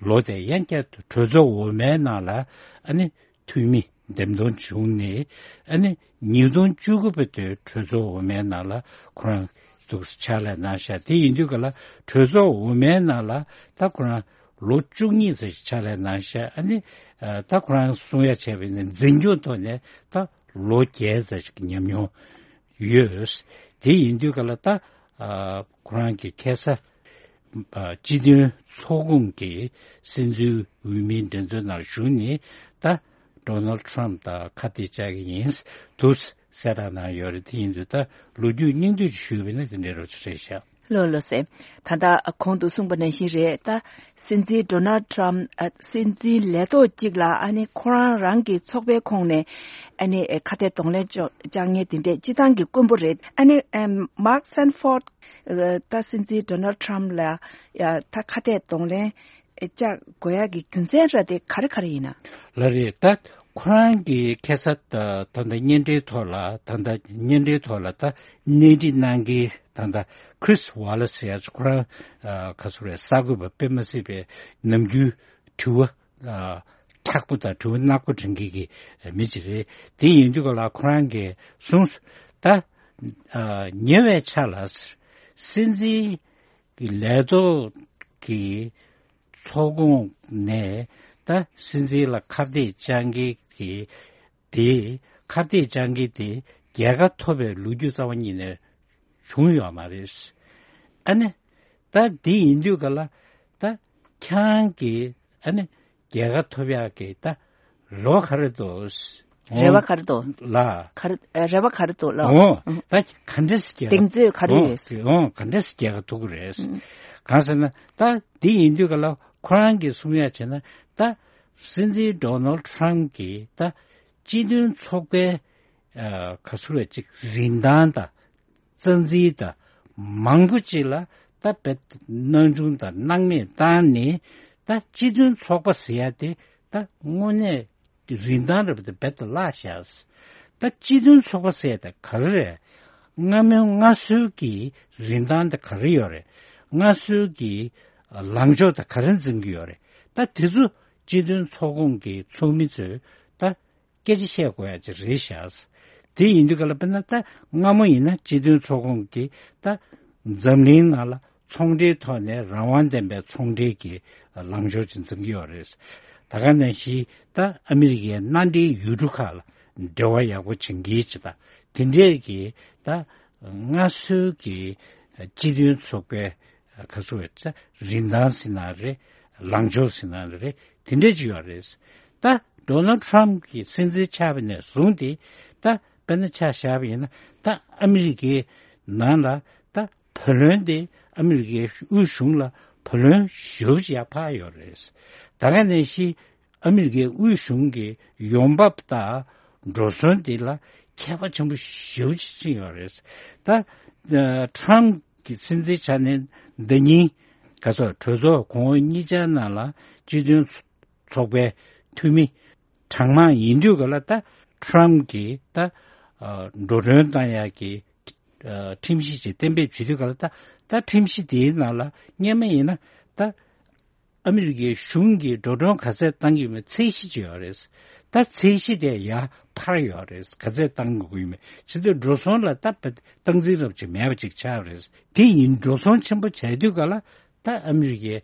ལོ་དེ་ཡང་བསྐྱར་དུ་གྲོས་ཚོགས་འོག་མའི་ནང་ལ་ཨ་ནི་འཐུས་མི་འདེམས་ཐོན་བྱུང་ནས་ཨ་ནི་ཉིས་སྟོང་བཅུ་དགུ་བར་དུ་གྲོས་ཚོགས་འོག་མའི་ནང་ལ་ཁོ་རང་འདུག་སེ་ཕྱག་ལས་གནང་ཤག་དེ་ཡིན་དུས་ག་ལ་གྲོས་ཚོགས་འོག་མའི་ནང་ལ་ད་ཁོ་རང་ལོ་བཅུ་གཉིས་ཙམ་ཞིག་ཕྱག་ལས་གནང་ཤག་ཨ་ནི་ཨ་ད་ཁོ་རང་གསུང་ཡ་བྱས་པ་ཡིན་ན་འཛིན་སྐྱོང་ཐོག་ནས་ད་ལོ་བརྒྱད་ཙམ་ཞིག་གི་ཉམས་མྱོང་ཡོད། དེ་ཡིན་དུས་ག་ལ་ད་ཨ་ཁོ་རང་གི་ཁ་སང་ཨ་སྤྱི་མཐུན་ཚོགས་ཁོངས་ཀྱི་སྲིད་འཛིན་འོས་མིའི་འགྲན་རྩོད་ནང་ཞུགས་ནས་ད་Donald Trump དང་ཁ་གཏད་བཅག་གི་ཡིན་འདུག་གསལ་བསྒྲགས་གནང་ཡོད་རེད། དེ་ཡིན་དུས་ད་ལོ་རྒྱུས་སྙིང་བསྡུས་ཞུས་པ་ཡིན་ན་དེ་འདྲའི་རོབ་ཙམ་རེད་ཤག་ལགས་ལགས་སེ། ད་ལྟ་གོང་དུ་གསུངས་པ་ནང་བཞིན་རེད། ད་སྲིད་འཛིན་ཌོ་ནལ་ཊམ་ཨ་སྲིད་འཛིན་ལས་ཐོག་གཅིག་ལ་ཨ་ནི་ཁོ་རང་རང་གི་ཚོགས་པའི་ཁོངས་ནས་ཨ་ནི་ཁ་གཏད་གདོང་ལེན་བཅོ་བཅག་མཁན་དེ་འདྲས་སྤྱི་བཏང་གི་དཀོན་པོ་རེད། ཨ་ནི་ཨམ་མཱག་སན་ཕོར་ད་སྲིད་འཛིན་ཌོ་ནལ་ཊམ་ལ་ཡ་ད་ཁ་གཏད་གདོང་ལེན་བཅག་དགོས་ཡག་གི་རྒྱུ་མཚན་ར་དེ་ག་རེ་ག་རེ་ཡིན་ན། ལགས་རེད། ད་ཁོ་རང་གི་ཁ་སང་ད་ད་ལྟ་བརྙན་འཕྲིན་ཐོག་ལ་ད་ལྟ་བརྙན་འཕྲིན་ཐོག་ལ་ད་གནས་འདྲི་གནང་མཁན་ད་ལྟ་ཁི་རིས་ཝ་ལེ་སི་ཟེར་ཡག་ཅིག་ཁོ་རང་ཨ་ག་ཚོད་རེད། གསར་འགོད་པ་དཔེ་མ་སྲིད་པའི་ནམ་རྒྱུན་དྲི་བ་ཨ་དྲག་པོ་དང་དྲི་བ་ནག་པོ་དྲི་མཁན་གྱི་མི་ཅིག་རེད། དེ་ཡིན་དུས་ག་ལ་ཁོ་རང་གིས་གསུངས་སོང་། ད་ཨ་ཉེ་བའི་ཆར་ལ་སྲིད་འཛིན་གྱི་ལས་ཐོག་གི་ཚོགས་ཁོངས་ནས་ད་སྲིད་འཛིན་ལ་ཁ་གཏད་བཅག་མཁན་གྱི་དེ་ཁ་གཏད་བཅག་མཁན་དེ་རྒྱལ་ཁ་ཐོབ་པའི་ལོ་རྒྱུས་རྩ་བ་ཉིད་ནས་བྱུང་ཡོད་མ་རེད། ཨ་ནི་ད་འདི་ཡིན་དུས་ག་ལ་ད་ཁྱེད་རང་གིས་ཨ་ནི་རྒྱལ་ཁ་ཐོབ་ཡག་གི་ད་རེ་བ་ག་རེ་འདུག་རེ་བ་ག་རེ་འདུག་ལ། ག་རེ་ཨ་རེ་བ་ག་རེ་འདུག་ལ། འོ་ཨང་། ད་ག་འདྲས་སེ་རྒྱལ་གདེང་ཚོད་ག་རེ་ཡོད། འོ་ག་འདྲས་སེ་རྒྱལ་ཁ་ཐོབ་ཀྱི་རེད། ཨང་། གང་ཟེར་ན་ད་འདི་ཡིན་དུས་ག་ལ་ཁོ་རང་གིས་གསུང་ཡག་བྱས་ན་ད་སྲིད་འཛིན་ཌོ་ནལ་ཊམ་གྱིས་ད་སྤྱི་མཐུན་ཚོགས་པའི་ཨ་ག་ཚོད་རེད་ཅིག་རིན་ཐང་དང་རྩ་འཛིན་དང་མང་པོ་ཅིག་ལ་ད་རྦད་སྣང་ཆུང་དང་སྣང་མེད་བཏང་ནས་ད་སྤྱི་མཐུན་ཚོགས་པ་ཟེར་ཡག་དེ་ད་དངོས་གནས་རིན་ཐང་རེད་པ་དེ་རྦད་དེ་བརླག་བཞག་ད་སྤྱི་མཐུན་ཚོགས་པ་ཟེར་ཡག་དེ་ག་རེ་རེད། སྔ་མོའི་སྔར་སྲོལ་གྱི་རིན་ཐང་དེ་ག་རེ་ཡོད་རེད། སྔར་སྲོལ་གྱི་ལངས་ཕྱོགས་དེ་ག་རེ་འཛིན་གྱི་ཡོད་རེད། ད་དེ་ཚོ་སྤྱི་མཐུན་ཚོགས་ཁོངས་ཀྱི་ཚོགས་མི་ཚོས་ད་སྐད་ཆ་བཤད་དགོས་ཡ་ཅིག་རེད་ཤག་དེ་ཡིན་དུས་ག་ལ་དཔེར་ན་ད་སྔ་མོ་ཡིན་ན་སྤྱི་མཐུན་ཚོགས་ཁོངས་ཀྱི་ད་འཛམ་གླིང་ནང་ལ་ཚོང་འབྲེལ་ཐོག་ནས་རང་དབང་ལྡན་པའི་ཚོང་འབྲེལ་གྱི་ལངས་ཕྱོགས་ཅིག་འཛིན་གྱི་ཡོད་རེད། ད་ག་ནང་བཞིན་ད་ཨ་མི་རི་ཀའི་མནའ་འབྲེལ་ཡུལ་གྲུ་ཁག་ལ་འབྲེལ་བ་ཡག་པོ་བྱེད་མཁན་ཅིག་དང་དེ་འདྲས་ཀྱི་ད་སྔར་སྲོལ་གྱི་སྤྱི་མཐུན་ཚོགས་པའི་ག་ཚོད་རེད། རིན་ཐང་ཟེར་ན་རེད། ལངས་ཕྱོགས་ཟེར་ན་རེད། དེ་འདྲས་ཅིག་ཡོད་རེད། ད་ཌོ་ནལ་ཊམ་གྱི་སྲིད་འཛིན་ཆགས་པ་ནས་བཟུང་སྟེ་ད་དཔེར་ན་ཆ་བཞག་པ་ཡིན་ན་ད་ཨ་མི་རི་ཀའི་ནང་ལ་ད་བུ་ལོན་དེ་ཨ་མི་རི་ཀའི་དབུས་གཞུང་ལ་བུ་ལོན་ཞེ་པོ་ཅིག་ཡར་འཕར་ཡོད་རེད། ད་ག་ནང་བཞིན་ཨ་མི་རི་ཀའི་དབུས་གཞུང་གི་ཡོང་འབབ་དང་འགྲོ་སོང་དེ་ལ་ཁྱད་པར་ཆེན་པོ་ཞེ་པོ་ཅིག་ཕྱིན་ཡོད་རེད། ད་ཨ་ཊམ་གྱི་སྲིད་འཛིན་ཆགས་ནས་འདི་ཉིན་ག་ཚོད་གྲོས་ཚོགས་གོང་འོག་གཉིས་ཆར་ནང་ལ་སྤྱི་མཐུན་ཚོགས་པའི་འཐུས་མི་གྲངས་མང་ཡིན་དུས་ག་ལ་ད་ཊམ་གྱིས་ད་ཨ་འགྲོ་གྲོན་བཏང་ཡག་གི་ཨ་ཁྲིམས་གཞི་ཅིག་གཏན་འབེབས་བྱེད་དུས་ག་ལ་ད་ད་ཁྲིམས་གཞི་དེའི་ནང་ལ་སྔོན་མ་ཡིན་ན་ད་ཨ་མི་རི་ཀའི་གཞུང་གིས་འགྲོ་གྲོན་ག་ཚད་བཏང་གི་ཡོད་མེད་ཚད་གཞི་ཅིག་ཡོད་རེད། ད་ཚད་གཞི་དེ་ཡར་འཕར་ཡོད་རེད། ག་ཚད་བཏང་དགོས་ཀྱི་ཡོད་མེད་བྱེད་དུས་འགྲོ་སོང་ལ་ད་སྟངས་འཛིན་རབ་ཅིག་མེད་པ་ཅིག་ཆགས་རེད། དེ་ཡིན་འགྲོ་སོང་ཆེན་པོ་བྱས་དུས་ག་ལ་ད་ཨ་མི་རི་ཀའི་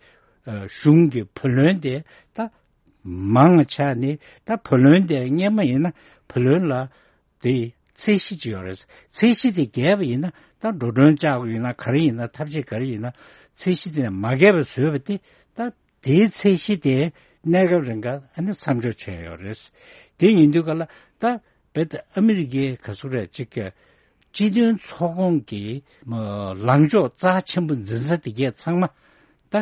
ཨ་གཞུང་གི་བུ་ལོན་དེ་ད་མང་ཆགས་ནས་ད་བུ་ལོན་དེ་སྔོན་མ་ཡིན་ན་བུ་ལོན་ལ་དེ་ཚད་གཞི་ཅིག་ཡོད་རེད། ཚད་གཞི་དེ་བརྒལ་བ་ཡིན་ན་ད་འགྲོ་གྲོན་བཅག་དགོས་ཡིན་ན་ག་རེ་ཡིན་ན་ཐབས་ཤེས་ག་རེ་ཡིན་ན་ཚད་གཞི་དེ་ནས་མ་བརྒལ་བ་བཟོས་པ་དེ་ད་དེའི་ཚད་གཞི་དེ་གནས་སྐབས་རིང་ག་ཨ་ནི་མཚམས་འཇོག་བྱས་ཡོད་རེད། དེ་ཡིན་དུས་ག་ལ་ད་རྦད་དེ་ཨ་མི་རི་ཀའི་ག་ཚོད་རེད་ཅིག་གི་སྤྱི་མཐུན་ཚོགས་ཁོངས་ཀྱི་ལངས་ཕྱོགས་རྩ་ཆེན་པོ་འཛིན་ས་དེ་གས་ཚང་མ་ད་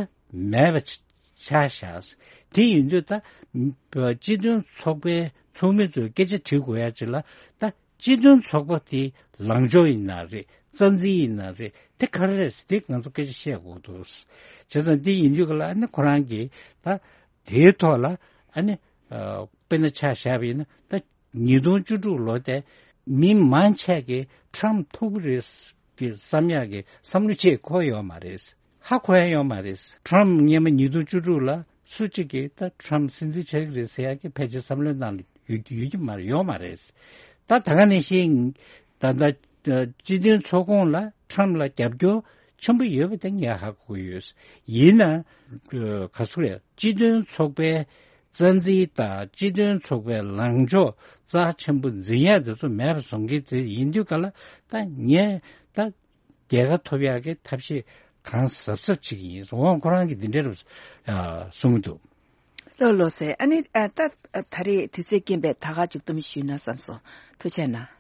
མེད་པ་ཆགས་བཞག་དེ་ཡིན་དུས་ད་སྤྱི་མཐུན་ཚོགས་པའི་ཚོགས་མི་ཚོས་སྐད་ཆ་དྲི་དགོས་ཡ་ཅིག་ལ་ད་སྤྱི་མཐུན་ཚོགས་པ་དེ་ལངས་ཕྱོགས་ཡིན་ན་རེད། རྩ་འཛིན་ཡིན་ན་རེད། དེ་ག་རེ་རེད་ཟེར་དེ་ང་ཚོ་སྐད་ཆ་བཤད་དགོས་འདུག་བྱས་ཙང་དེ་ཡིན་དུས་ག་ལ་ཨ་ནི་ཁོ་རང་གིས་ད་དེའི་ཐོག་ལ་ཨ་ནི་ཨ་དཔེར་ན་ཆ་བཞག་པ་ཡིན་ན་ད་ཉིས་སྟོང་བཅུ་དྲུག་ལོ་དེ་མི་མང་ཆེ་གིས་ཊམ་ཐུབ་ཀྱི་རེད་ཀྱི་བསམ་ཡག་གི་བསམ་བློ་ཅིག་འཁོར་ཡོད་མ་རེད། ཧ་གོ་ཡ་ཡོད་མ་རེད། ཊམ་སྔོན་མ་ཉིས་སྟོང་བཅུ་དྲུག་ལ་སུ་གཅིག་གིས་ད་ཊམ་སྲིད་འཛིན་ཆགས་ཀྱི་རེད་ཟེར་ཡག་གི་ཕལ་ཆེར་བསམ་བློའི་ནང་ལ་ཡོད་ཡོད་ཀྱི་མ་རེད། ཡོད་མ་རེད། ད་ད་ག་ནང་བཞིན་ད་ལྟ་སྤྱི་མཐུན་ཚོགས་ཁོངས་ལ་ཊམ་ལ་རྒྱབ་སྐྱོར་ཆེན་པོ་ཡོད་པ་དེ་ངས་ཧ་གོ་ཡོད། ཡིན་ན་ག་ཚོད་རེད། སྤྱི་མཐུན་ཚོགས་པའི་རྩ་འཛིན་དང་སྤྱི་མཐུན་ཚོགས་པའི་ལངས་ཕྱོགས་རྩ་ཆེན་པོ་འཛིན་ཡ་དེ་ཚོ་མེད་པ་བཟོ་མཁན་དེ་ཡིན་དུས་ག་ལ་ད་ངས་ད་རྒྱལ་ཁ་ཐོབ་ཡག་གི་ཐབས་ཤེས་གང་གཟབ་གཟབ་བྱེད་ཀྱི་ཡིན། འོང་ཁོ་རང་གིས་འདི་འདྲ་རུ་གསུང་གི་འདུག་ལགས་ལགས་སེ། ཨ་ནི་ཨ་ད་ད་རེས་དུས་ཚོད་རྐྱེན་པས་ད་ག་མཇུག་བསྡོམས་ཞུས་ན་བསམ་སོང་། ཐུགས་རྗེ་གནང་།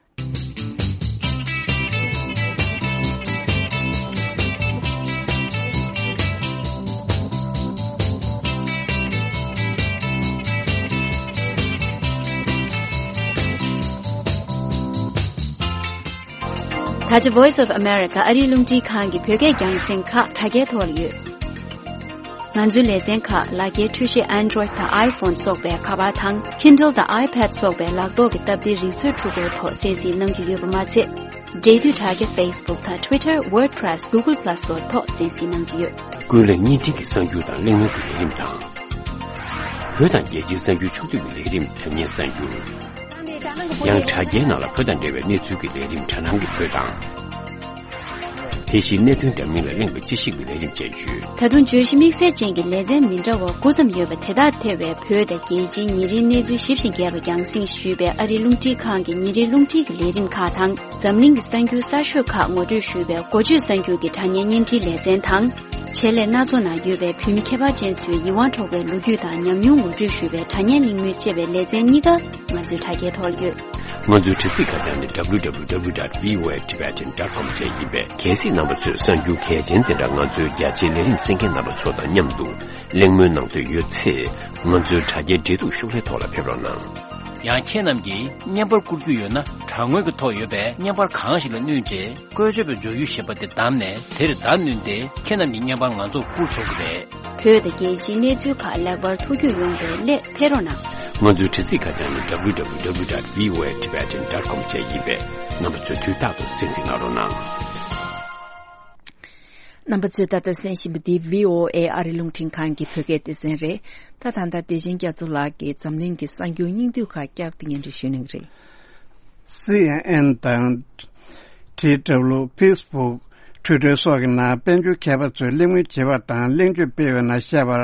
ད་ཆ་Voice of America ཨ་རིའི་རླུང་འཕྲིན་ཁང་གི་བོད་སྐད་རྒྱང་སྲིང་ཁག་དྲ་རྒྱའི་ཐོག་ལ་ཡོད། ང་ཚོའི་ལེ་ཚན་ཁག་ལག་འཁྱེར་འཕྲུལ་ཆས་Android་དང་iPhone་སོགས་པའི་ཁ་པར་དང་Kindle་དང་iPad་སོགས་པའི་ལག་ཐོག་གི་སྟབས་བདེའི་རིག་མཛོད་འཕྲུལ་འཁོར་ཐོག་གསན་གཟིགས་གནང་རྒྱུ་ཡོད་པ་མ་ཚད། འབྲེལ་མཐུད་དྲ་རྒྱ་Facebook་དང་Twitter, WordPress, Google Plus་སོགས་ཐོག་གསན་གཟིགས་གནང་རྒྱུ་ཡོད། ཀུན་གླེང་བརྙན་འཕྲིན་གྱི་གསར་འགྱུར་དང་གླེང་མོལ་གྱི་ལས་རིམ་དང་། བོད་དང་རྒྱལ་སྤྱིའི་གསར་འགྱུར་ཕྱོགས་བསྡུས་ཀྱི་ལས་རིམ་དྲ་བརྙན་གསར་འགྱུར། ཡང་དྲ་རྒྱའི་ནང་ལ་བོད་དང་འབྲེལ་བའི་གནས་ཚུལ་གྱི་ལས་རིམ་དྲ་སྣང་གི་བོད་དང་། དེ་བཞིན་གནད་དོན་འདྲ་མིན་ལ་གླེང་བའི་དཔྱད་ཞིབ་ཀྱི་ལས་རིམ་བཅས་ཡོད། ད་དུང་བརྗོད་གཞི་དམིགས་བསལ་ཅན་གྱི་ལེ་ཚན་མི་འདྲ་བ་དགུ་ཙམ་ཡོད་པ་དེ་དག་ཐེ་བའི་བོད་དང་རྒྱལ་སྤྱིའི་ཉིན་རེའི་གནས་ཚུལ་ཞིབ་ཅིང་རྒྱས་པ་རྒྱང་སྲིང་ཞུས་པའི་ཨ་རིའི་རླུང་འཕྲིན་ཁང་གི་ཉིན་རེའི་རླུང་འཕྲིན་གྱི་ལས་རིམ་ཁག་དང་། འཛམ་གླིང་གི་གསར་འགྱུར་གསར་ཤོས་ཁག་ངོ་སྤྲོད་ཞུས་པའི་འགོ་བརྗོད་གསར་འགྱུར་གྱི་དྲ་བརྙན་བརྙན་འཕྲིན་ལེ་ཚན་དང་། ཆེད་ལས་སྣ་ཚོགས་ནང་ཡོད་པའི་བོད་མི་ཁྱད་པར་ཅན་ཚོའི་ཡིད་དབང་འཕྲོག་པའི་ལོ་རྒྱུས་དང་ཉམས་མྱོང་ངོ་སྤྲོད་ཞུས་པའི་དྲ་བརྙན་གླེང་མོལ་བཅས་པའི་ལེ་ཚན་གཉིས་ཀ་ང་ཚོའི་དྲ་རྒྱའི་ཐོག་ལ་ཡོད། ང་ཚོའི་དྲ་ཚིགས་ཁ་བྱང་ནི་W W W dot V O A Tibetan dot com བཅས་ཡིན་པས། གལ་སྲིད་རྣམ་པ་ཚོས་གསར་འགྱུར་གལ་ཆེན་དེ་འདྲ་ང་ཚོའི་རྒྱ་ཆེའི་ལས་རིམ་གསན་མཁན་རྣམ་པ་ཚོ་དང་མཉམ་དུ་གླེང་མོལ་གནང་འདོད་ཡོད་ཚེ། ང་ཚོའི་དྲ་རྒྱའི་འབྲེལ་གཏུག་ཤོག་ལྷེ་ཐོག་ལ་ཕེབས་རོགས་གནང་། ཡང་ཁྱེད་རྣམས་ཀྱིས་བརྙན་པར་བསྐུར་རྒྱུ་ཡོད་ན། དྲ་ངོས་ཀྱི་ཐོག་ཡོད་པའི་བརྙན་པར་གང་ཞིག་ལ་བསྣུན་རྗེས། བཀོལ་སྤྱོད་པའི་མགྱོགས་ཡུལ་ཞེས་པ་དེ་བདམས་ནས། དེར་བརྡ་བསྣུན་ཏེ་ཁྱེད་རྣམས་ཀྱི་བརྙན་པར་ང་ཚོར་བསྐུར་ཆོག་གི་རེད། བོད་དང་རྒྱལ་སྤྱིའི་གནས་ཚུལ་ཁག་ལེགས་པར་ཐུགས་རྒྱུས་ཡོང་བའི་སླད་ཕེབས་རོགས་གནང་། ང་ཚོའི་དྲ་ཚིགས་ཁ་བྱང་ནི་W W W dot V O A Tibetan dot com བཅས་ཡིན་པས། རྣམ་པ་ཚོས་དུས་རྟག་ཏུ་གསན་གཟིགས་གནང་རོགས་གནང་། རྣམ་པ་ཚོས་ད་ལྟ་གསན་བཞིན་པ་འདི་V O A ཨ་རི་རླུང་འཕྲིན་ཁང་གི་བོད་སྐད་སྡེ་ཚན་རེད། ད་ད་ལྟ་བདེ་ཆེན་རྒྱ་མཚོ་ལགས་ཀྱིས་འཛམ་གླིང་གི་གསར་འགྱུར་སྙིང་བསྡུས་ཁག་བསྐྱར་དུ་སྙན་སྒྲོན་ཞུ་གནང་གི་རེད། C N N དང་། T W Facebook Twitter སོགས་ཀྱི་ནང་དཔལ་འབྱོར་མཁས་པ་ཚོས་གླེང་མོལ་བྱེད་པ་དང་གླེང་བརྗོད་སྤེལ་བའི་ནང་བཤད་པར།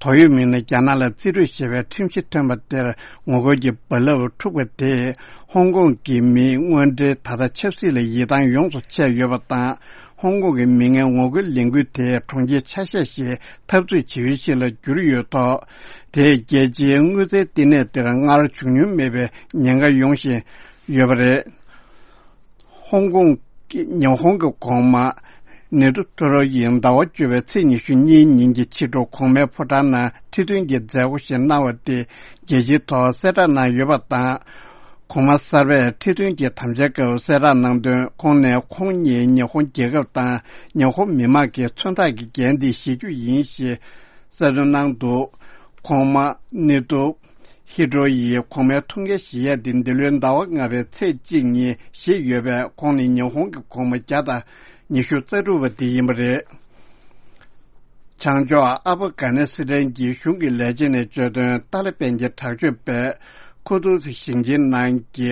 དོགས་ཡོད་མི་སྣས་རྒྱ་ནག་ལ་རྩིས་སྤྲོད་ཞེས་པའི་ཁྲིམས་གཞི་ཐོན་པ་དེར་ངོ་རྒོལ་གྱི་རྦ་རླབས་འཁྲུགས་པ་དེས། ཧོང་ཀོང་གི་མིའི་དངོས་འབྲེལ་ད་ལྟ་ཆབ་སྲིད་ལ་ཡིད་ཐང་ཡོངས་སུ་ཆད་ཡོད་པ་དང་། ཧོང་ཀོང་གི་མི་ངན་ངོ་རྒོལ་ལས་འགུལ་དེ་གྲོང་ཁྱེར་ཆ་ཤས་ཤིག་འཐབ་རྩོད་བྱེད་ཡུལ་ཞིག་ལ་གྱུར་ཡོད་ཐོག་དེས་རྒྱལ་སྤྱིའི་དངུལ་རྩའི་བསྟི་གནས་དེར་སྔར་བྱུང་མྱོང་མེད་པའི་ཉེན་ཁ་ཡོང་བཞིན་ཡོད་པ་རེད། ཧོང་ཀོང་། ཉི་ཧོང་གི་གོང་མ་ནེ་ཏུ་ཐོ་རོ་ཡིས་ཟླ་བ་བཅུ་པའི་ཚེས་ཉི་ཤུ་གཉིས་ཉིན་གྱི་ཕྱི་དྲོ་གོང་མའི་ཕོ་བྲང་ནང་ཁྲི་སྟོན་གྱི་མཛད་སྒོ་ཞིག་གནང་བ་དེ་རྒྱལ་སྤྱིའི་ཐོག་གསལ་བསྒྲགས་གནང་ཡོད་པ་དང་། གོང་མ་གསར་པས་ཁྲི་སྟོན་གྱི་དམ་བཅའ་སྐབས་གསལ་བསྒྲགས་གནང་དོན། ཁོང་ནས་ཁོང་ཉིད་ཉི་ཧོང་རྒྱལ་ཁབ་དང་ཉི་ཧོང་མི་དམངས་ཀྱི་མཚོན་རྟགས་ཀྱི་འགན་འདི་བཞེས་རྒྱུ་ཡིན་ཞེས་གསལ་སྟོན་གནང་འདུག་གོང་མ་ནེ་ཏུ་ཧི་ཏྲོ་ཡིས་གོང་མའི་ཐུགས་འགན་བཞེས་ཡ་དེ་འདི་ལོའི་ཟླ་བ་ལྔ་པའི་ཚེས་གཅིག་ཉིན་བཞེས་ཡོད་པས། ཁོང་ནི་ཉི་ཧོང་གི་གོང་མ་བརྒྱ་དང་ཉི་ཤུ་རྩ་དྲུག་པ་དེ་ཡིན་པ་རེད། བྱང་ཕྱོགས་ཨབ་གྷ་ནི་སི་ཐན་གྱི་གཞུང་གི་ལས་བྱེད་ནས་བརྗོད་དོན། ཏཱ་ལི་པན་གྱི་དྲག་སྤྱོད་པས་ཁུ་ཏུ་ཞིང་ཆེན་ནང་གི་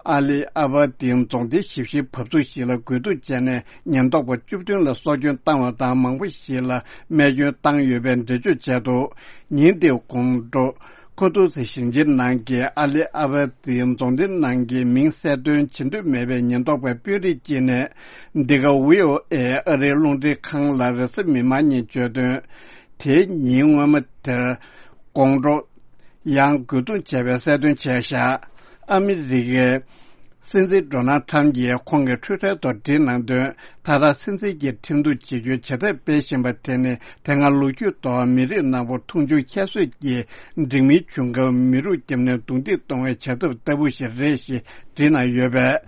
ཨ་ལི་ཨ་བ་ཏིན་རྫོང་སྡེའི་ཞིབ་བཤེར་བབས་ཚུགས་ཤིག་ལ་རྒོལ་རྡུང་བྱས་ནས་ཉེན་རྟོག་པ་བཅུ་བདུན་ལ་སྲོག་སྐྱོན་བཏང་བ་དང་། མང་པོ་ཞིག་ལ་རྨས་སྐྱོན་བཏང་ཡོད་པའི་འགྲེལ་བརྗོད་བྱས་འདུག་ཉིན་དེའི་དགོང་དྲོ། ཁུ་ཏུ་སི་ཞིང་ཆེན་ནང་གི་ཨ་ལི་ཨ་བ་ཏི་རྫོང་སྡེ་ནང་གི་མིང་གསལ་སྟོན་བྱེད་འདོད་མེད་པའི་ཉེན་རྟོག་པའི་དཔོན་རིགས་ཀྱིས་ནས། འདི་ག་ཝི་ཨོ་ཨེ་ཨ་རིའི་རླུང་འཕྲིན་ཁང་ལ་རེས་གཟའ་མིག་དམར་ཉིན་བརྗོད་དོན། དེའི་ཉིན་སྔོན་མ་དེར་དགོང་དྲོ་ཡང་རྒོལ་རྡུང་བྱས་པའི་གསལ་སྟོན་བྱས་བཞག་ཨ་མི་རི་ཀའི་སྲིད་འཛིན་ཌོ་ནལ་ཁྲམ་གྱིས་ཁོང་གི་ཊུའི་ཊར་ཐོག་བྲིས་གནང་དོན། ད་ལྟ་སྲིད་འཛིན་གྱི་ཁྲིམས་གཏུག་བྱེད་རྒྱུའི་བྱ་ཐབས་སྤེལ་བཞིན་པ་དེ་ནི་དེ་སྔ་ལོ་རྒྱུས་ཐོག་མི་རིགས་ནག་པོ་མཐོང་ཆུང་ཁྱད་གསོད་ཀྱི་འགྲིག་མིན་བྱུང་སྐབས་མི་རུག་བརྒྱབ་ནས་རྡུང་རྡེག་གཏོང་བའི་བྱ་ཐབས་ལྟ་བུ་ཞིག་རེད་ཞེས་བྲིས་གནང་ཡོད་པས།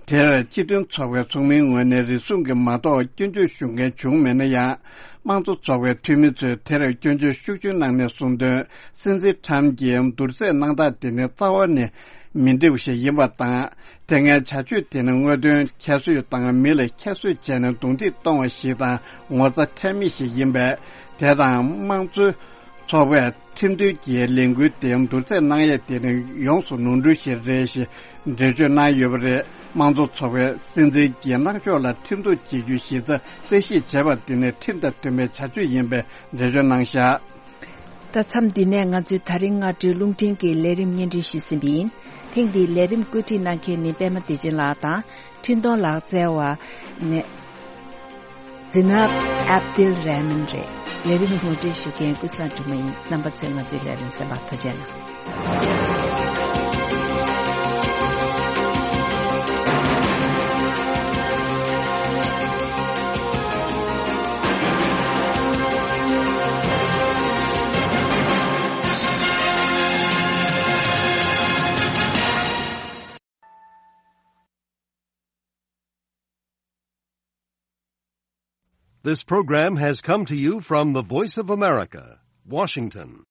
དེར་སྤྱི་མཐུན་ཚོགས་པའི་ཚོགས་མིའི་ངོས་ནས་རེ་ཟུང་གིས་མ་གཏོགས་སྐྱོན་བརྗོད་ཞུ་མཁན་བྱུང་མེད་ན་ཡང་། དམངས་གཙོ་ཚོགས་པའི་འཐུས་མི་ཚོས་དེར་སྐྱོན་བརྗོད་ཤུགས་ཆེན་གནང་ནས་གསུངས་དོན། སྲིད་འཛིན་ཁྲམ་གྱིས་བསྡུར་ཚད་གནང་སྟངས་དེ་ནི་རྩ་བ་ནས་མི་འགྲིག་པ་ཞིག་ཡིན་པ་དང་། དེ་སྔའི་བྱ་སྤྱོད་དེ་ནི་དངོས་དོན་ཁྱད་གསོད་དང་མི་ལ་ཁྱད་གསོད་བྱས་ནས་རྡུང་རྡེག་གཏོང་བ་ཞིག་དང་ངོ་ཚ་ཁྲེལ་མེད་ཞིག་ཡིན་པས། དེ་དང་དམངས་གཙོའི་ཚོགས་པས་ཁྲིམས་མཐུན་གྱི་ལས་འགུལ་དེ་བསྡུར་ཚད་གནང་ཡས་དེ་ནི་ཡོངས་སུ་ནོར་འཁྲུལ་ཞིག་རེད་ཞེས་འགྲེལ་བརྗོད་གནང་ཡོད་པ་རེད། དམངས་གཙོ་ཚོགས་པས་སྲིད་འཛིན་གྱི་གནང་ཕྱོགས་ལ་ཁྲིམས་གཏུག་བྱེད་རྒྱུའི་གཞི་རྩ་རྩད་ཞིབ་བྱས་པ་དེ་ནི་ཁྲིམས་དང་མཐུན་པའི་བྱ་སྤྱོད་ཡིན་པའི་འགྲེལ་བརྗོད་གནང་བཞག་ད་མཚམས་འདི་ནས་ང་ཚོའི་ད་རིང་སྔ་དྲོའི་རླུང་འཕྲིན་གྱི་ལས་རིམ་སྙན་སྒྲོན་ཞུས་ཟིན་པ་ཡིན། ཐེངས་འདིའི་ལས་རིམ་བཀོད་སྒྲིག་གནང་མཁན་ནི་པད་མ་བདེ་ཆེན་ལགས་དང་། འཕྲིན་གཏོང་ལག་རྩལ་བ་ནས་ཛི་ནབ་ཨབ་དིལ་རེ་མན་རེད། ལས་རིམ་ངོ་སྤྲོད་ཞུ་མཁན་ཀུན་བཟང་སྒྲོལ་མ་ཡིན། རྣམ་པ་ཚོས་ང་ཚོའི་ལས་རིམ་གསན་པར་ཐུགས་རྗེ་གནང་། This program has come to you from the Voice of America, Washington.